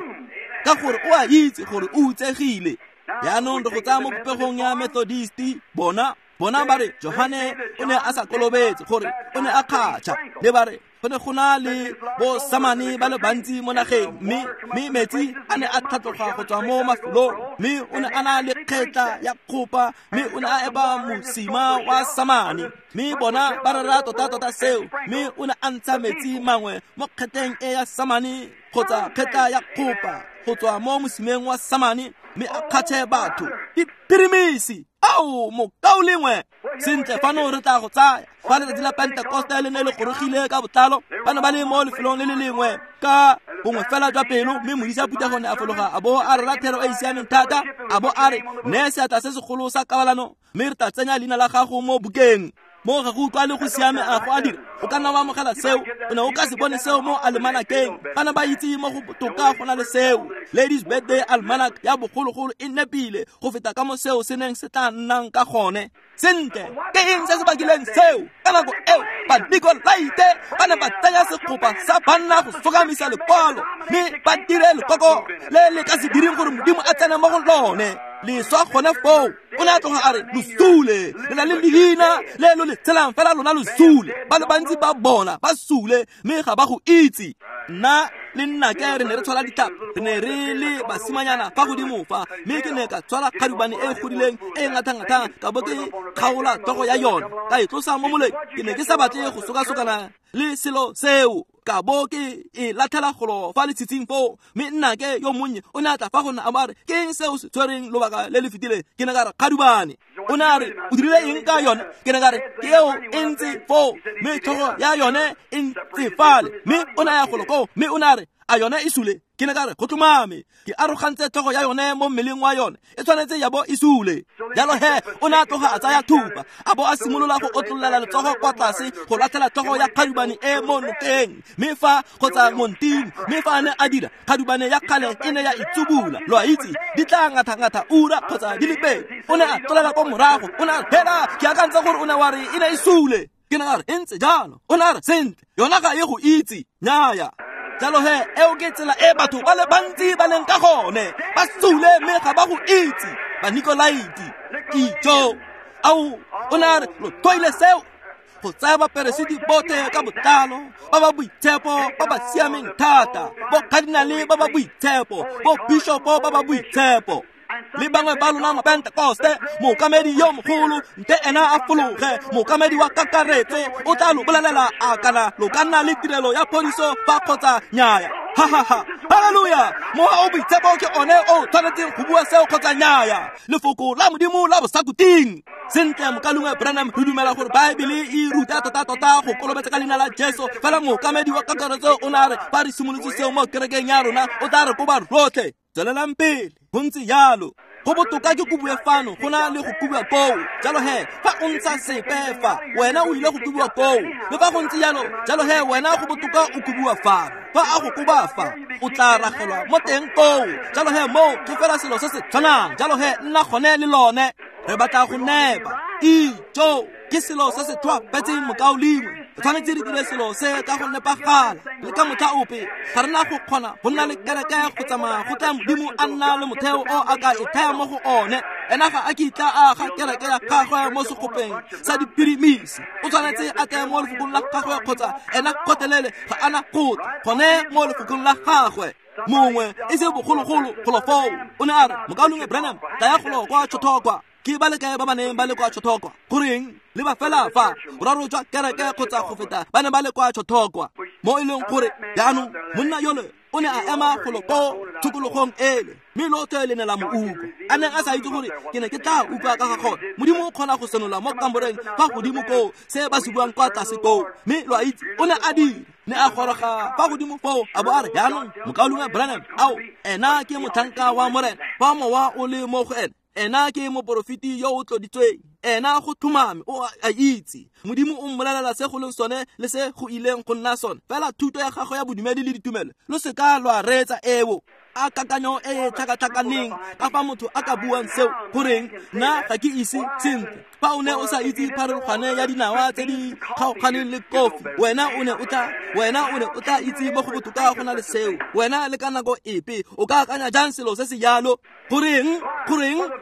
ka gore o a itse gore o utsegile. Jaanong re go tsaya mo popegong ya Methodist, bona ba re Johane o ne a sa kolobetse, gore o ne a kgatšha. Le ba re go ne go na le bo samane ba le bantsi mo nageng, mme metsi a ne a tlhatloga go tswa mo mafelong, mme o ne a na le kgetla ya kgopa, mme o ne a eba mosima wa samane. Mme bona ba rera tota-tota seo, mme o ne a ntsha metsi mangwe mo kgetleng e ya samane kgotsa kgetla ya kgopa go tswa mo mosimeng wa samane, mme a kgatšhe batho. Diphirimisi! Ao, mokaulengwe! Sentle, fano re tla go tsaya. Fa letsatsi la Pentekoste le ne le gorogile ka botlalo, ba ne ba le mo lefelong le le lengwe ka bongwe fela jwa pelo, mme modisa phuthego ne a fologa a bo a rera thero e e siameng thata, a bo a re ne seatla se segolo sa kabalano, mme re tla tsenya leina la gago mo bukeng. Mo ga go utlwa le go siame a go a dira, o ka nna wa amogela seo. O ne o ka se bone seo mo almanakeng. Bana ba itse mo go botoka go na le seo. Ladies Birthday Almanac ya bogologolo e nepile go feta ka mo seo se neng se tla nnang ka gone. Sentle, ke eng se se bakileng seo? Ka nako eo Banikolaite ba ne ba tsaya segopa sa banna go sokamisa lekwalo, mme ba dire lekoko le le ka se direng gore Modimo a tsene mo go lone. Leswa gone foo. O ne a tloga a re lo sule, le na le leina le lo le tshelang fela lona lo sule. Ba le bantsi ba bona ba sule, mme ga ba go itse. Nna le nnake re ne re tshwara ditlhapi, re ne re le basimanyana fa godimo fa, mme ke ne ka tshwara kgadubane e godileng e ngatha-ngathang, ka bo ke kgaola tlhogo ya yone ka e tlosa mo moleng. Ke ne ke sa batle go sokasokana le selo seo, ka bo ke e latlhela golo fa letshitshing foo. Mme nnake yo monnye o ne a tla fa go nna a bo a re, ke eng seo se tshwereng lobaka le le fetileng? Ke ne ka re kgadubane. O ne a re o dirile eng ka yone? Ke ne ka re ke eo e ntse foo, mme tlhogo ya yone e ntse fale. Mme o ne a ya golo koo, mme o ne a re a yone e sule? Ke ne ka re go tlhomame, ke arogantse tlhogo ya yone mo mmeleng wa yone, e tshwanetse ya bo e sule. Jalo he o ne a tloga a tsaya thupa, a bo a simolola go otlololela letsogo kwa tlase go latlhela tlhogo ya kgadubane e mo nokeng, mme fa kgotsa monting. Mme fa a ne a dira, kgadubane ya kgale e ne ya itsubula. Lo a itse, di tla ngatha-ngatha ura kgotsa di le pedi. O ne a tlolela kwa morago, o ne a phela. Ke akantse gore o ne wa re e ne e sule. Ke ne ka re e ntse jalo. O ne a re sentle, yona ga e go itse. Nnyaya. Jalo he eo ke tsela e batho ba le bantsi ba leng ka gone, ba sule mme ga ba go itse. Banikolaite, ijo. Ao, o ne a re lo tlhoile seo. Go tsaya baperesiti botlhe ka botlalo ba ba boitshepo ba ba siameng thata, bo cardinale ba ba boitshepo, bo bishopo ba ba boitshepo, le bangwe ba lona mapentekoste. Mookamedi yo mogolo nte ena a fologe, mookamedi wa kakaretso o tla lo bolelela a kana lo ka nna le tirelo ya phodiso fa kgotsa nnyaya. Ha ha ha, halleluja! Mowa o boitshepo ke one o tshwanetseng go bua seo kgotsa nnyaya, lefoko la Modimo la bosakuting. Sentle, mokalungwe Branham, re dumela gore Baebele e ruta tota-tota go kolobetsa ka leina la Jesu, fela mookamedi wa kakaretso o ne a re fa re simolotse seo mo kerekeng ya rona o tla re koba rotlhe. Tswelelang pele go ntse jalo. Go botoka ke kobiwe fano go na le go kobiwa koo. Jalo he fa o ntsha sepe fa, wena o ile go kobiwa koo. Le fa go ntse jalo, jalo he wena go botoka o kobiwa fano. Fa a go koba fa, o tla ragelwa mo teng koo. Jalo he moo ke fela selo se se tshwanang. Jalo he nna gone le lone. Re batla go nepa. Ijo ke selo se se tlhoafetseng, mokaulengwe. Re tshwanetse re dire selo se ka go nepagala le ka motlha ope. Ga re na go kgona go nna le kereke go tsamaya go tla Modimo a nna le motheo o a ka e thaya mo go one. Ena ga a kitla a aga kereke ya gagwe mo segopeng sa diphirimisi. O tshwanetse a tle mo lefokong la gagwe kgotsa ena kgotelele ga ana go tla gone mo lefokong la gagwe. Mongwe e se bogologolo golo foo o ne a re, mokaulengwe Branham, tlaya golo kwa Chautauqua. Ke ba le kae ba ba neng ba le kwa Chautauqua? Goreng, le ba fela fa boraro jwa kereke kgotsa go feta ba ne ba le kwa Chautauqua. Mo e leng gore jaanong monna yole o ne a ema golo ko tshokologong ele, mme lotlhe le ne la mo utlwa. A neng a sa itse gore ke ne ke tla utlwa ka ga gone. Modimo o kgona go senola mo kamoreng fa godimo koo se ba se buang kwa tlase koo. Mme lo a itse o ne a dira, ne a goroga fa godimo foo a bo a re, jaanong mokaulengwe Branham, ao, ena ke motlhanka wa Morena. Fa mowa o le mo go ene, ena ke moporofeti yo o tloditsweng. Ena go tlhomame o a itse. Modimo o mmolelela se go leng sone le se go ileng go nna sone. Fela thuto ya gagwe ya bodumedi le ditumelo, lo se ka lwa reetsa eo. A kakanyo e e tlhakatlhakaneng ka fa motho a ka buang seo. Goreng, nna ga ke ise sentle. Fa o ne o sa itse pharologane ya dinawa tse di kgaoganeng le kofi, wena o ne o tla itse mo go botoka go na le seo. Wena le ka nako epe o ka akanya jang selo se se jalo? Goreng,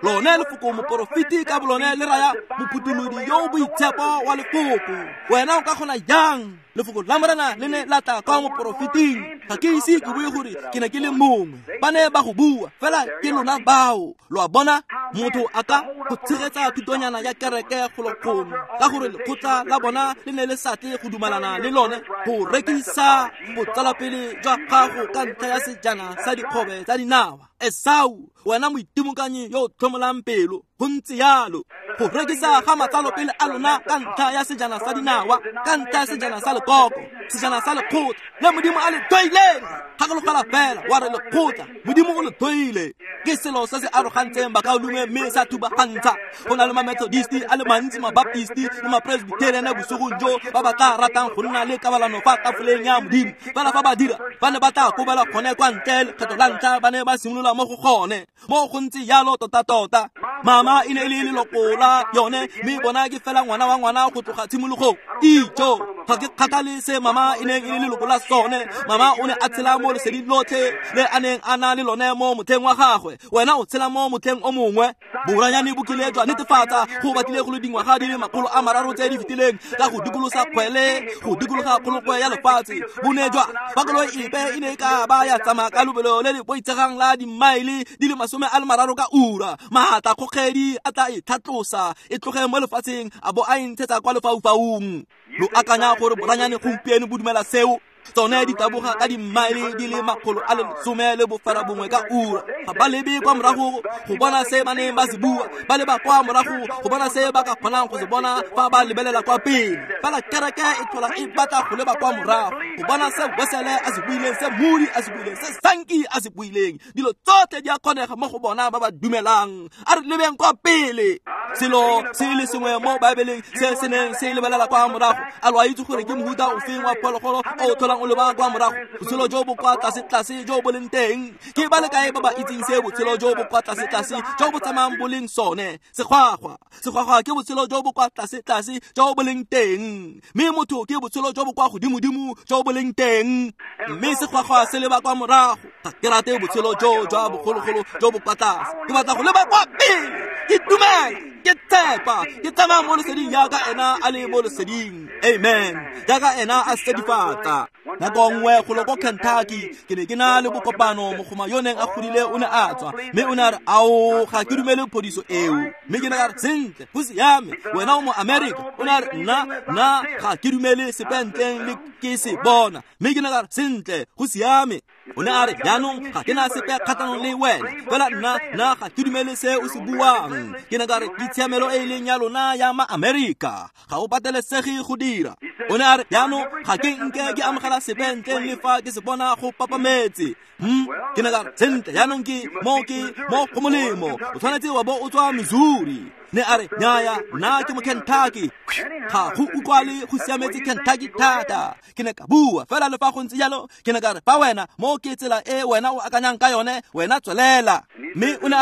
lone lefoko moporofeti ka bolone le raya mophutholodi yo o boitshepo wa lefoko. Wena o ka kgona jang? Lefoko la Morena le ne la tla kwa moporofeting. Ga ke ise ke bue gore ke ne ke le mongwe. Ba ne ba go bua, fela ke lona bao. Lo a bona, motho a ka go tshegetsa thutonyana ya kereke golo gongwe ka gore lekgotla la bona le ne le sa tle go dumalana le lone go rekisa botsalapele jwa gago ka ntlha ya sejana sa dikgobe tsa dinawa. Esau, wena moitimokanyi yo o tlhomolang pelo, go ntse jalo. Go rekisa ga matsalopele a lona ka ntlha ya sejana sa dinawa, ka ntlha ya sejana sa lekoko, sejana sa lekgotla le Modimo a le toileng. Gakologela fela wa re lekgotla Modimo o le toile. Ke selo se se arogantseng bakaulengwe mme sa thubagantsha. Go na le ma-Methodisti a le mantsi, ma-Baptisti le ma-Presbyterian bosigong jo ba ba tla ratang go nna le kabalano fa tafoleng ya Modimo. Fela fa ba dira, ba ne ba tla kobela gone kwa ntle. Lekgetho la ntlha ba ne ba simolola mo go gone. Mo go ntse jalo tota-tota. Mama e ne e le leloko la yone, mme bona ke fela ngwana wa ngwana go tloga tshimologong. Ijo, ga ke kgathale se mama e neng e le leloko la sone. Mama o ne a tshela mo leseding lotlhe le a neng a na le lone mo motlheng wa gagwe. Wena o tshela mo motlheng o mongwe. Boranyane bo kile jwa netefatsa go batlile go le dingwaga di le 300 tse di fetileng ka go dikolosa kgwele, go dikologa kgolokwe ya lefatshe. Bo ne jwa fa koloi epe e ne e ka ba ya tsamaya ka lobelo le le boitshegang la dimaele di le 30 ka ura, maatla kgogedi a tla e tlhatlosa e tloge mo lefatsheng a bo a e ntshetsa kwa lefaufaung. Lo akanya gore boranyane gompieno bo dumela seo? Tsone di taboga ka dimaele di le 119 ka ura. Ga ba lebe kwa morago go bona se ba neng ba se bua, ba leba kwa morago go bona se ba ka kgonang go se bona fa ba lebelela kwa pele. Fela kereke e tlhola e batla go leba kwa morago go bona se Wesele a se buileng, se Moody a se buileng, se Sankey a se buileng. Dilo tsotlhe di a kgonega mo go bona ba ba dumelang. A re lebeng kwa pele. Selo se le sengwe mo Baebeleng se se neng se lebelela kwa morago. A lo a itse gore ke mohuta ofeng wa phologolo o tlholang o leba kwa morago? Botshelo jo bo kwa tlase-tlase jo bo leng teng. Ke ba le kae ba ba itseng se botshelo jo bo kwa tlase-tlase jo bo tsamayang bo leng sone? Segwagwa. Segwagwa ke botshelo jo bo kwa tlase-tlase jo bo leng teng. Mme motho ke botshelo jo bo kwa godimo-dimo jo bo leng teng. Mme segwagwa se leba kwa morago. Ga ke rate botshelo jo jwa bogologolo jo bo kwa tlase. Ke batla go leba kwa pele. Ke dumela. Ke tshepa ke tsamaya mo leseding jaaka ena a le mo leseding. Amen. Jaaka ena a sedifatsa. Nako nngwe golo ko Kentucky ke ne ke na le bokopano, mogoma yo neng a godile o ne a tswa, mme o ne a re, ao, ga ke dumele phodiso eo. Mme ke ne ka re, sentle, go siame, wena o mo America. O ne a re, nna ga ke dumele sepe ntleng le ke se bona. Mme ke ne ka re, sentle, go siame. O ne a re, jaanong ga ke na sepe kgatlhanong le wena, fela nna ga ke dumele se o se buang. Ke ne ka re, ke tshiamelo e e leng ya lona ya ma-Amerika, ga o patelesege go dira. O ne a re, jaanong ga ke nke ke amogela sepe ntleng le fa ke se bona go papametse. Ke ne ka re, sentle, jaanong ke mo go molemo, o tshwanetse wa bo o tswa Missouri. Ne a re, nnyaya, nna ke mo Kentucky. Ga go utlwale go siametse Kentucky thata. Ke ne ka bua fela le fa go ntse jalo, ke ne ka re, fa wena mo ke tsela e wena o akanyang ka yone, wena tswelela. Mme o ne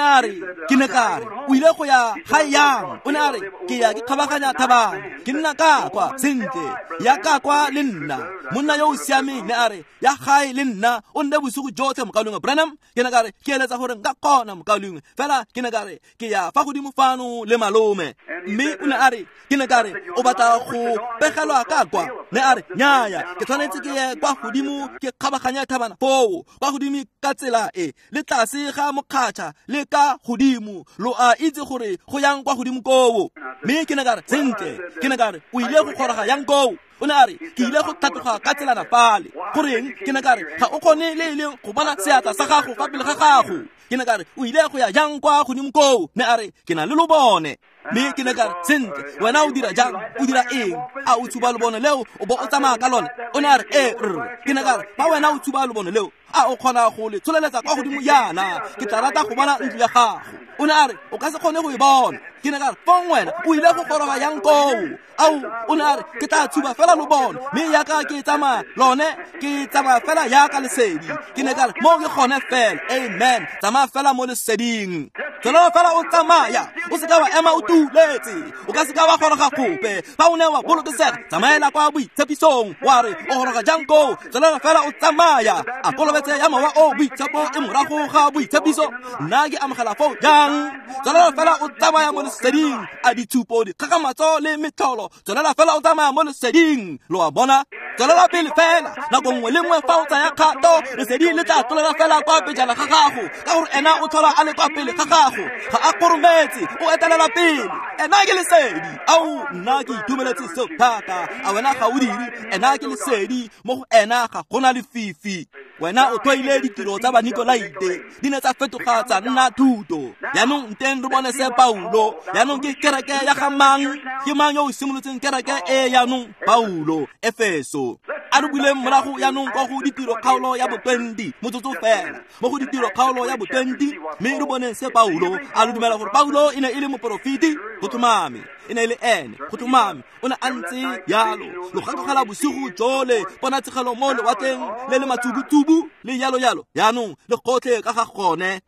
a re, ke ne ka re, o ile go ya gae yang? O ne a re, ke ya ke kgabaganya thabana, ke nna ka kwa, sentle, ya ka kwa le nna. Monna yo o siameng ne a re, ya gae le nna, o nne bosigo jotlhe, mokaulengwe Branham. Ke ne ka re, ke eletsa gore nka kgona, mokaulengwe, fela ke ne ka re, ke ya fa godimo fano le malome. Mme o ne a re, ke ne ka re, o batla go pegelwa ka kwa? Ne a re, nnyaya, ke tshwanetse ke ye kwa godimo ke kgabaganya thabana foo, kwa godimo ka tsela e, le tlase ga mokgatšha le ka godimo, lo a itse gore go yang kwa godimo koo. Mme ke ne ka re, sentle, ke ne ka re, o ile go goroga yang koo? O ne a re, ke ile go tlhatloga ka tselana fale. Goreng? Ke ne ka re, ga o kgone le e leng go bona seatla sa gago fa pele ga gago. Ke ne ka re, o ile go ya jang kwa godimo koo? Ne a re, ke na le lobone. Mme ke ne ka re, sentle, wena o dira jang? O dira eng? A o tshuba lobone leo o bo o tsamaya ka lone? O ne a re, ee, rre. Ke ne ka re, fa wena o tshuba lobone leo, a o kgona go le tsholeletsa kwa godimo yana? Ke tla rata go bona ntlo ya gago. O ne a re, o ka se kgone go e bona. Ke ne ka re, fong wena o ile go goroga yang koo? Ao, o ne a re, ke tla tshuba fela lobone, mme yaka ke tsamaya lone, ke tsamaya fela yaka lesedi. Ke ne ka re, mo ke gone fela. Amen. Tsamaya fela mo leseding. Tswelela fela o tsamaya, o seka wa ema o tuletse, o ka seka wa goroga gope. Fa o ne wa bolokesega, tsamaela kwa boitshepisong, wa re o goroga jang koo? Tswelela fela o tsamaya. A kolobetse ya mowa o boitshepo e morago ga boitshepiso, nna ke amogela foo jang? Tswelela fela o tsamaya mo leseding. A ditshupo, dikgakgamatso le metlholo, tswelela fela o tsamaya mo leseding. Lo a bona? Tswelela pele fela, nako nngwe le nngwe fa o tsaya kgato, lesedi le tla tlolela fela kwa pejana ga gago, ka gore ena o tlhola a le kwa pele ga gago, ga a korometse, o etelela pele. Ena ke lesedi. Ao, nna ke itumeletse seo thata. A wena ga o dire? Ena ke lesedi, mo go ena ga gona lefifi. Wena o tlwaile ditiro tsa Banikolaite, di ne tsa fetoga tsa nna thuto. Jaanong nteng re bone se Paulo, jaanong ke kereke ya ga mang? Ke mang yo o simolotseng kereke e jaanong? Paulo, Efeso. A re buleng morago jaanong kwa go ditiro kgaolo ya bo 20, motsotso fela. Mo go ditiro kgaolo ya bo 20, mme re boneng se Paulo. A re dumela gore Paulo e ne e le moporofeti? Go tlhomame, e ne e le ene. Go tlhomame, o ne a ntse jalo. Lo gakogela bosigo jole, ponatshegelo mo lewatleng le le matsubutsubu le jalo jalo. Jaanong le gotlhe ka ga gone.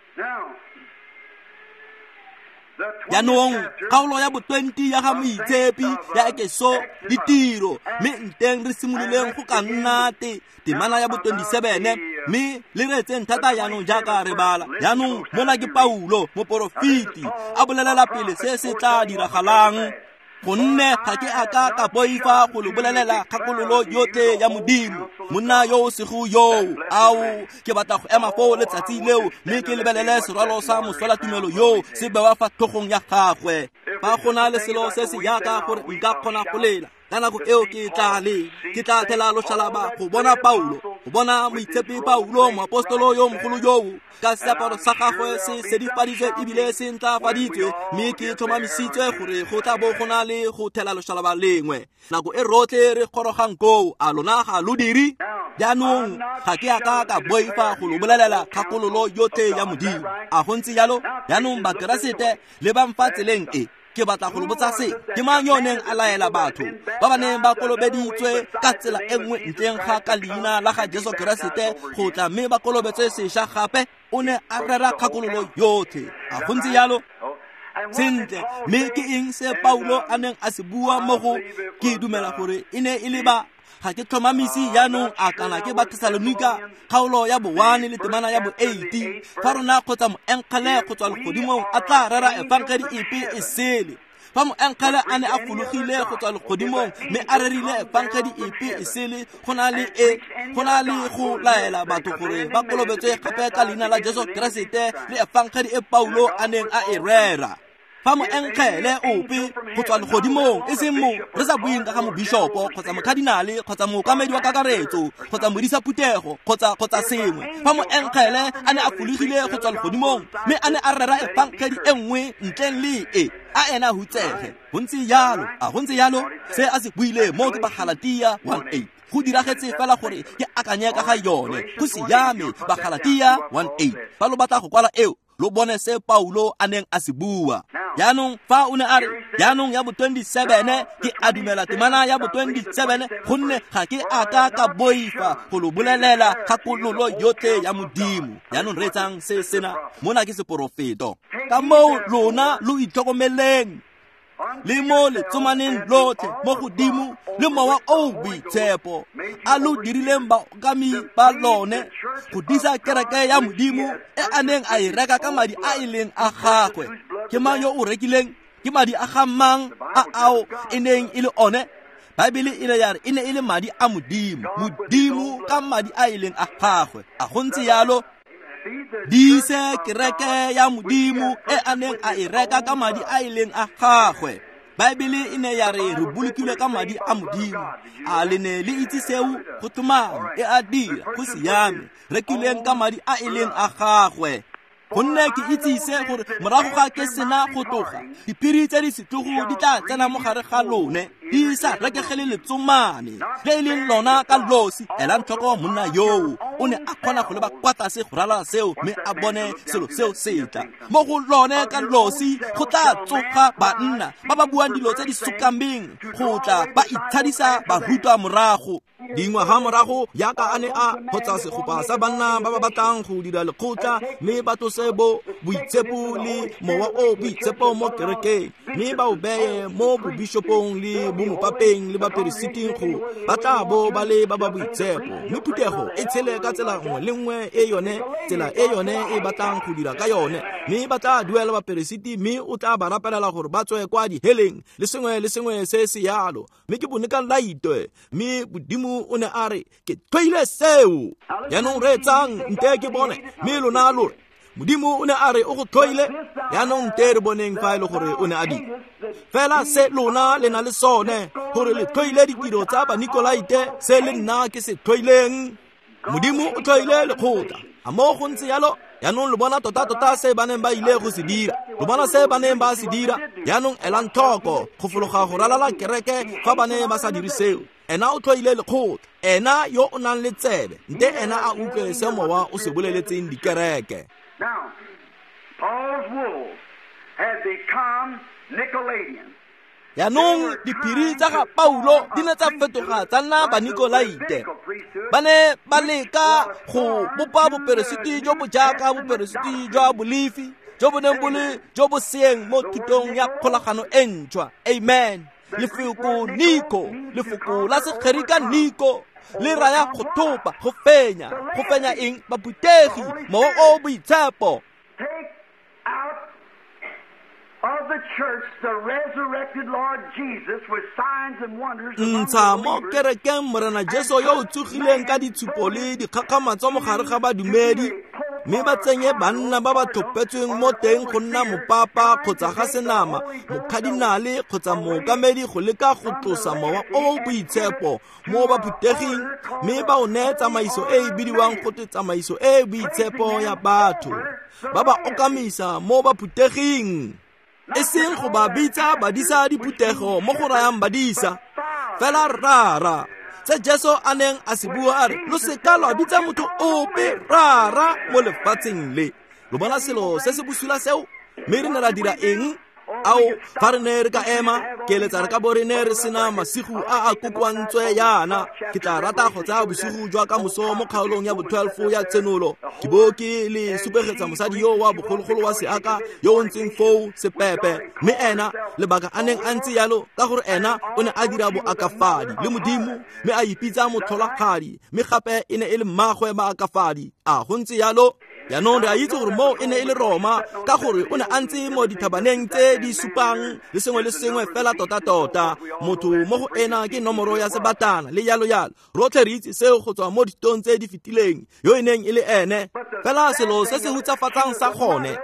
Jaanong kgaolo ya bo 20 ya ga Moitshepi ya Ekeso ditiro, mme nteng re simololeng go ka nna temana ya bo 27, mme le reetseng thata jaanong jaaka re bala. Jaanong mona ke Paulo moporofeti a bolelela pele se se tla diragalang. Gonne ga ke a ka ka boifa go lo bolelela kgakololo yotlhe ya Modimo. Monna yo o sego yoo, ao, ke batla go ema foo letsatsi leo, mme ke lebelele serwalo sa moswelatumelo yoo se bewa fa tlhogong ya gagwe. Fa go na le selo se se yaka gore nka kgona go lela, ka nako eo ke tla le, ke tla thela loshalaba go bona Paulo, go bona moitshepi Paulo, moapostolo yo mogolo yoo, ka seaparo sa gagwe se sedifaditswe ebile se ntlafaditswe, mme ke tlhomamisitswe gore go tla bo go na le go thela loshalaba lengwe. Nako e rotlhe re gorogang koo, a lona ga lo dire? Jaanong ga ke a ka ka boifa go lo bolelela kgakololo yotlhe ya Modimo. A go ntse jalo? Jaanong Bakeresete le bang fa tseleng e, ke batla go lo botsa se, ke mang yo neng a laela batho ba ba neng ba kolobeditswe ka tsela e nngwe ntleng ga ka leina la ga Jesu Keresete go tla mme ba kolobetswe sešwa gape? O ne a rera kgakololo yotlhe. A go ntse jalo? Sentle, mme ke eng se Paulo a neng a se bua mo go? Ke dumela gore e ne e le ba Ga ke tlhomamise jaanong a kana ke Bathesalonika kgaolo ya bo 1 le temana ya bo 8, fa rona kgotsa moengele go tswa legodimong a tla rera efangedi epe e sele. Fa moengele a ne a fologile go tswa legodimong mme a rerile efangedi epe e sele, go na le go na le go laela batho gore ba kolobetswe gape ka leina la Jesu Keresete le efangedi e Paulo a neng a e rera. Fa moengele ope go tswa legodimong, e seng mo re sa bueng ka ga mobishopo kgotsa mokadinale kgotsa mookamedi wa kakaretso kgotsa modisa phuthego kgotsa sengwe, fa moengele a ne a fologile go tswa legodimong mme a ne a rera efangedi e nngwe ntleng le e, a ena hutsege. Go ntse jalo, a go ntse jalo? Se a se buile mo ke Bagalatia 1:8. Go diragetse fela gore ke akanye ka ga yone. Go siame, Bagalatia 1:8. Fa lo batla go kwala eo, lo bone se Paulo a neng a se bua. Jaanong fa o ne a re jaanong ya bo 27, ke a dumela temana ya bo 27, gonne ga ke a ka ka boifa go lo bolelela kgakololo yotlhe ya Modimo. Jaanong reetsang se sena, mona ke seporofeto. Ka moo lona lo itlhokomeleng le mo letsomaneng lotlhe mo godimo le mowa o boitshepo a lo dirileng baokami ba lone go disa kereke ya Modimo e a neng a e reka ka madi a e leng a gagwe. Ke mang yo o rekileng? Ke madi a ga mang a ao e neng e le one? Baebele e ne ya re e ne e le madi a Modimo, Modimo ka madi a e leng a gagwe. A go ntse jalo? Dise kereke ya Modimo e a neng a e reka ka madi a e leng a gagwe. Baebele e ne ya re re bolokilwe ka madi a Modimo. A le ne le itse seo? Go tlhomame e a dira, go siame, rekileng ka madi a e leng a gagwe. Gonne ke itse se gore morago ga ke sena go tloga, diphiri tse di setlogo di tla tsena mo gare ga lone, di sa rekegele letsomane le e leng lona ka losi. Elang tlhoko monna yoo, o ne a kgona go leba kwa tlase go ralala seo mme a bone selo seo se tla. Mo go lone ka losi go tla tsoga banna ba ba buang dilo tse di sokameng go tla ba itshadisa barutwa morago. Dingwaga morago yaka a ne a kgotsa segopa sa banna ba ba batlang go dira lekgotla mme ba tlose bo boitshepo le mowa o boitshepo mo kerekeng mme ba o beye mo bobishopong le bomopapeng le baperesiting go ba tla bo ba le ba ba boitshepo, mme phuthego e tshele ka tsela nngwe le nngwe e yone tsela e yone e batlang go dira ka yone, mme ba tla duela baperesiti mme o tla ba rapelela gore ba tswe kwa diheleng le sengwe le sengwe se se yalo. Mme ke bone ka laitwe, mme Modimo o ne a re ke tlhoile seo. Jaanong reetsang nte ke bone, mme lona lo re Modimo o ne a re o go tlhoile. Jaanong nte re boneng fa e le gore o ne a dira fela se lona le na le sone, gore le tlhoile ditiro tsa Banikolaite, se le nna ke se tlhoileng. Modimo o tlhoile lekgotla. A mo go ntse jalo? Jaanong lo bona tota-tota se ba neng ba ile go se dira, lo bona se ba neng ba se dira. Jaanong elang tlhoko go fologa go ralala kereke fa ba ne ba sa dire seo. Ena o tlhoile lekgotla, ena yo o nang le tsebe, nte ena a utlwe se mowa o se boleletseng dikereke. Now, Paul's wolves had become Nicolaitans. Jaanong diphiri tsa ga Paulo di ne tsa fetoga tsa nna Banikolaite. Ba ne ba leka go bopa boperesiti jo bo jaaka boperesiti jwa Bolefi, jo bo neng bo le jo bo seeng mo thutong ya kgolagano e ntšhwa. Amen. Lefoko Niko, lefoko la Segerika Niko, le raya go thopa, go fenya. Go fenya eng? Baphuthegi, mowa o boitshepo. Take out of the church the resurrected Lord Jesus with signs and wonders among the Ntsha mo believers, kerekeng Morena Jesu yo o tsogileng ka ditshupo le dikgakgamatso mo gare ga badumedi, mme ba tsenye banna ba ba tlhophetsweng mo teng go nna mopapa kgotsa ga senama, mokadinale kgotsa mookamedi go leka go tlosa mowa o o boitshepo mo baphutheging, mme ba o neye tsamaiso e e bidiwang gote tsamaiso e e boitshepo ya batho, ba ba okamisa mo baphutheging. E seng go ba bitsa badisa diphuthego mo go rayang badisa, fela rara. Se Jesu a neng a se bua a re, lo seka lwa bitsa motho ope rara mo lefatsheng le. Lo bona selo se se bosula seo? Mme re ne ra dira eng? Ao, fa re ne re ka ema, ke eletsa re ka bo re ne re sena masigo a a kokoantswe yana. Ke tla rata go tsaya bosigo jwa ka moso mo kgaolong ya bo-12 ya Tshenolo. Ke bo ke le supegetsa mosadi yo wa bogologolo wa seaka yo o ntseng foo sepepe. Mme ena, lebaka a neng a ntse yalo, ka gore ena o ne a dira boakafadi le Modimo, mme a ipitsa motlholagadi, mme gape e ne e le mmagwe maakafadi. A go ntse yalo? Jaanong re a itse gore moo e ne e le Roma, ka gore o ne a ntse mo dithabaneng tse di supang le sengwe le sengwe fela tota-tota. Motho mo go ena ke nomoro ya sebatana le yalo-yalo. Rotlhe re itse seo go tswa mo dithutong tse di fetileng, yo e neng e le ene. Fela selo se se hutsafatsang sa gone,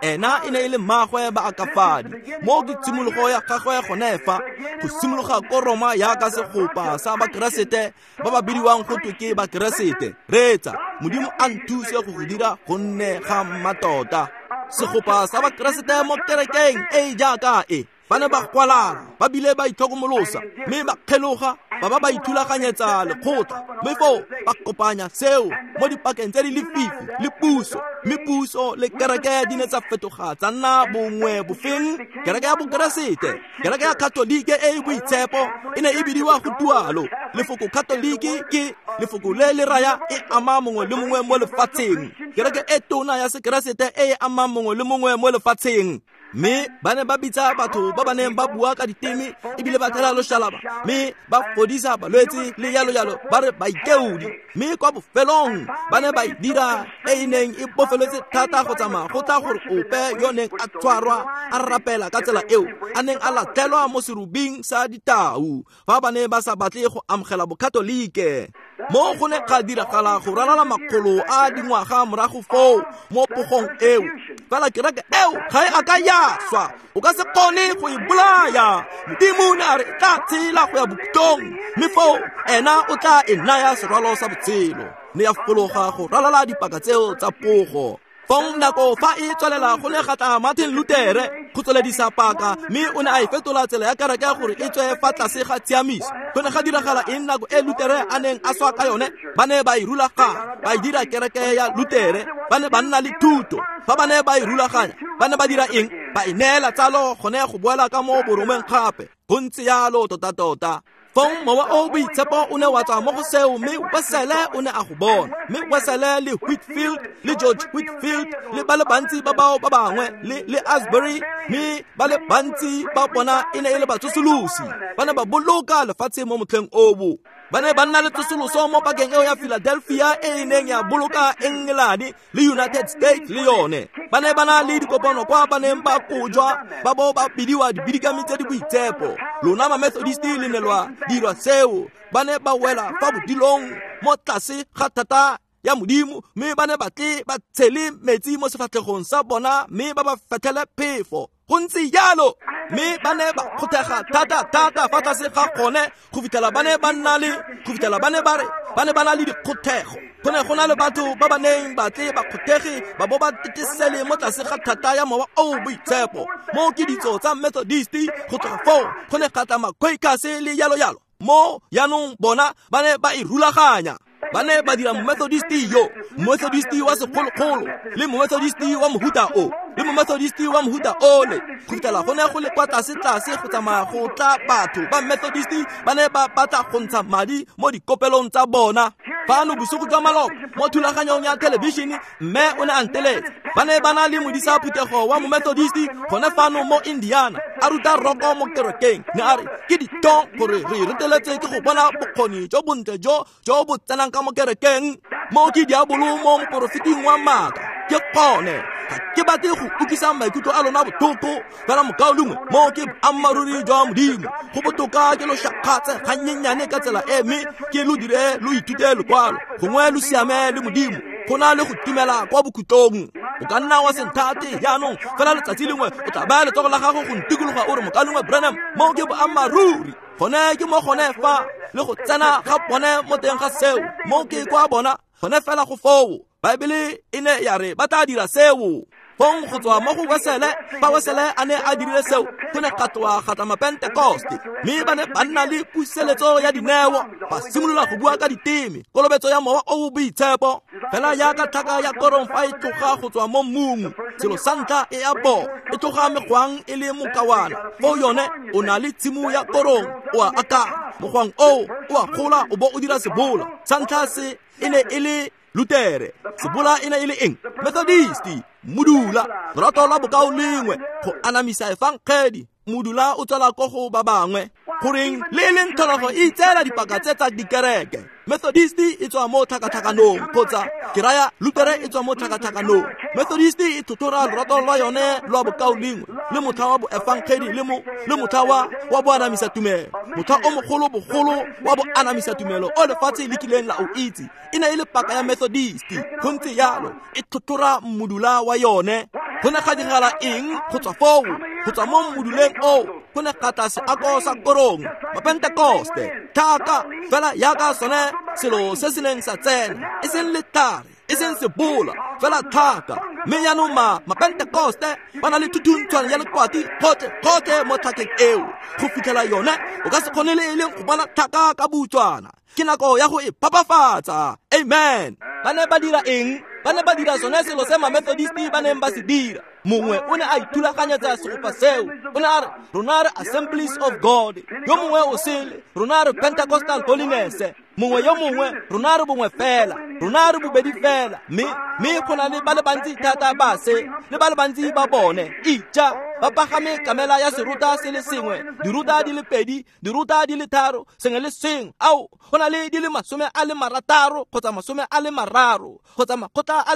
ena e ne e le mmagwe baakafadi. Mo ke tshimologo ya gagwe gone fa, go simologa ko Roma yaka segopa sa Bakeresete ba ba bidiwang go twe ke Bakeresete. Reetsa, Modimo a nthuse go go dira go nne ga mmatota. Segopa sa Bakeresete mo kerekeng e e jaaka e, ba ne ba kwalana, ba bile ba itlhokomolosa, mme ba kgeloga, ba ba ba ithulaganyetsa lekgotla, mme foo ba kopanya seo mo dipakeng tse di lefifi le puso. Mme puso le kereke di ne tsa fetoga tsa nna bongwe bofeng? Kereke ya Bokeresete, kereke ya Katolike e e boitshepo e ne e bidiwa go tualo. Lefoko Katolike ke lefoko le le raya e ama mongwe le mongwe mo lefatsheng. Kereke e tona ya Sekeresete e e amang mongwe le mongwe mo lefatsheng. Mme ba ne ba bitsa batho ba ba neng ba bua ka diteme ebile ba thela loshalaba, mme ba fodisa balwetse le yalo-yalo, ba re baikeodi. Mme kwa bofelong ba ne ba e dira e e neng e bofeletse thata go tsamaya go tla gore ope yo neng a tshwarwa a rapela ka tsela eo a neng a latlhelwa mo serubing sa ditau, fa ba ne ba sa batle go amogela Bokatolike. Mo go ne ga diragala go ralala makgolo a dingwaga morago foo mo pogong eo. Fela kereke eo ga e a ka ya swa, o ka se kgone go e bolaya. Modimo ne a re e tla tshela go ya bokhutlong, mme foo ena o tla e naya serwalo sa botshelo. Ne ya fologa go ralala dipaka tseo tsa pogo. Fong nako fa e tswelela go ne ga tla Martin Luther go tsweledisa paka, mme o ne a e fetola tsela ya kereke gore e tswe fa tlase ga tshiamiso. Go ne ga diragala eng nako e Luther a neng a swa ka yone? Ba ne ba e rulaganya, ba e dira kereke ya Luther. Ba ne ba nna le thuto. Fa ba ne ba e rulaganya, ba ne ba dira eng? Ba e neela tsalo gone go boela ka mo boromeng gape. Go ntse yalo tota-tota. Fong mowa o boitshepo o ne wa tswa mo go seo, mme Wesele o ne a go bona. Mme Wesele le Whitfield le George Whitfield le ba le bantsi ba bao ba bangwe le Asbury, mme ba le bantsi ba bona e ne e le batsosolosi. Ba ne ba boloka lefatshe mo motlheng oo. Ba ne ba nna le tsosoloso mo pakeng eo ya Philadelphia e e neng ya boloka England le United States le yone. Ba ne ba na le dikopano kwa ba neng ba kojwa ba bo ba bidiwa dibidikami tse di boitshepo. Lona ma-Methodist le ne lwa dirwa seo. Ba ne ba wela fa bodilong mo tlase ga thata ya Modimo, mme ba ne ba tle ba tshele metsi mo sefatlhegong sa bona mme ba ba fetlhele phefo. Go ntse jalo. Mme ba ne ba kgothega thata-thata fa tlase ga gone go fitlhela ba ne ba nna le, go fitlhela ba ne ba re ba ne ba na le dikgothego. Go ne go na le batho ba ba neng ba tle ba kgothege ba bo ba tetesele mo tlase ga thata ya mowa o boitshepo. Mo ke ditso tsa Methodist, go tloga foo go ne ga tla ma-Quakers le yalo-yalo. Mo jaanong bona ba ne ba e rulaganya. Ba ne ba dira Methodist yo, Methodist wa segologolo, le Methodist wa mohuta o, le Methodist wa mohuta ole. Go fitlhela go ne go le kwa tlase-tlase go tsamaya go tla batho ba Methodist ba ne ba batla go ntsha madi mo dikopelong tsa bona. Fano bosigo jwa maloba mo thulaganyong ya thelebišene, mme o ne a nteletsa. Ba ne ba na le modisa phuthego wa Momethodist gone fano mo Indiana, a ruta roko mo kerekeng. Ne a re ke ditong gore re reteletse ke go bona bokgoni jo bontle jo jo bo tsenang ka mo kerekeng. Mo ke diabolo mo moporofeting wa maaka. Ke gone ga ke batle go utlwisa maikutlo a lona botlhoko, fela mokaulengwe, mo ke boammaaruri jwa Modimo. Go botoka ke lo shakgatse gannyenyane ka tsela e, mme ke lo dire lo ithute lekwalo, gongwe lo siame le Modimo, go na le go timela kwa bokhutlong. O ka nna wa se nthate jaanong, fela letsatsi lengwe o tla baya letsogo la gago go ntikologa o re, mokaulengwe Branham, mo ke boammaaruri. Gone ke mo gone fa le go tsena ga bone mo teng ga seo, mo ke kwa bona gone fela go foo. Baebele e ne ya re ba tla dira seo. Fong go tswa mo go Wesele, fa Wesele a ne a dirile seo, go ne ga tloga ga tla Mapentekoste, mme ba ne ba nna le puseletso ya dineo, ba simolola go bua ka diteme, kolobetso ya Mowa o o Boitshepo. Fela jaaka tlhaka ya korong fa e tloga go tswa mo mmung, selo sa ntlha e a bo e tloga megwang e le mokawana. Foo yone o na le tshimo ya korong, o a akanya mogwang oo o a gola o bo o dira sebola. Sa ntlha se e ne e le Lutere, sebola e ne e le eng? Methodisti, modula, lorato lwa bokao lengwe, go anamisa efangedi, modula o tswela ko go ba bangwe. Goreng le e leng tlholego e itseela dipaka tse tsa dikereke. Methodisti e tswa mo tlhakatlhakanong, kgotsa ke raya Lutere e tswa mo tlhakatlhakanong. Methodisti e tlhotlhora lorato lwa yone lwa bokao lengwe, le motlha wa boefangedi le motlha wa boanamisa tumelo, motlha o mogolo bogolo wa boanamisa tumelo o lefatshe le kileng la o itse. E ne e le paka ya Methodisti, go ntse jalo, e tlhotlhora modula wa yone. Go ne ga diragala eng go tswa foo? Go tswa mo moduleng oo go ne ga tla seako sa korong, Mapentekoste, tlhaka fela jaaka sone selo se se neng sa tsena, e seng letlhare, e seng sebola, fela tlhaka. Mme jaanong Mapentekoste ba na le thuthuntshwane ya lekwati gotlhe mo tlhakeng eo, go fitlhela yone o ka se kgone le e leng go bona tlhaka ka butswana. Ke nako ya go e phapafatsa. Amen. Ba ne ba dira eng? Ba ne ba dira sone selo se Mamethodisti ba neng ba se dira. Mongwe o ne a ithulaganyetsa segopa seo, o ne a re rona re Assemblies of God, yo mongwe o sele rona re Pentecostal Holiness, mongwe yo mongwe rona re bongwe fela, rona re bobedi fela. Mme go na le ba le bantsi thata ba se, le ba le bantsi ba bone. Ija ba pagame kamela ya seruta se le sengwe, diruta di le pedi, diruta di le tharo, sengwe le sengwe. Ao, go na le di le 60 kgotsa 30 kgotsa makgotla a le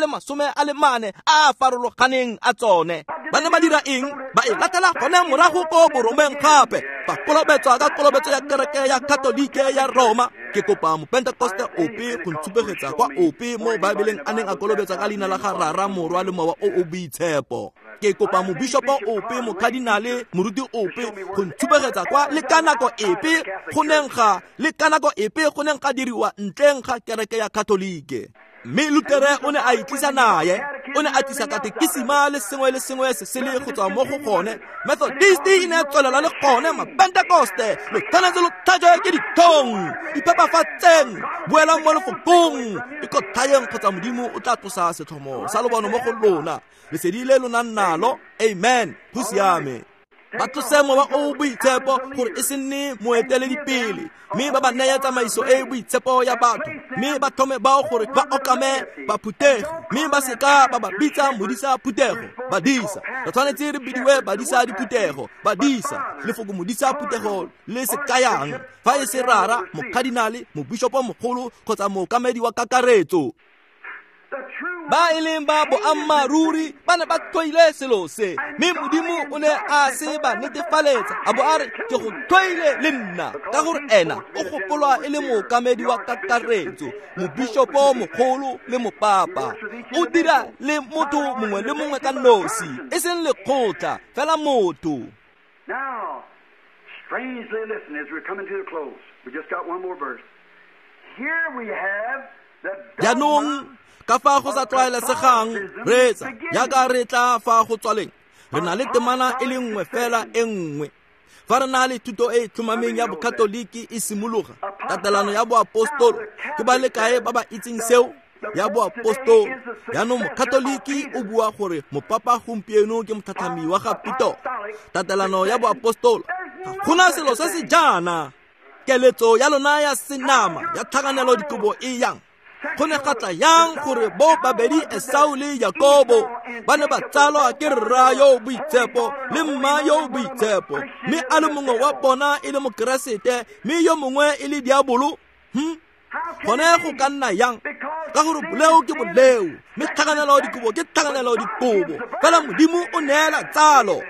44 a a farologaneng a tsone. Ba ne ba dira eng? Ba e latela gone morago ko boromeng gape, ba kolobetswa ka kolobetso ya kereke ya Katolike ya Roma. Ke kopa Mopentekoste ope go ntshupegetsa kwa ope mo Baebeleng a neng a kolobetsa ka leina la ga Rara, Morwa le Mowa o o Boitshepo. Ke kopa mobishopo ope, mokadinale, moruti ope go ntshupegetsa kwa le ka nako epe go neng ga le ka nako epe go neng ga diriwa ntleng ga kereke ya Katolike. Mme Lutere o ne a itlisa naye, o ne a tlisa katekisima le sengwe le sengwe se sele go tswa mo go gone. Methodisti e ne tswelela le gone, Mapentekoste lo tshwanetse lo tlhajwe ke ditlhong. Iphepafatseng, boelang mo lefokong, ikotlhayeng kgotsa Modimo o tla tlosa setlhomo sa lobono mo go lona. Lesedi le lo nang nalo. Amen. Go siame. Ba tlose Mowa o o Boitshepo gore e se nne moeteledipele, mme ba ba neye tsamaiso e e boitshepo ya batho, mme ba tlhome bao gore ba okame baphutegi, mme ba seka ba ba bitsa modisa phuthego, badisa. Re tshwanetse re bidiwe badisa diphuthego, badisa. Lefoko modisa phuthego le se kayang fa e se rara, mokadinale, mobishopo mogolo kgotsa mookamedi wa kakaretso. Ba e leng ba boammaaruri ba ne ba tlhoile selo se, mme Modimo o ne a se ba netefaletsa, a bo a re ke go tlhoile le nna, ka gore ena o gopolwa e le mookamedi wa kakaretso, mobishopo mogolo le mopapa. O dira le motho mongwe le mongwe ka nosi, e seng lekgotla, fela motho. Now, strangely listen as we're coming to the close. We just got one more verse. Here we have Jaanong ka fa go sa tlwaelesegang, reetsa jaaka re tla fa go tswaleng, re na le temana e le nngwe fela e nngwe. Fa re na le thuto e e tlhomameng ya Bokatoliki e simologa, tatelano ya boapostolo, ke ba le kae ba ba itseng seo? Ya boapostolo. Jaanong Mokatoliki o bua gore mopapa gompieno ke motlhatlhami wa ga Peter. Tatelano ya boapostolo, ga gona selo se se jaana. Keletso ya lona ya senama ya tlhakanelo dikobo e yang. Go ne ga tla yang gore bo babedi Esau le Jakobo ba ne ba tsalwa ke rra yo o boitshepo le mma yo o boitshepo, mme a le mongwe wa bona e le Mokeresete mme yo mongwe e le diabolo? Gone go ka nna yang? Ka gore boleo ke boleo, mme tlhakanelo dikobo ke tlhakanelo dikobo. Fela Modimo o neela tsalo.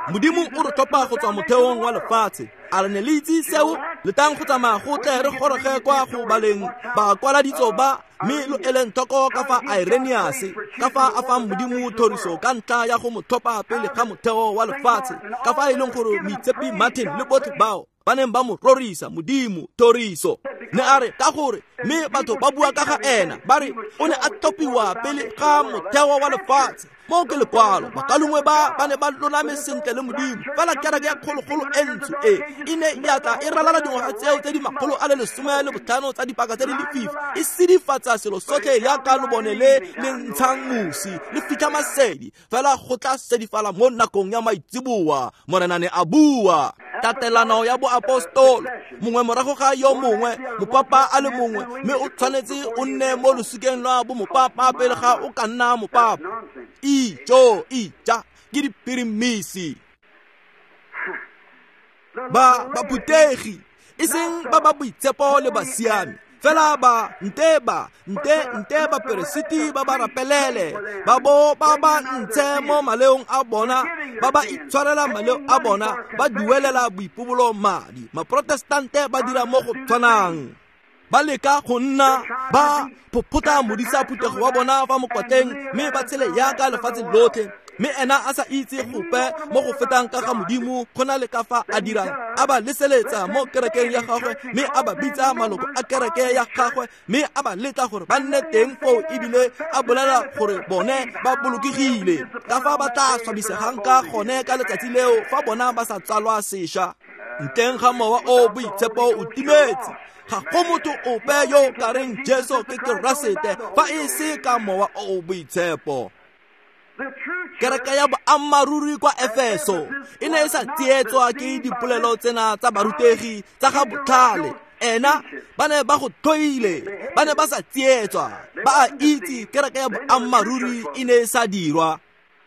Modimo o re tlhopha go tswa motheong wa lefatshe. A re ne le itse seo? Letang go tsamaya go tle re goroge kwa go baleng bakwaladitso ba, mme lo eleng tlhoko ka fa Irenaeus, ka fa a fang Modimo thoriso ka ntlha ya go mo tlhopha pele ga motheo wa lefatshe, ka fa e leng gore moitshepi Martin le botlhe bao. ba neng ba mo rorisa Modimo thoriso. Ne a re ka gore mme batho ba bua ka ga ena ba re o ne a tlhophiwa pele ga motheo wa lefatshe. Mo ke lekwalo bakalongwe ba ne ba lolame sentle le Modimo, fela kereke ya kgologolo e ntsho e e ne ya tla e ralala dingwaga tseo tse di 115 tsa dipaka tse di lefifi, e sedifatsa selo sotlhe yaka lobone le le ntshang mosi le fitlha masedi, fela go tla sedifala mo nakong ya maitseboa. Morena ne a bua. Tatelano ya boapostolo, mongwe morago ga yo mongwe, mopapa a le mongwe, mme o tshwanetse o nne mo losikeng lwa bo mopapa pele ga o ka nna mopapa. Ijo ija ke dipirimisi. Ba baphuthegi e seng ba ba boitshepo le basiami, fela ba nte baperesiti ba ba rapelele, ba bo ba ba ntshe mo maleong a bona, ba ba itshwarela maleo a bona, ba duelela boipobolo madi. Maprotestante ba dira mo go tshwanang, ba leka go nna ba phophota modisa phuthego wa bona fa mokwatleng, mme ba tshele yaka lefatshe lotlhe, mme ena a sa itse gope mo go fetang ka ga Modimo go na le ka fa a dirang. A ba leseletsa mo kerekeng ya gagwe, mme a ba bitsa maloko a kereke ya gagwe, mme a ba letla gore ba nne teng foo, ebile a bolela gore bone ba bolokegile. Ka fa ba tla swabisegang ka gone ka letsatsi leo fa bona ba sa tsalwa sešwa. Ntleng ga Mowa o Boitshepo o timetse, ga go motho ope yo ka reng Jesu ke Keresete fa e se ka Mowa o Boitshepo. Kereke ya boammaaruri kwa Efeso e ne e sa tsietswa ke dipolelo tsena tsa barutegi tsa ga botlhale. Ena ba ne ba go tlhoile, ba ne ba sa tsietswa, ba a itse kereke ya boammaaruri e ne e sa dirwa.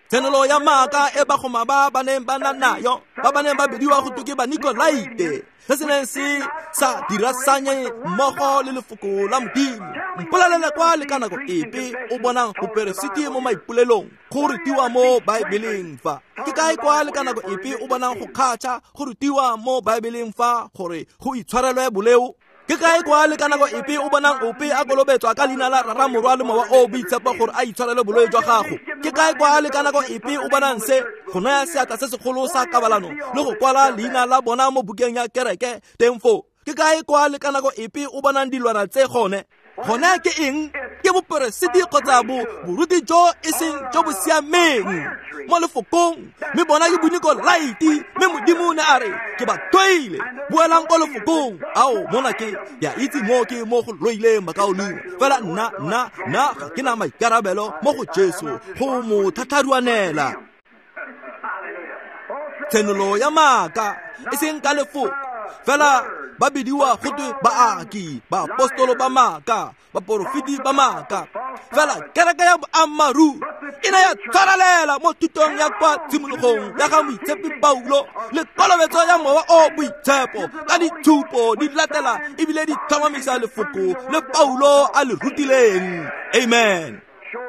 Tshenolo ya maaka e bagoma ba ba neng ba na nayo, ba ba neng ba bidiwa go twe ke Banikolaite, se se neng se sa dirasanye mmogo le lefoko la Modimo. Mpolelele kwa le ka nako epe o bonang boperesiti mo maipolelong go rutiwa mo Baebeleng fa. Ke kae kwa le ka nako epe o bonang go kgatšha go rutiwa mo Baebeleng fa gore go itshwarelwe boleo? Ke kae kwa le ka nako epe o bonang ope a kolobetswa ka leina la Rara, Morwa le Mowa o Boitshepo gore a itshwarele bolwetse jwa gago? Ke kae kwa le ka nako epe o bonang se go naya seatla se segolo sa kabalano le go kwala leina la bona mo bukeng ya kereke teng foo? Ke kae kwa le ka nako epe o bonang dilwana tse gone? Gone ke eng? Ke boperesiti kgotsa boruti jo e seng jo bo siameng mo lefokong, mme bona ke Bonikolaite, mme Modimo ne a re ke ba tlhoile. Boelang ko lefokong. Ao mona ke ya itse mo ke mo go loileng bakaulengwe, fela nna ga ke na maikarabelo mo go Jesu go mo thatharuanela. Tshenolo ya maaka e seng ka lefoko, fela ba bidiwa go twe baaki, baapostolo ba maaka, baporofeti ba maaka. Fela kereke ya boammaaruri e ne ya tshwarelela mo thutong ya kwa tshimologong ya ga Moitshepi Paulo le kolobetso ya Mowa o Boitshepo ka ditshupo di latela ebile di tlhomamisa lefoko le Paulo a le rutileng. Amen.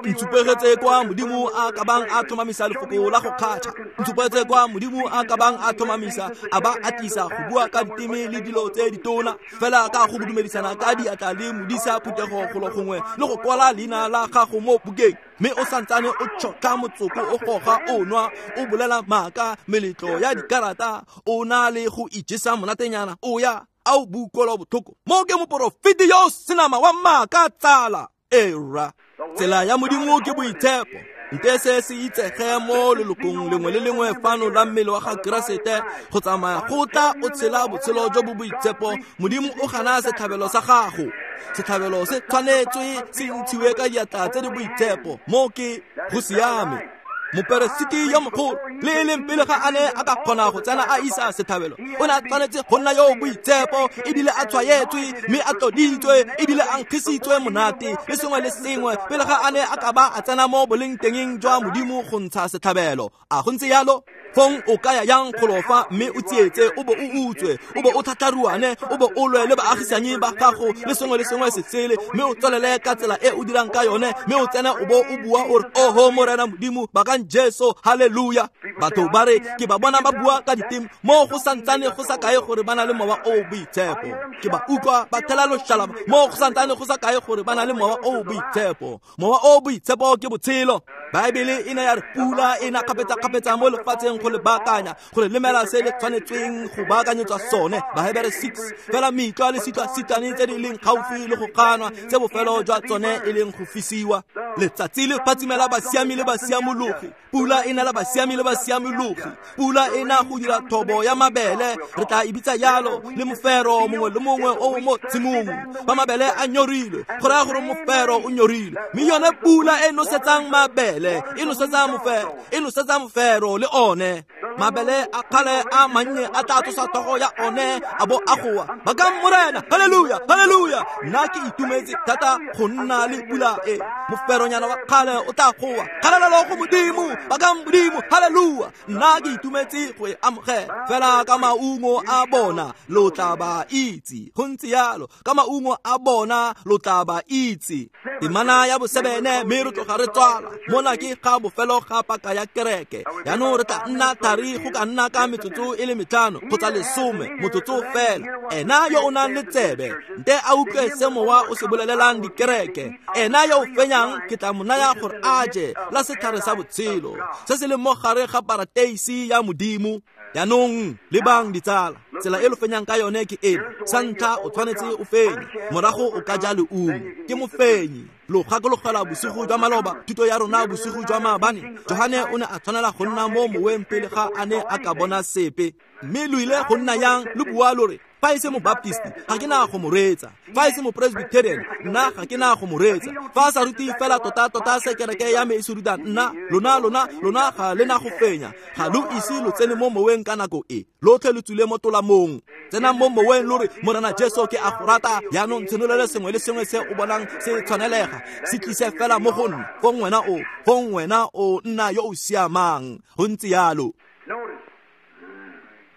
Ntshupegetse kwa Modimo a ka bang a tlhomamisa lefoko la go kgatšha. Ntshupegetse kwa Modimo a ka bang a tlhomamisa a ba a tlisa go bua ka diteme le dilo tse ditona, fela ka go dumedisana ka diatla le modisa phuthego golo gongwe le go kwala leina la gago mo bukeng, mme o santsane o tšhotlha motsoko, o goga, o nwa, o bolela maaka, meletlo ya dikarata, o na le go ijesa monatenyana, o ya a o bukola botlhoko. Mo ke moporofeti yo o senama wa maaka, tsala. Era tsela ya Modimo ke boitshepo. Nte se se itsege mo lelokong lengwe le lengwe fano la mmele wa ga Keresete go tsamaya go tla o tshela botshelo jo bo boitshepo. Modimo o gana setlhabelo sa gago. Setlhabelo se tshwanetswe se ntshiwe ka diatla tse di boitshepo. Mo ke go siame. Moperesiti yo mogolo le e leng pele ga a ne a ka kgona go tsena a isa setlhabelo, o ne a tshwanetse go nna yo boitshepo ebile a tshwaetswe mme a tloditswe ebile a nkgisitswe monate le sengwe le sengwe pele ga a ne a ka ba a tsena mo bolengtengeng jwa Modimo go ntsha setlhabelo. A go ntse yalo? Fong o kaya yang golofa mme o tsietse, o bo o utswe, o bo o tlhatlharuane, o bo o lwe le baagisanyi ba gago le sengwe le sengwe se sele, mme o tswelele ka tsela e o dirang ka yone, mme o tsene o bo o bua o re oho Morena Modimo ba ka Bakang Jesu, haleluya. Batho ba re ke ba bona ba bua ka diteme mo go santsane go sa kae gore ba na le mowa o boitshepo. Ke ba utlwa ba thela loshalaba mo go santsane go sa kae gore ba na le mowa o boitshepo. Mowa o boitshepo ke botshelo. Baebele e ne ya re pula e na kgapetsa-kgapetsa mo lefatsheng go le baakanya, gore lemela se le tshwanetsweng go baakanyetswa sone. Bahebere 6. Fela mitlwa le sitwa-sitane tse di leng gaufi le go kganwa, tse bofelo jwa tsone e leng go fisiwa. Letsatsi le phatsimela basiami le basiamologi, pula e nela basiami le basiamologi, pula e na go dira thobo ya mabele, re tla e bitsa yalo, le mofero mongwe le mongwe o mo tshimong. Fa mabele a nyorilwe, go raya gore mofero o nyorilwe, mme yone pula e nosetsang mabele, e nosetsa mofero, e nosetsa mofero le one. Mabele a kgale a mannye a tla tsosa tlhogo ya one a bo a goa, bakang Morena, haleluya, haleluya. Nna ke itumetse thata go nna le pula e. Moferonyana wa kgale o tla goa, kgalalelo go Modimo, bakang Modimo, haleluya. Nna ke itumetse go e amogela. Fela ka maungo a bona lo tla ba itse. Go ntse yalo, ka maungo a bona lo tla ba itse. Temana ya bosebene, mme re tloga re tswala. Mona ke ga bofelo ga paka ya kereke. Jaanong re tla nna thari go ka nna ka metsotso e le 5 kgotsa 10, motsotso fela. Ena yo o nang le tsebe, nte a utlwe se mowa o se bolelelang dikereke. Ena yo o fenyang ke tla mo naya gore a je la setlhare sa botshelo se se leng mo gare ga parateisi ya Modimo. Jaanong lebang ditsala, tsela e lo fenyang ka yone ke eno. Sa ntlha o tshwanetse o fenye, morago o ka ja leungo. Ke mofenyi. Lo gakologelwa bosigo jwa maloba, thuto ya rona bosigo jwa maabane. Johane o ne a tshwanela go nna mo moweng pele ga a ne a ka bona sepe. Mme lo ile go nna yang lo bua lo re, fa e se mobaptisti ga ke na go mo reetsa, fa e se mopresbyterian nna ga ke na go mo reetsa, fa a sa rute fela tota-tota se kereke ya me e se rutang nna, lona ga le na go fenya. Ga lo ise lo tsene mo moweng ka nako e, lotlhe lo tswile mo tolamong. Tsenang mo moweng lo re, Morena Jesu ke a go rata, jaanong tshenolele sengwe le sengwe se o bonang se tshwanelega, se tlise fela mo go nna. Fong wena o nna yo o siamang. Go ntse yalo.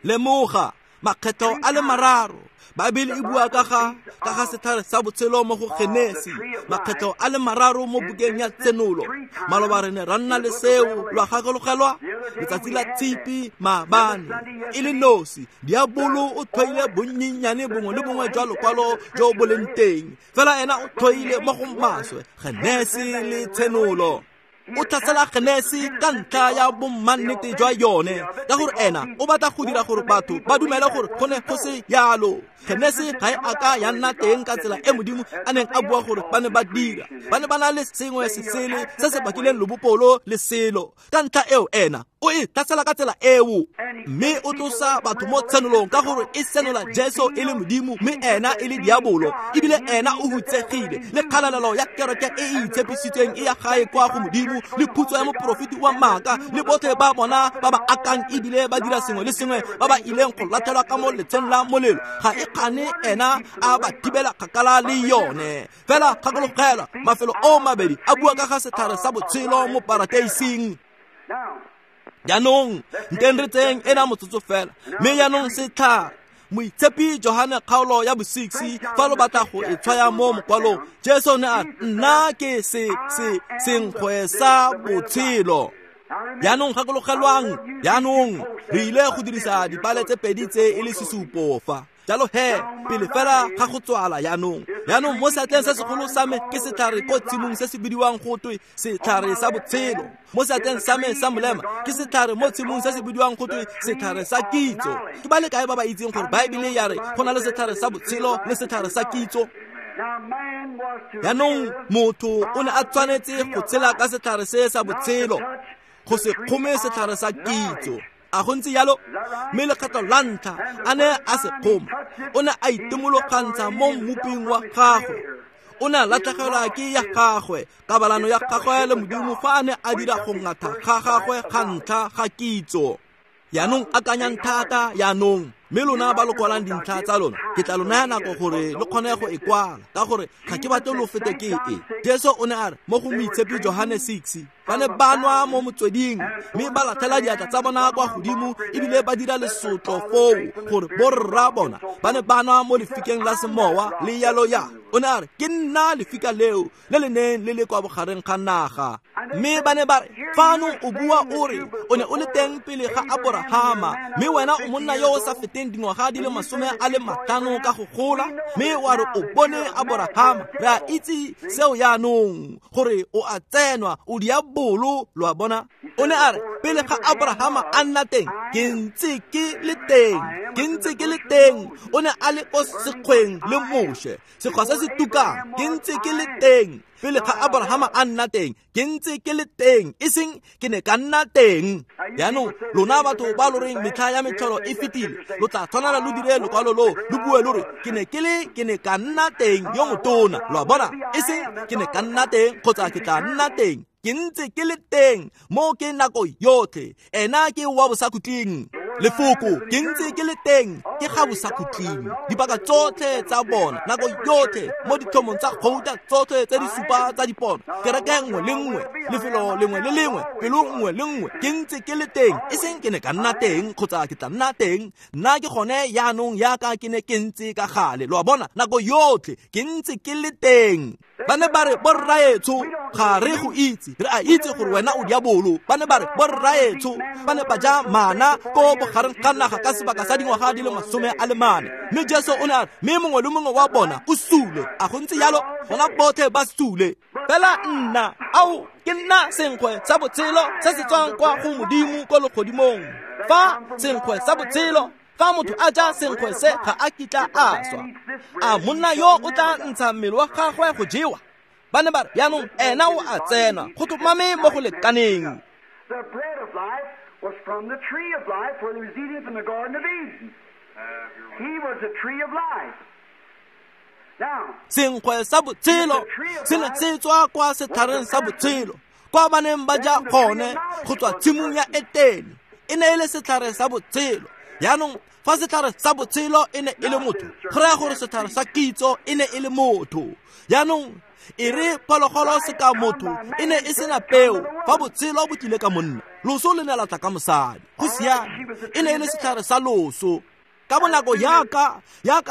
Lemoga makgetho a le mararo. Baebele e bua ka ga setlhare sa botshelo mo go Genesi, makgetho a le mararo mo bukeng ya Tsenolo. Maloba re ne ra nna le seo, lwa gakologelwa letsatsi la Tshipi maabane. E le nosi, diabolo o tlhoile bonnyenyane bongwe le bongwe jwa lokwalo jo bo leng teng, fela ena o tlhoile mo go maswe Genesi le Tsenolo. O tlhasela Genesi ka ntlha ya bommannete jwa yone, ka gore ena o batla go dira gore batho ba dumele gore go ne go se yalo. Genesi ga e a ka ya nna teng ka tsela e Modimo a neng a bua gore ba ne ba dira. Ba ne ba na le sengwe se sele se se bakileng lobopolo le selo. Ka ntlha eo ena o e tlhasela ka tsela eo, mme o tlosa batho mo tshenolong ka gore e senola Jesu e le Modimo, mme ena e le diabolo, ebile ena o hutsegile. Le kgalalelo ya kereke e e itshepisitsweng e ya gae kwa go Modimo, le phutso ya moporofeti wa maaka, le botlhe ba bona ba ba akang ebile ba dira sengwe le sengwe, ba ba ileng go latlhelwa ka mo letsheng la molelo. Ga e kgane ena a ba thibela kgakala le yone. Fela gakologelwa, mafelo o mabedi a bua ka ga setlhare sa botshelo mo parateising. Jaanong nteng re tseng ena motsotso fela, mme jaanong setlhare. Moitshepi Johane kgaolo ya bo-6, fa lo batla go e tshwaya mo mokwalong, Jesu ne a re, nna ke senkgwe sa botshelo. Jaanong gakologelwang, jaanong re ile go dirisa dipale tse pedi tse e le sesupo fa. Jalo he, pele fela ga go tswala jaanong. Jaanong mo seatleng se segolo sa me ke setlhare ko tshimong se se bidiwang go twe setlhare sa botshelo. Mo seatleng sa me sa molema ke setlhare mo tshimong se se bidiwang go twe setlhare sa kitso. Ke ba le kae ba ba itseng gore Baebele ya re go na le setlhare sa botshelo le setlhare sa kitso? Jaanong motho o ne a tshwanetse go tshela ka setlhare se sa botshelo, go se kgome setlhare sa kitso. A go ntse yalo? Mme lekgetho la ntlha a ne a se kgoma, o ne a itemologantsha mo mmoping wa gagwe. O ne a latlhegelwa ke ya gagwe, kabalano ya gagwe le Modimo fa a ne a dira go ngatha ga gagwe ga ntlha ga kitso. Jaanong akanyang thata jaanong, mme lona ba lo kwalang dintlha tsa lona, ke tla lo naya nako gore lo kgone go e kwala, ka gore ga ke batle lo fete ke e. Jesu o ne a re mo go Moitshepi Johane 6, ba ne ba nwa mo motsweding, mme ba latlhela diatla tsa bona kwa godimo ebile ba dira lesotlo foo gore borra bona ba ne ba nwa mo lefikeng la semowa le yalo ya. O ne a re, ke nna lefika leo le le neng le le kwa bogareng ga naga. Mme ba ne ba re, fano o bua o re o ne o le teng pele ga Aborahama, mme wena o monna yo o sa feteng dingwaga di le 50 ka go gola, mme wa re o bone Aborahama. Re a itse seo yaanong gore o a tsenwa, o diabolo, lo a bona. O ne a re, pele ga Aborahama a nna teng, ke ntse ke le teng, ke ntse ke le teng. O ne a le ko sekgweng le Moshe, sekgwa se se tukang, ke ntse ke le teng. Pele ga Abrahama a nna teng, ke ntse ke le teng, e seng ke ne ka nna teng. Jaanong lona batho ba lo reng metlha ya metlholo e fetile, lo tla tshwanela lo dire lokwalo lo, lo bue lo re ke ne ke le, ke ne ka nna teng yo motona, lo a bona, e seng ke ne ka nna teng kgotsa ke tla nna teng. Ke ntse ke le teng mo ke nako yotlhe, ena ke wa bosakhutleng. Lefoko ke ntse ke le teng ke ga bosakhutleng. Dipaka tsotlhe tsa bona nako yotlhe mo ditlhomong tsa gouta tsotlhe tse di supa tsa dipono, kereke nngwe le nngwe, lefelo lengwe le lengwe, pelo nngwe le nngwe, ke ntse ke le teng, e seng ke ne ka nna teng kgotsa ke tla nna teng. Nna ke gone yaanong yaka ke ne ke ntse ka gale, lo a bona, nako yotlhe ke ntse ke le teng. Ba ne ba re, borraetsho, ga re go itse, re a itse gore wena o diabolo. Ba ne ba re, borraetsho, ba ne ba ja mana ko bogareng ga naga ka sebaka sa dingwaga di le 40. Mme Jesu o ne a re, mme mongwe le mongwe wa bona o sule. A go ntse jalo? Bona botlhe ba sule. Fela nna, ao, ke nna senkgwe sa botshelo se se tswang kwa go Modimo ko legodimong. Fa senkgwe sa botshelo, fa motho a ja senkgwe se, ga a kitla a swa. A monna yo o tla ntsha mmele wa gagwe go jewa? Ba ne ba re, jaanong ena o a tsena, go tlhomame mo go lekaneng. The bread of life was from the tree of life where he was eating from the Garden of Eden. He was the tree of life. Now, Senkgwe sa botshelo se ne se tswa kwa setlhareng sa botshelo, kwa ba neng ba ja gone go tswa tshimong ya Etene. E ne e le setlhare sa botshelo. Jaanong fa setlhare sa botshelo e ne e le motho, go raya gore setlhare sa kitso e ne e le motho. Jaanong e re phologolo se ka motho e ne e sena peo, fa botshelo bo tlile ka monna, loso le ne la tla ka mosadi. Go siame, e ne e le setlhare sa loso. Ka bonako yaka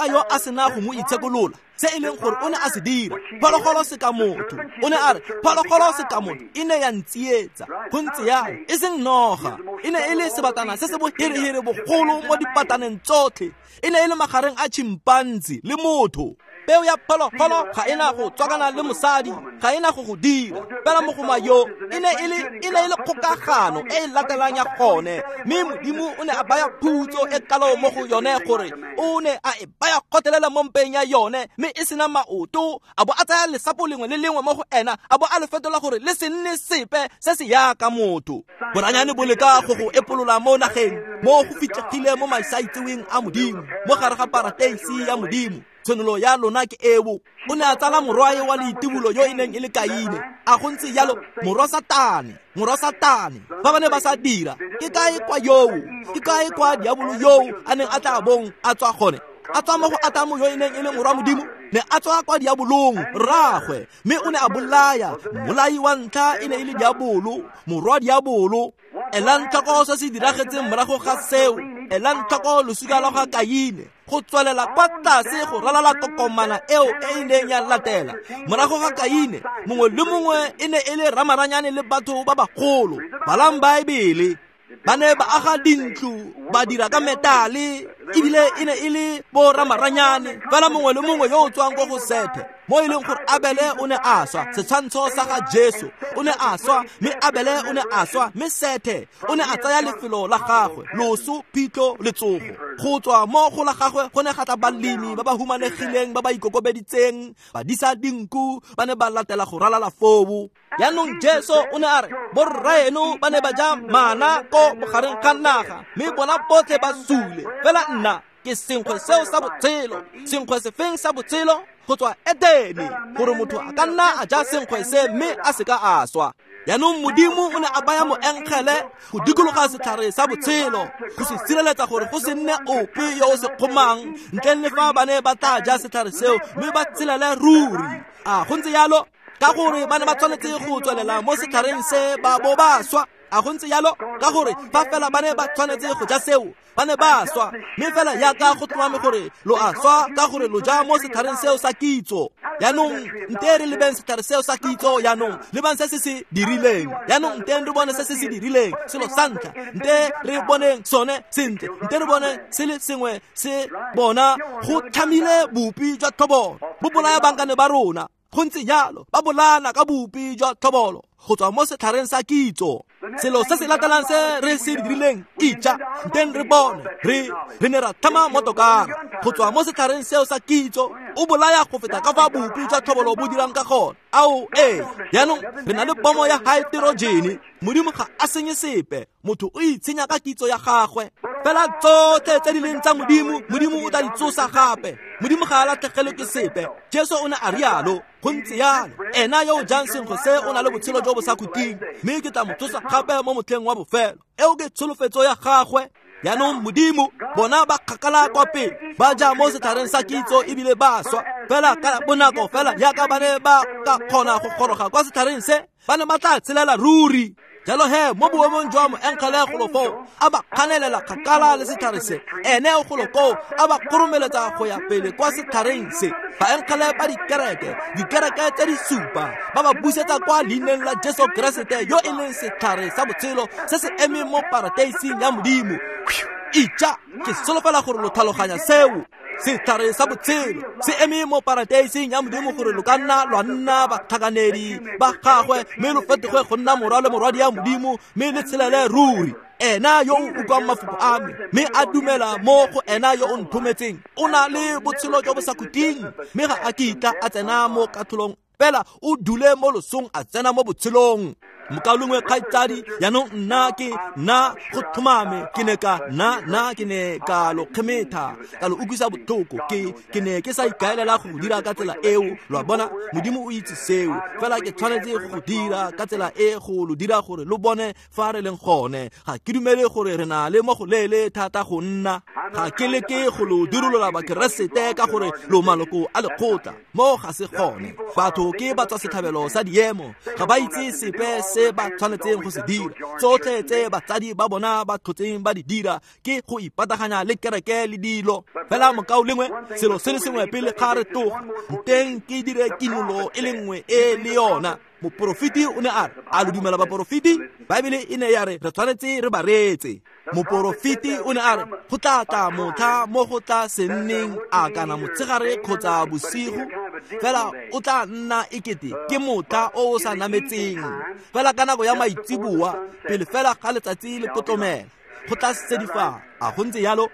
yo a sena go mo itshekolola, se e leng gore o ne a se dira, phologolo se ka motho. O ne a re, phologolo se ka motho e ne ya ntsietsa. Go ntse jalo, e seng noga. E ne e le sebatana se se boherehere bogolo mo dipataneng tsotlhe. E ne e le magareng a chimpanzi le motho. Peo ya phologolo ga ena go tswakana le mosadi, ga ena go go dira. Fela mogoma yo e ne e le kgokagano e e latelang ya gone, mme Modimo o ne a baya phutso e kalo mo go yone gore o ne a e baya kgotelela mo mpeng ya yone, mme e sena maoto, a bo a tsaya lesapo lengwe le lengwe mo go ena, a bo a le fetola gore le se nne sepe se se yaka motho. Boranyane bo leka go go epolola mo nageng, mo go fitlhegile mo masaitseweng a Modimo, mo gare ga parateisi ya Modimo. Tshwanelo ya lona ke eo. O ne a tsala morwae wa leitibulo yo e neng e le Kaine. A go ntse jalo, morwa Satane, morwa Satane. Fa ba ne ba sa dira, ke kae kwa yoo, ke kae kwa diabolo yoo a neng a tla bong a tswa gone? A tswa mo go Atamo yo e neng e le morwa Modimo, ne a tswa kwa diabolong rraagwe, mme o ne a bolaya. Mmolai wa ntlha e ne e le diabolo, morwa diabolo. Elang tlhoko se se diragetseng morago ga seo. Elang tlhoko losika lwa ga Kaine, go tswelela kwa tlase go ralala kokomana eo e e neng ya latela. Morago ga Kaine, mongwe le mongwe e ne e le ramaranyane le batho ba bagolo. Balang Baebele. Ba ne ba aga dintlo, ba dira ka metale, ebile e ne e le bo ramaranyane. Fela mongwe le mongwe yo o tswang ko go Sethe, mo e leng gore Abele o ne a swa, setshwantsho sa ga Jesu o ne a swa, mme Abele o ne a swa, mme Sethe o ne a tsaya lefelo la gagwe, loso, phitlho le tsogo. Go tswa mo go la gagwe go ne ga tla balemi ba ba humanegileng, ba ba ikokobeditseng, ba disa dinku, ba ne ba latela go ralala foo. Jaanong Jesu o ne a re, borraeno ba ne ba ja mana ko bogareng ga naga, mme bona botlhe ba sule. Fela nna ke senkgwe seo sa botshelo. Senkgwe sefeng sa botshelo? Go tswa Etene, gore motho a ka nna a ja senkgwe se mme a se ka a swa. Jaanong Modimo o ne a baya moengele go dikologa setlhare sa botshelo, go se sireletsa gore go se nne ope yo o se kgomang, ntleng le fa ba ne ba tla ja setlhare seo mme ba tshelele ruri. A go ntse jalo? Ka gore ba ne ba tshwanetse go tswelela mo setlhareng se ba bo ba swa. A go ntse jalo? Ka gore fa fela ba ne ba tshwanetse go ja seo, Ba ne ba swa, mme fela jaaka go tlhomame gore lo a swa ka gore lo ja mo setlhareng seo sa kitso. Jaanong nte re lebeng setlhare seo sa kitso, jaanong lebang se se se dirileng. Jaanong nte re bone se se se dirileng. Selo sa ntlha, nte re boneng sone sentle, nte re bone se le sengwe se bona go tlhamile bopi jwa tlhobolo, bo bolaya bankane ba rona. Go ntse jalo, ba bolana ka bopi jwa tlhobolo go tswa mo setlhareng sa kitso. Selo se se latelang se re se dirileng, itja, nteng re bone, re ne ra tlhama motokara go tswa mo setlhareng seo sa kitso. O bolaya go feta ka fa bopi jwa tlhobolo bo dirang ka gone. Ao ee, jaanong re na le bomo ya haeterojene. Modimo ga a senye sepe, motho o itshenya ka kitso ya gagwe. Fela tsotlhe tse di leng tsa Modimo, Modimo o tla di tsosa gape. Modimo ga a latlhegelwe ke sepe. Jesu o ne a rialo. Go ntse jalo, ena yo o jang senkgwe se o na le botshelo jo bo sa khutleng, mme ke tla mo tsosa gape mo motlheng wa bofelo. Eo ke tsholofetso ya gagwe. Jaanong Modimo, bona ba kgakala kwa pele, ba ja mo setlhareng sa kitso ebile ba swa. Fela ka bonako fela jaaka ba ne ba ka kgona go goroga kwa setlhareng se, ba ne ba tla tshelela ruri. Jalo he, mo boemong jwa moengele golo foo, a ba kganelela kgakala le setlhare se. Ene o golo koo, a ba kgoromeletsa go ya pele kwa setlhareng se. Baengele ba dikereke, dikereke tse di supa, ba ba busetsa kwa leineng la Jesu Keresete yo e leng setlhare sa botshelo se se emeng mo parateising ya Modimo. Itja, ke solofela gore lo tlhaloganya seo. Setlhare sa botshelo se eme mo parateising ya Modimo gore lo ka nna lwa nna batlhakanedi ba gagwe, mme lo fetoge go nna morwa le morwadi ya Modimo, mme le tshelele ruri. Ena yo o utlwang mafoko a me mme a dumela mo go ena yo o nthometseng, o na le botshelo jo bo sa khutleng, mme ga a kitla a tsena mo katlholong, fela o dule mo losong a tsena mo botshelong. Mokaulengwe kgaitsadi, jaanong nna ke nna go tlhomame ke ne ka nna ke ne ka lo kgemetha, ka lo utlwisa botlhoko. Ke ne ke sa ikaelela go dira ka tsela eo, lo a bona. Modimo o itse seo, fela ke tshwanetse go dira ka tsela e go lo dira gore lo bone fa re leng gone. Ga ke dumele gore re na le mo go leele thata go nna. Ga ke leke go lo dirolola Bakeresete ka gore lo maloko a lekgotla. Mo ga se gone. Batho ke ba tswa setlhabelo sa diemo, ga ba itse sepe se ba tshwanetseng go se dira. Tsotlhe tse batsadi ba bona ba tlhotseng ba di dira ke go ipataganya le kereke le dilo. Fela mokaulengwe, selo se le sengwe pele ga re tloga, nteng ke dire kinolo e le nngwe e le yona. Moporofeti o ne a re, a lo dumela baporofeti? Baebele e ne ya re re tshwanetse re ba reetse. Moporofeti o ne a re go tla tla motlha mo go tla se nneng a kana motshegare kgotsa bosigo, fela o tla nna ekete ke motlha o o sa nametseng. Fela ka nako ya maitseboa, pele fela ga letsatsi le potlomela, go tla sedifala. A go ntse jalo?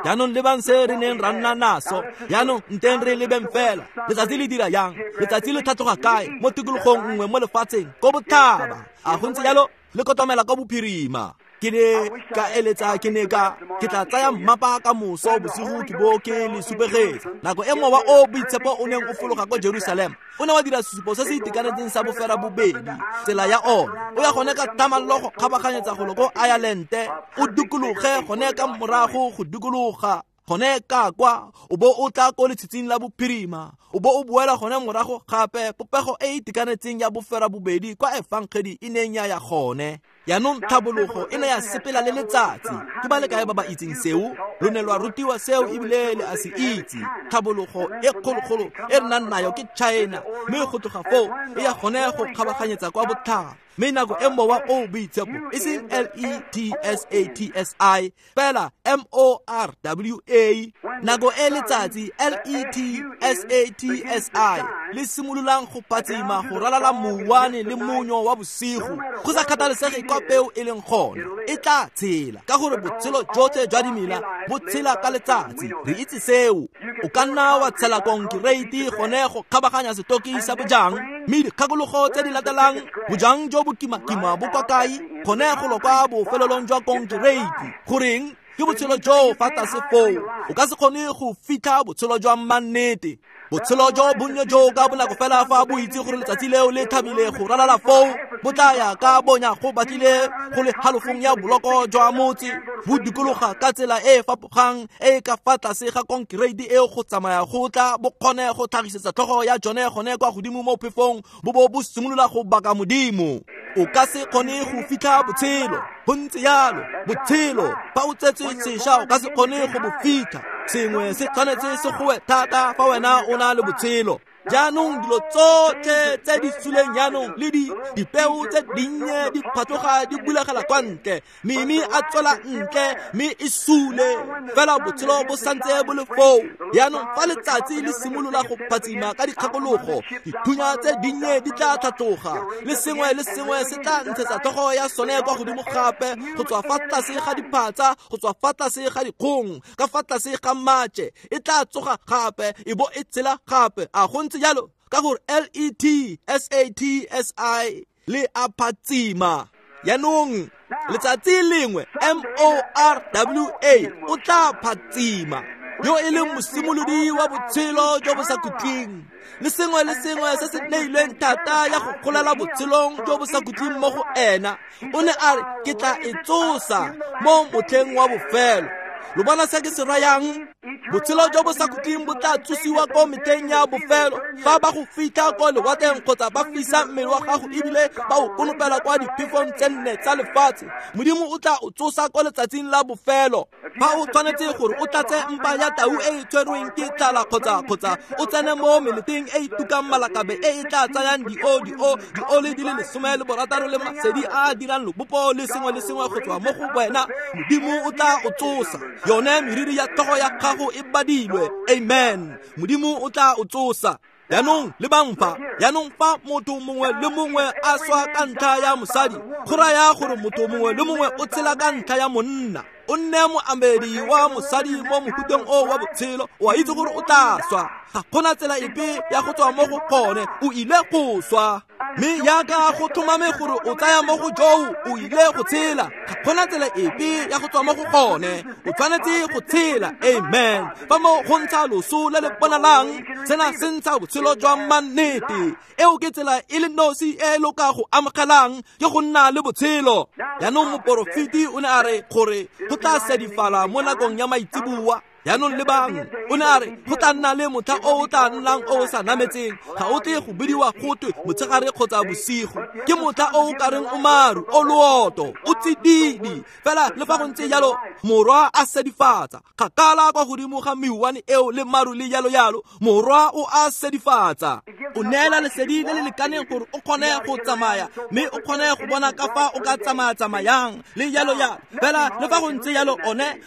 Jaanong lebang se re neng ra nna naso. Jaanong nteng re lebeng fela. Letsatsi le dira yang? Letsatsi le tlhatloga kae? Mo tikologong nngwe mo lefatsheng, ko botlhaba. A go ntse jalo? Le kotomela ko bophirima. Ke ne ka eletsa, ke ne ka ke tla tsaya mmapa ka moso bosigo ke bo ke le supegetsa. Nako e mowa o boitshepo o neng o fologa ko Jerusalem, o ne wa dira sesupo se se itekanetseng sa bofera bobedi, tsela ya ona. O ya gone ka thamallo go kgabaganyetsa golo ko Ireland, o dikologe gone ka morago go dikologa gone ka kwa, o bo o tla ko letshitsing la bophirima, o bo o boela gone morago gape, popego e e itekanetseng ya bofera bobedi kwa efangedi e neng ya ya gone. Jaanong tlhabologo e ne ya sepela le letsatsi. Ke ba le kae ba ba itseng seo? Lo ne lwa rutiwa seo ebile le a se itse. Tlhabologo e kgologolo e re nang nayo ke China, mme go tloga foo e ya gone go kgabaganyetsa kwa botlhaba. Mme nako e mowa o boitshepo, e seng L-E-T-S-A-T-S-I, fela M-O-R-W-A, nako e letsatsi L-E-T-S-A-T-S-I le simololang go phatsima go ralala mouwane le monyo wa bosigo, go sa kgathalesege kwa peo e leng gone, e tla tshela, ka gore botshelo jotlhe jwa dimela bo tshela ka letsatsi. Re itse seo. O ka nna wa tshela konkereiti gone go kgabaganya setoki sa bojang, mme dikgakologo tse di latelang, bojang jo bo kimakima bo kwa kae? Gone go lo kwa bofelelong jwa konkereiti. Goreng? Ke botshelo jo fa tlase foo. O ka se kgone go fitlha botshelo jwa mannete. Botshelo jo bonnye jo ka bonako fela fa bo itse gore letsatsi leo le thabile go ralala foo, bo tla ya ka bonya go batlile go le halofong ya boloko jwa motse, bo dikologa ka tsela e e fapogang e e ka fa tlase ga konkereiti eo go tsamaya go tla bo kgone go tlhagisetsa tlhogo ya jone gone kwa godimo mo phefong, bo bo bo simolola go baka Modimo. O ka se kgone go fitlha botshelo, go ntse yalo, botshelo fa o tsetswe sešwa o ka se kgone go bo fitlha. Sengwe se tshwanetse se goe thata fa wena o na le botshelo. Jaanong dilo tsotlhe tse di suleng jaanong le dipeo tse dinnye di phatloga di bulegela kwa ntle, meme a tswela ntle mme e sule, fela botshelo bo santse bo le foo. Jaanong fa letsatsi le simolola go phatsima ka dikgakologo, dithunya tse dinnye di tla tlhatloga, le sengwe le sengwe se tla ntshetsa tlhogo ya sone kwa godimo gape, go tswa fa tlase ga diphatsa, go tswa fa tlase ga dikgong, ka fa tlase ga matše, e tla tsoga gape e bo e tshela gape. A go ntse jalo? Ka gore L-E-T S-A-T-S-I le a phatsima. Jaanong letsatsi lengwe M-O-R-W-A o tla phatsima, yo e leng mosimolodi wa botshelo jo bo sa khutleng, le sengwe le sengwe se se neilweng thata ya go golela botshelong jo bo sa khutleng mo go ena. O ne a re, ke tla e tsosa mo motlheng wa bofelo. Lo bona se ke se rayang? Botshelo jo bo sa khutleng bo tla tsosiwa ko metlheng ya bofelo, fa ba go fitlha ko lewatleng kgotsa ba fisa mmele wa gago ebile ba o konopela kwa diphefong tse nne tsa lefatshe. Modimo o tla o tsosa ko letsatsing la bofelo. Fa o tshwanetse gore o tlatse mpa ya tau e e tshwerweng ke tlala kgotsa o tsene mo meleteng e e tukang malakabe e e tla tsayang dioli di le 16 le masedi a a dirang lobopo le sengwe le sengwe go tswa mo go wena, Modimo o tla o tsosa. Yone meriri ya tlhogo ya gago e badilwe. Amen. Modimo o tla o tsosa. Jaanong lebang fa, jaanong fa motho mongwe le mongwe a swa ka ntlha ya mosadi, go raya gore motho mongwe le mongwe o tshela ka ntlha ya monna. O nne moamedi wa mosadi mo mohuteng o wa botshelo, o a itse gore o tla swa. Ga gona tsela epe ya go tswa mo go gone, o ile go swa. Mme jaaka go tlhomame gore o tsaya mo go joo, o ile go tshela. Ga gona tsela epe ya go tswa mo go gone, o tshwanetse go tshela. Amen. Fa mo go ntsha loso le le bonalang, sena se ntsha botshelo jwa mannete. Eo ke tsela e le nosi e lo ka go amogelang, ke go nna le botshelo. Jaanong moporofeti o ne a re gore go tla sedifala mo nakong ya maitseboa. Jaanong lebang, o ne a re go tla nna le motlha o o tla nnang o o sa nametseng, ga o tle go bidiwa gotwe motshegare kgotsa bosigo. Ke motlha o o kareng o maru, o looto, o tsididi. Fela le fa go ntse jalo, morwa a sedifatsa kgakala kwa godimo ga meuwane eo le maru le jalo jalo, morwa o a sedifatsa. O neela lesedi le le lekaneng gore o kgone go tsamaya, mme o kgone go bona ka fa o ka tsamaya-tsamayang le jalo jalo. Fela le fa go ntse jalo,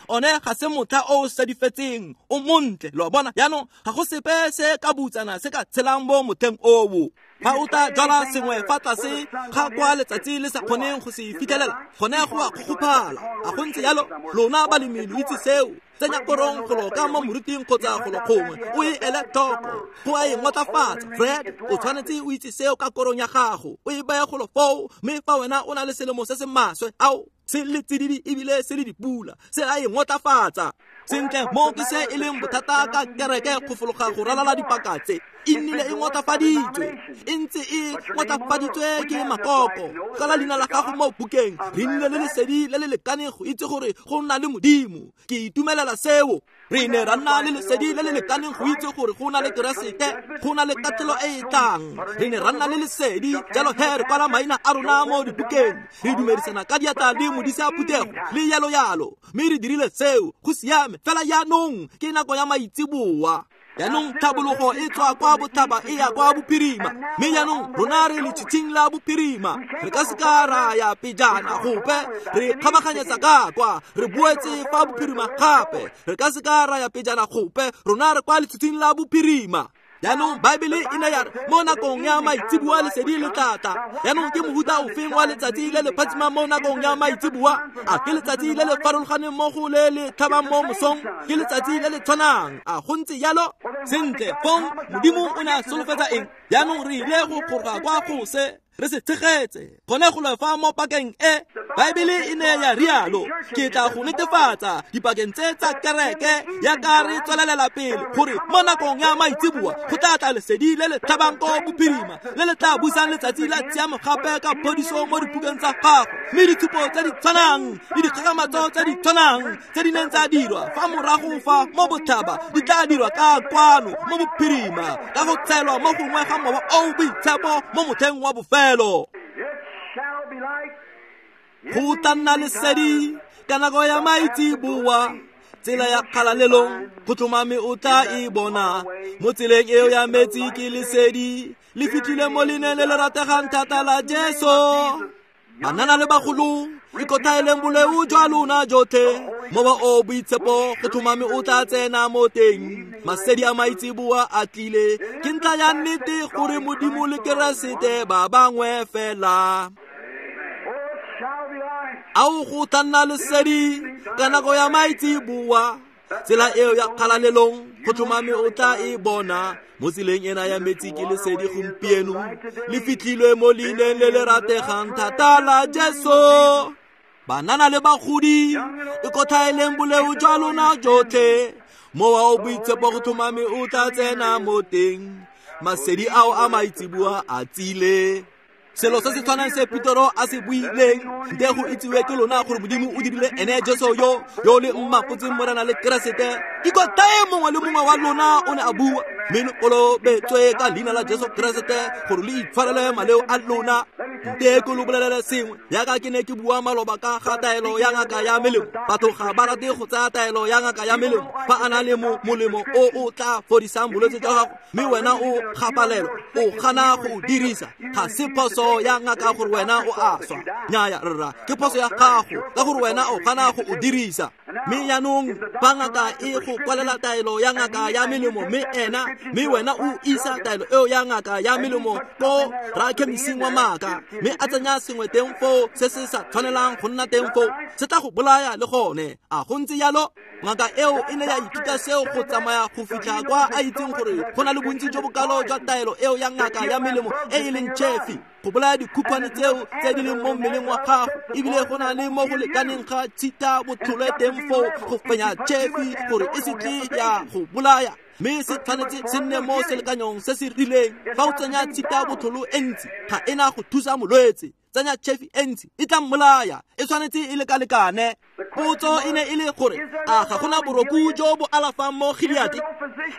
one ga se motlha o o sedifetseng, o montle. Lo a bona? Jaanong ga go sepe se ka butsana se ka tshelang mo motlheng oo. Fa o tla jwala sengwe fa tlase ga kwa letsatsi le sa kgoneng go se fitlhelela, gone go a kgokgophala. A go ntse jalo? Lona balemi lo itse seo. Tsenya korong golo ka mo moriting kgotsa golo gongwe, o e ele tlhoko, go a e ngotlafatsa. Fred, o tshwanetse o itse seo ka korong ya gago, o e beye golo foo. Mme fa wena o na le selemo se se maswe, ao se le tsididi ebile se le dipula, se a e ngotlafatsa. Sentle, mo ke se e leng bothata ka kereke go fologa go ralala dipaka tse. E nnile e ngotlafaditswe, e ntse e ngotlafaditswe ke makoko. Kwala leina la gago mo bukeng. Re nnile le lesedi le le lekaneng go itse gore go nna le Modimo. Ke itumelela seo. Re ne ra nna le lesedi le le lekaneng go itse gore go na le Keresete, go na le katlholo e e tlang. Re ne ra nna le lesedi, jalo he re kwala maina a rona mo dibukeng. Re dumedisana ka diatla le modisa phuthego le jalo jalo. Mme re dirile seo, go siame. Fela jaanong ke nako ya maitseboa. Jaanong tlhabologo e tswa kwa botlhaba e ya kwa bophirima, mme jaanong rona re letshitshing la bophirima. Re ka se ka ra ya pejana gope, re kgabaganyetsa ka kwa, re boetse fa bophirima gape. Re ka se ka ra ya pejana gope, rona re kwa letshitshing la bophirima. Jaanong Baebele e ne ya re mo nakong ya maitseboa lesedi le tla tla. Jaanong ke mohuta ofeng wa letsatsi le le phatsimang mo nakong ya maitseboa? A ke letsatsi le le farologaneng mo go le le tlhabang mo mosong? Ke letsatsi le le tshwanang? A go ntse jalo? Sentle, fong Modimo o ne a solofetsa eng? Jaanong re ile go goroga kwa go se. Re se tshegetse gone go lefa mo pakeng e Baebele e ne ya rialo. Ke tla go netefatsa dipakeng tse tsa kereke ya ka re tswelelela pele gore mo nakong ya maitseboa go tla tla lesedi le le tlhabang ko bophirima le le tla busang letsatsi la tshiamo gape ka phodiso mo dipukeng tsa gago, mme ditshupo tse di tshwanang le dikgakgamatso tse di tshwanang tse di neng tsa dirwa fa morago fa mo botlhaba di tla dirwa ka kwano mo bophirima ka go tshelwa mo gongwe ga Mowa o o Boitshepo mo motlheng wa bofelo. Go tla nna lesedi ka nako ya maitseboa, tsela ya kgalalelong go tlhomame o tla e bona. Mo tseleng eo ya metsi ke lesedi le fitlhile mo leineng le le rategang thata la Jesu. Banana le bagolo, ikothaeleng boleu jwa lona jotlhe, Mowa o Boitshepo go tlhomame o tla tsena mo teng. Masedi a maitseboa a tlile, ke ntlha ya nnete gore Modimo le Keresete ba bangwe fela. Ao go tla nna lesedi ka nako ya maitseboa, tsela eo ya kgalalelong go tlhomame o tla e bona. Mo tseleng ena ya metsi ke lesedi gompieno le fitlhilwe mo leineng le le rategang thata la Jesu. Banana le bagodi, ikothaeleng boleu jwa lona jotlhe, Mowa o Boitshepo go tlhomame o tla tsena mo teng. Masedi ao a maitseboa a tsile. Selo se se tshwanang se Petero a se buileng, nte go itsiwe ke lona gore Modimo o dirile ene Jesu yo yo le mmapotseng Morena le Keresete. Ikothae mongwe le mongwe wa lona, o ne a bua, mme lo kolobetswe ka leina la Jesu Keresete gore le itshwarele maleo a lona. Nte ke lo bolelele sengwe, jaaka ke ne ke bua maloba ka ga taelo ya ngaka ya melemo. Batho ga ba rate go tsaya taelo ya ngaka ya melemo fa a na le molemo o o tla fodisang bolwetse jwa gago, mme wena o gapalelwa, o gana go o dirisa. Ga se phoso ya ngaka gore wena o a swa, nnyaya rra, ke phoso ya gago ka gore wena o gana go o dirisa. Mme jaanong fa ngaka e go kwalela taelo ya ngaka ya melemo, mme ena mme wena o isa taelo eo ya ngaka ya melemo ko rakhemising wa maaka, mme a tsenya sengwe teng foo se se sa tshwanelang go nna teng foo, se tla go bolaya le gone. A go ntse jalo? Ngaka eo e ne ya ithuta seo go tsamaya go fitlha kwa a itseng gore go na le bontsi jo bokalo jwa taelo eo ya ngaka ya melemo e e leng chefi go bolaya dikhukhwane tseo tse di leng mo mmeleng wa gago, ebile go na le mo go lekaneng ga tshita botlhole teng foo go fenya chefi gore e se tle ya go bolaya, mme se tshwanetse se nne mo selekanyong se se rileng. Fa o tsenya tshita botlholo e ntsi, ga e na go thusa molwetse. Tsenya chefi e ntsi, e tla mmolaya. E tshwanetse e lekalekane. Potso e ne e le gore a ga gona boroku jo bo alafang mo Gileate?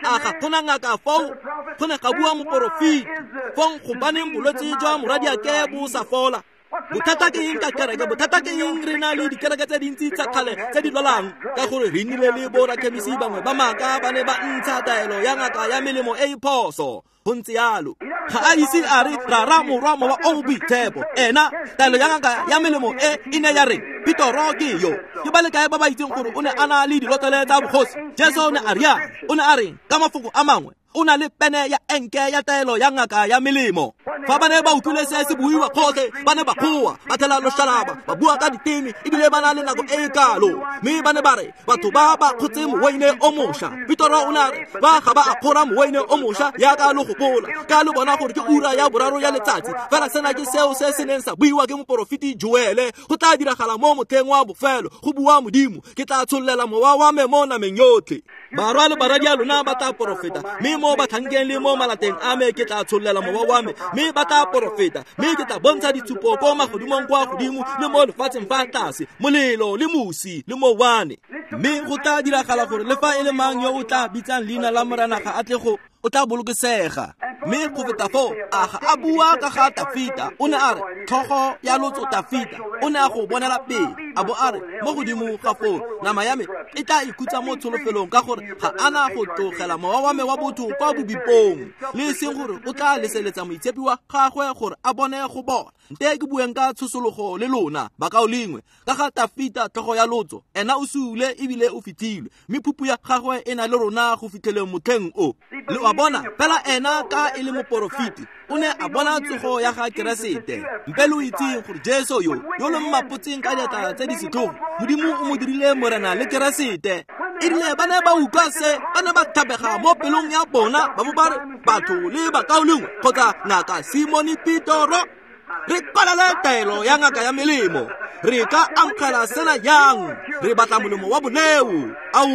A ga gona ngaka foo? Go ne ga bua moporofeti. Fong gobaneng bolwetse jwa morwadiake bo sa fola? Bothata ke eng ka kereke? Bothata ke eng re na le dikereke tse dintsi tsa kgale tse di lwalang? Ka gore re nnile le borakhemisi bangwe ba maaka ba ne ba ntsha taelo ya ngaka ya melemo e e phoso. Go ntse jalo. Ga a ise a re Rara, Morwa, Mowa o o Boitshepo. Ena taelo ya ngaka ya melemo e e ne ya re Petoro ke yo. Ke ba le kae ba ba itseng gore o ne a na le dilotlele tsa bogosi? Jesu o ne a rialo. O ne a reng ka mafoko a mangwe? O na le pene ya enke ya taelo ya ngaka ya melemo. Fa ba ne ba utlwile se se buiwa gotlhe, ba ne ba goa, ba thela loshalaba, ba bua ka diteme, ebile ba na le nako e e kalo. Mme ba ne ba re batho ba ba kgotse moweine o mošwa. Petoro o ne a re ba ga ba a kgora moweine o mošwa jaaka lo gopola, ka lo bona gore ke ura ya boraro ya letsatsi. Fela sena ke seo se se neng sa buiwa ke moporofeti Joele, go tla diragala mo motlheng wa bofelo, go bua Modimo, ke tla tshollela mowa wa me mo nameng yotlhe. Barwa le baradi a lona ba tla porofeta, mme mo batlhankeng le mo malateng a me ke tla tshollela mowa wa me, mme ba tla porofeta, mme ke tla bontsha ditshupo ko magodimong kwa godimo le mo lefatsheng fa tlase, molelo le mosi le mowane. Mme go tla diragala gore le fa e le mang yo o tla bitsang leina la Morena ga a tle go, o tla bolokesega. Mme go feta foo, a ga a bua ka ga Tafita, o ne a re tlhogo ya lotso Tafita o ne a go bonela pele, a bo a re mo godimo ga foo nama ya me e tla ikhutsa mo tsholofelong, ka gore ga a na go tlogela mowa wa me wa botho kwa bobipong, le e seng gore o tla leseletsa moitshepi wa gagwe gore a bone go bona. Nte ke bueng ka tshosologo le lona bakaulengwe ka ga Tafita tlhogo ya lotso. Ena o sule ebile o fitlhilwe, mme phupu ya gagwe e na le rona go fitlheleng motlheng o. Le wa bona, fela ena ka e le moporofeti o ne a bona tsogo ya ga Keresete. Mpe lo itseng gore Jesu yo yo lo mmapotseng ka diatla tse di setlhogo, Modimo o mo dirile Morena le Keresete. E rile ba ne ba utlwa se, ba ne ba thabega mo pelong ya bona, ba bo ba re batho le bakaulengwe kgotsa ngaka Simone Petoro. Re kwalele taelo ya ngaka ya melemo. Re ka amogela sena jang? Re batla molemo wa boleo. Ao,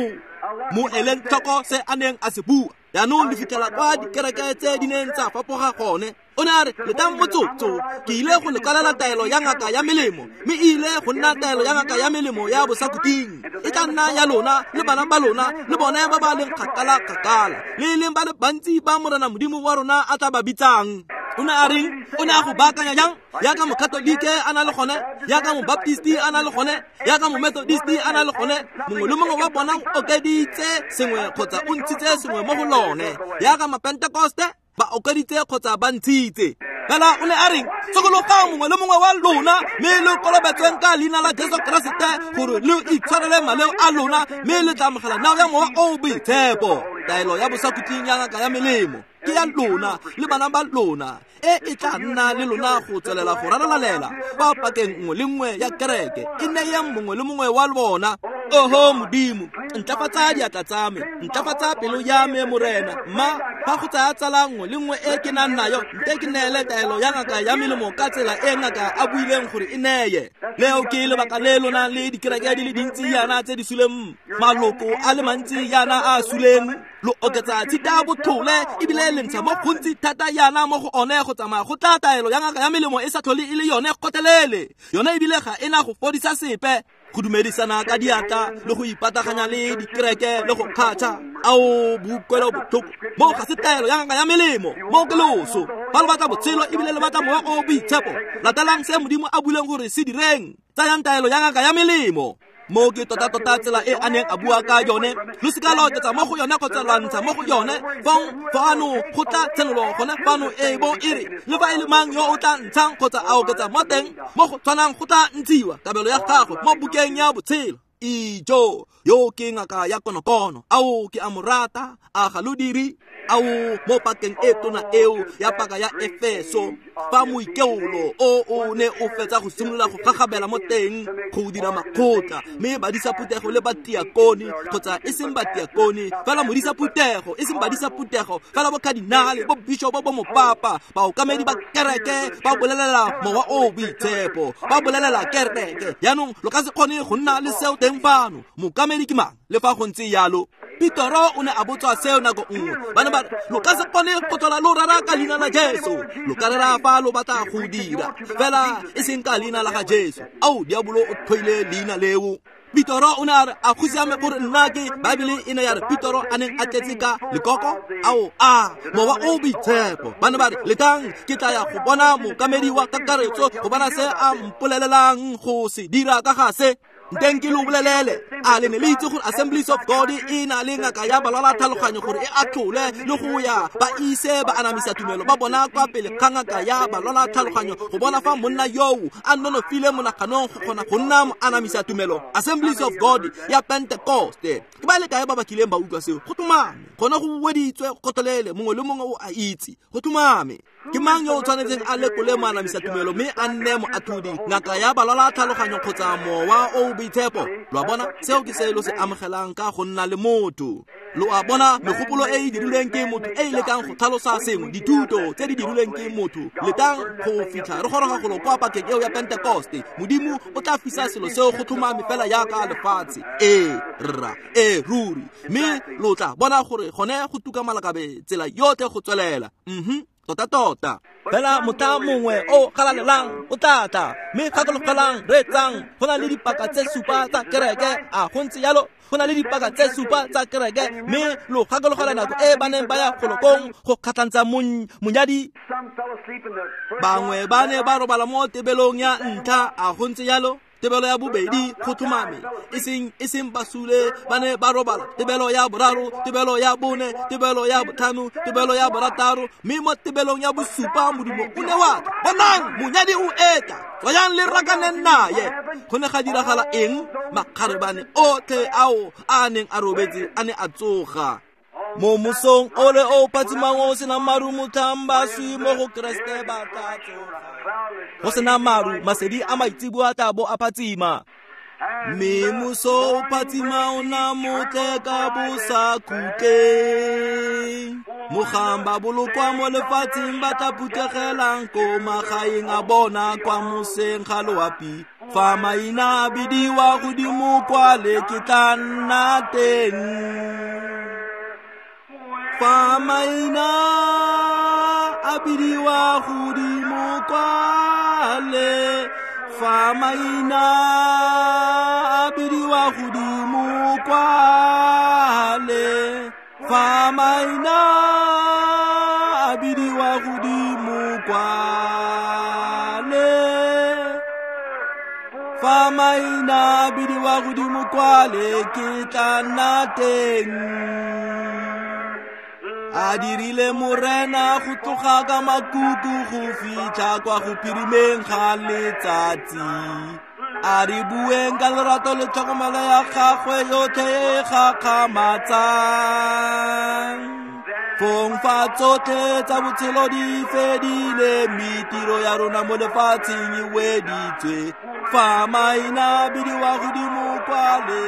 mo eleng tlhoko se a neng a se bua. Jaanong di fitlhela kwa dikereke tse di neng tsa fapoga gone. O ne a re, letang motsotso, ke ile go le kwalela taelo ya ngaka ya melemo, mme e ile go nna taelo ya ngaka ya melemo ya bosakuting. E tla nna ya lona le bana ba lona le bone ba ba leng kgakala-kgakala, le e leng ba le bantsi ba Morena Modimo wa rona a tla ba bitsang. O ne a reng? O ne a go baakanya jang? Jaaka Mokatolike a na le gone, jaaka Mobaptisti a na le gone, jaaka Momethodisti a na le gone, mongwe le mongwe wa bona o okeditse sengwe kgotsa o ntshitse sengwe mo go lone. Jaaka Mapentekoste ba okeditse kgotsa ba ntshitse. Fela o ne a reng? Sokologang mongwe le mongwe wa lona, mme lo kolobetsweng ka leina la Jesu Keresete gore lo itshwarele maleo a lona, mme le tla amogela neo ya Mowa o o Boitshepo. Taelo ya bosakhutleng ya ngaka ya melemo ke ya lona le bana ba lona, e e tla nna le lona go tswelela go ralalalela kwa pakeng nngwe le nngwe ya kereke. E neyeng mongwe le mongwe wa bona. Oho Modimo, ntlafatsa diatla tsa me, ntlafatsa pelo ya me, Morena. Mma fa go tsaya tsala nngwe le nngwe e ke nang nayo, nte ke neele taelo ya ngaka ya melemo ka tsela e ngaka a buileng gore e neye. Leo ke lebaka le lona le dikereke di le dintsi yana tse di suleng, maloko a le mantsi yana a suleng. Lo oketsa tshita bothole ebile le ntsha mo gontsi thata yana mo go one go tsamaya go tla taelo ya ngaka ya melemo e sa tlhole e le yone kgotlelele. Yone ebile ga e na go fodisa sepe. Go dumedisana ka diatla le go ipataganya le dikereke le go kgatšha, ao boutlwelo botlhoko. Mo ga se taelo ya ngaka ya melemo, mo ke loso. Fa lo batla botshelo ebile le batla Mowa o o Boitshepo, latelang se Modimo a buileng gore se direng. Tsayang taelo ya ngaka ya melemo. Mo ke tota-tota tsela e a neng a bua ka yone. Lo seka la oketsa mo go yone kgotsa lwa ntsha mo go yone. Fong fano go tla tshenolo gone fano e bo e re, le fa e le mang yo o tla ntshang kgotsa a oketsa mo teng, mo go tshwanang go tla ntshiwa kabelo ya gagwe mo bukeng ya botshelo. Ijo, yo ke ngaka ya konokono. Ao ke a mo rata, a ga lo dire? Ao mo pakeng e tona eo ya paka ya Efeso, fa moikeolo o o ne o fetsa go simolola go gagabela mo teng go dira makgotla, mme badisa phuthego le batiakone, kgotsa e seng batiakone fela modisa phuthego, e seng badisa phuthego fela bo cardinale, bo bishopo, bo mopapa, baokamedi ba kereke ba bolelela Mowa o o Boitshepo, ba bolelela kereke. Jaanong lo ka se kgone go nna le seo teng fano. Mookamedi ke mang? Le fa go ntse jalo, Petoro o ne a botswa seo nako nngwe. Ba ne ba re, lo ka se kgone go tlhola lo rera ka leina la Jesu. Lo ka rera fa lo batla go dira, fela e seng ka leina la ga Jesu. Ao, diabolo o tlhoile leina leo. Petoro o ne a re, a go siame gore nna ke Baebele e ne ya re Petoro a neng a tletse ka lekoko? Ao, a Mowa o Boitshepo. Ba ne ba re, letang, ke tla ya go bona mookamedi wa kakaretso go bona se a mpolelelang go se dira ka ga se. Nteng ke lo bolelele, a le ne le itse gore Assemblies of God e na le ngaka ya balwala tlhaloganyo gore e atlhole le go ya ba ise ba anamisa tumelo ba bona kwa pele ga ngaka ya balwala tlhaloganyo go bona fa monna yoo a nonofile monaganong go kgona go nna mo anamisa tumelo. Assemblies of God ya Pentecoste. Ke ba le kae ba ba kileng ba utlwa seo? Go tlhomame, gone go weditswe kgotlelele, mongwe le mongwe o a itse. Go tlhomame. Ke mang yo o tshwanetseng a lekole moanamisa tumelo mme a nne moatlhodi, ngaka ya balwala tlhaloganyo kgotsa Mowa o o Boitshepo? Lo a bona, seo ke se lo se amogelang ka go nna le motho. Lo a bona, megopolo e e dirilweng ke motho e e lekang go tlhalosa sengwe, dithuto tse di dirilweng ke motho. Letang go fitlha re goroga golo kwa pakeng eo ya Pentekoste. Modimo o tla fisa selo seo go tlhomame fela jaaka lefatshe. Ee, rra, ee, ruri. Mme lo tla bona gore gone go tuka malakabe tsela yotlhe go tswelela. Tota-tota. Fela motlha mongwe o galalelang o tla tla, mme gakologelang, reetsang, go na le dipaka tse supa tsa kereke. A go ntse jalo? Go na le dipaka tse supa tsa kereke, mme lo gakologela nako e ba neng ba ya golokong go kgatlhantsa monyadi. Bangwe ba ne ba robala mo tebelong ya ntlha. A go ntse jalo? Tebelo ya bobedi go tlhomame, e seng basule ba ne ba robala. Tebelo ya boraro, tebelo ya bone, tebelo ya botlhano, tebelo ya borataro, mme mo tebelong ya bosupa Modimo o ne wa tla. Bonang, monyadi o etla, tswayang le rakaneng naye. Go ne ga diragala eng? Makgarebane otlhe ao a neng a robetse a ne a tsoga. Mo mosong ole o phatsimang o senang maru, motlhang baswi mo go Keresete ba tla tsoga. Go sena maru, masedi a maitseboa a tla bo a phatsima. Mme moso o phatsima ona motle ka bosakhutleng. Mogang ba bolokwa mo lefatsheng ba tla phuthegelang ko magaeng a bona kwa moseng ga loapi. Fa maina a bidiwa godimo kwale ke tla nna teng. Fa maina a bidiwa godimo kwale, fa maina a bidiwa godimo kwale, fa maina a bidiwa godimo kwale, fa maina a bidiwa godimo kwale ke tla nna teng. A dirile morena go tloga ka makuku go fitlha kwa go phirimeng ga letsatsi. A re bueng ka lerato le tlhokomelo ya gagwe yotlhe e gakgamatsang. Fong fa tsotlhe tsa botshelo di fedile, mme tiro ya rona mo lefatsheng e weditswe. Fa maina a bidiwa godimo kwale.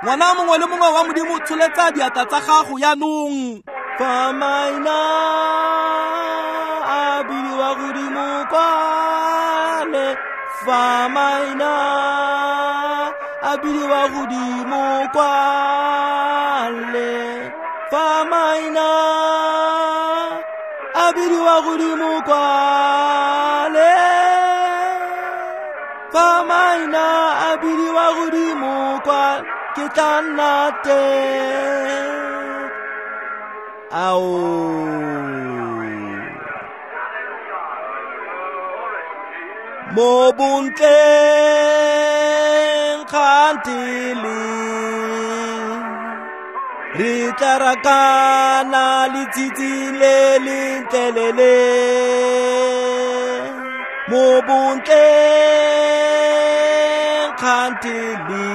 Ngwana mongwe le mongwe wa Modimo, tsholetsa diatla tsa gago jaanong. Fa maina a bidiwa godimo kwale, fa maina a bidiwa godimo kwale, fa maina a bidiwa godimo kwale, fa maina a bidiwa godimo kwale, ke tla nna teng. Ao. Mo bontleng kgantele, re tla rakana letsatsi le lentle le le. Mo bontleng kgantele,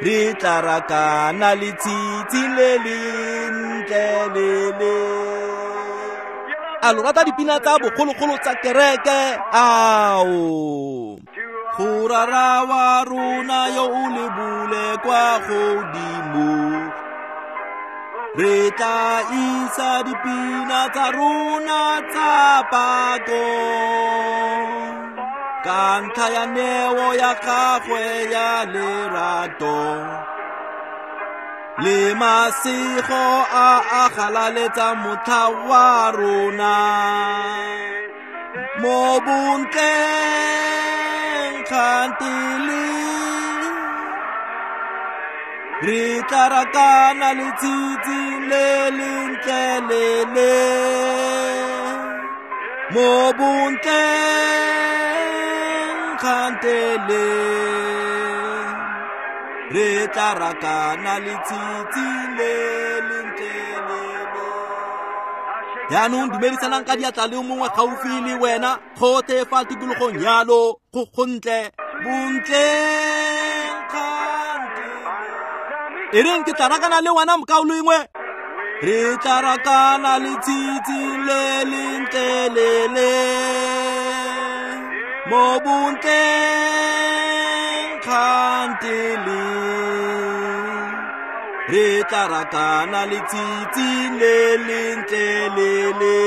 re tla rakana letsatsi le lentle le le. A lo rata dipina tsa bogologolo tsa kereke? Ao. Go rara wa rona yo o lebule kwa godimo, re tla isa dipina tsa rona tsa pako. Ka ntlha ya neo ya gagwe ya lerato, le masego a a galaletsang motlha wa rona. Mo bontleng kgantele, re tla rakana letsatsi le lentle le le. Mo bontleng kgantele, re tla rakana letsatsi le lentle le le. Jaanong dumedisanang ka diatla le mongwe gaufi le wena, gotlhe fa tikologong yalo, go gontle bontleng kgantele. E reng ke tla rakana le wena mokaulengwe? Re tla rakana letsatsi le lentle le le. Mo bontleng kgantele, re tla rakana letsatsi le lentle le le.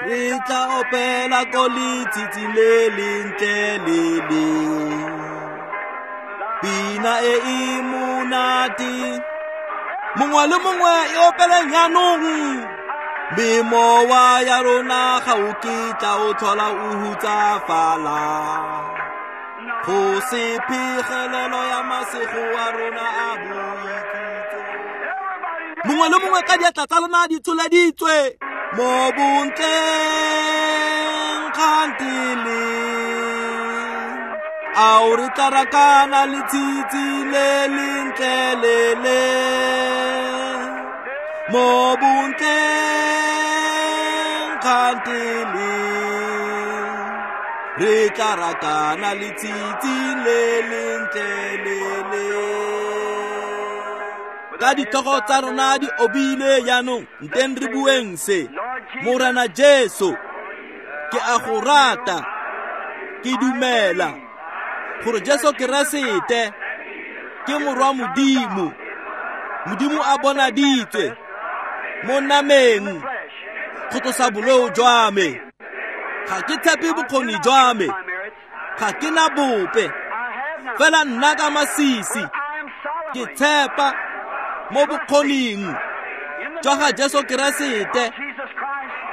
Re tla opela ko letsatsi le lentle le le. Pina e e monate, mongwe le mongwe e opeleng jaanong. Mme mowa ya rona ga o kitla o tlhola o hutsafala. Go se phegelelo ya masego a rona a boikhutso. Mongwe le mongwe ka diatla tsa lona di tsholeditswe. Mo bontleng kgantele, ao re tla rakana letsatsi le lentle le le. Mo bontleng kgantele, re tla rakana letsatsi le lentle le le. Ka ditlhogo tsa rona di obile jaanong, nteng re bueng se. Morena Jesu, ke a go rata. Ke dumela gore Jesu Keresete ke morwa Modimo. Modimo a bonaditswe mo nameng go tlosa boleo jwa me. Ga ke tshepe bokgoni jwa me, ga ke na bope, fela nna ka masisi ke tshepa mo bokgoning jwa ga Jesu Keresete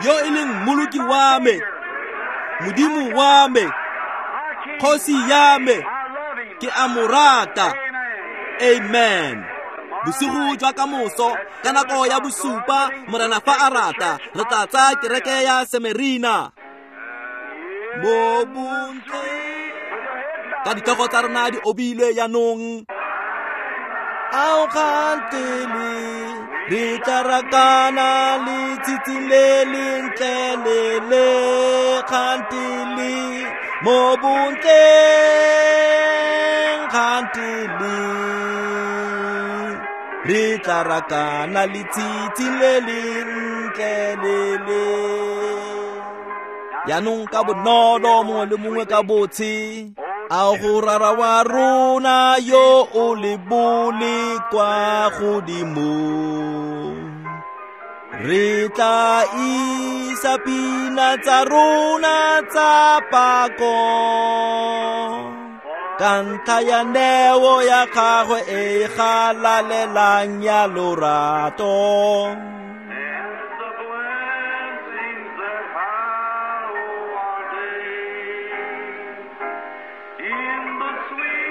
yo e leng mmoloki wa me, Modimo wa me, kgosi ya me. Ke a mo rata. Amen. Bosigo jwa kamoso ka nako ya bosupa, Morena fa a rata, re tla tsaya kereke ya Semerina mo bontle ka ditlhogo tsa rona di obilwe jaanong. Ao kgantele re tla rakana letshitshi le lentle le le kgantele mo bontleng kgantele re tla rakana letshitshi le lentle le le. Jaanong ka bonolo mongwe le mongwe ka botshe, a go rara wa rona yo o le bole kwa godimo, re tla isa pina tsa rona tsa pako ka ntlha ya neo ya gagwe e galalelang ya lorato. In the sweet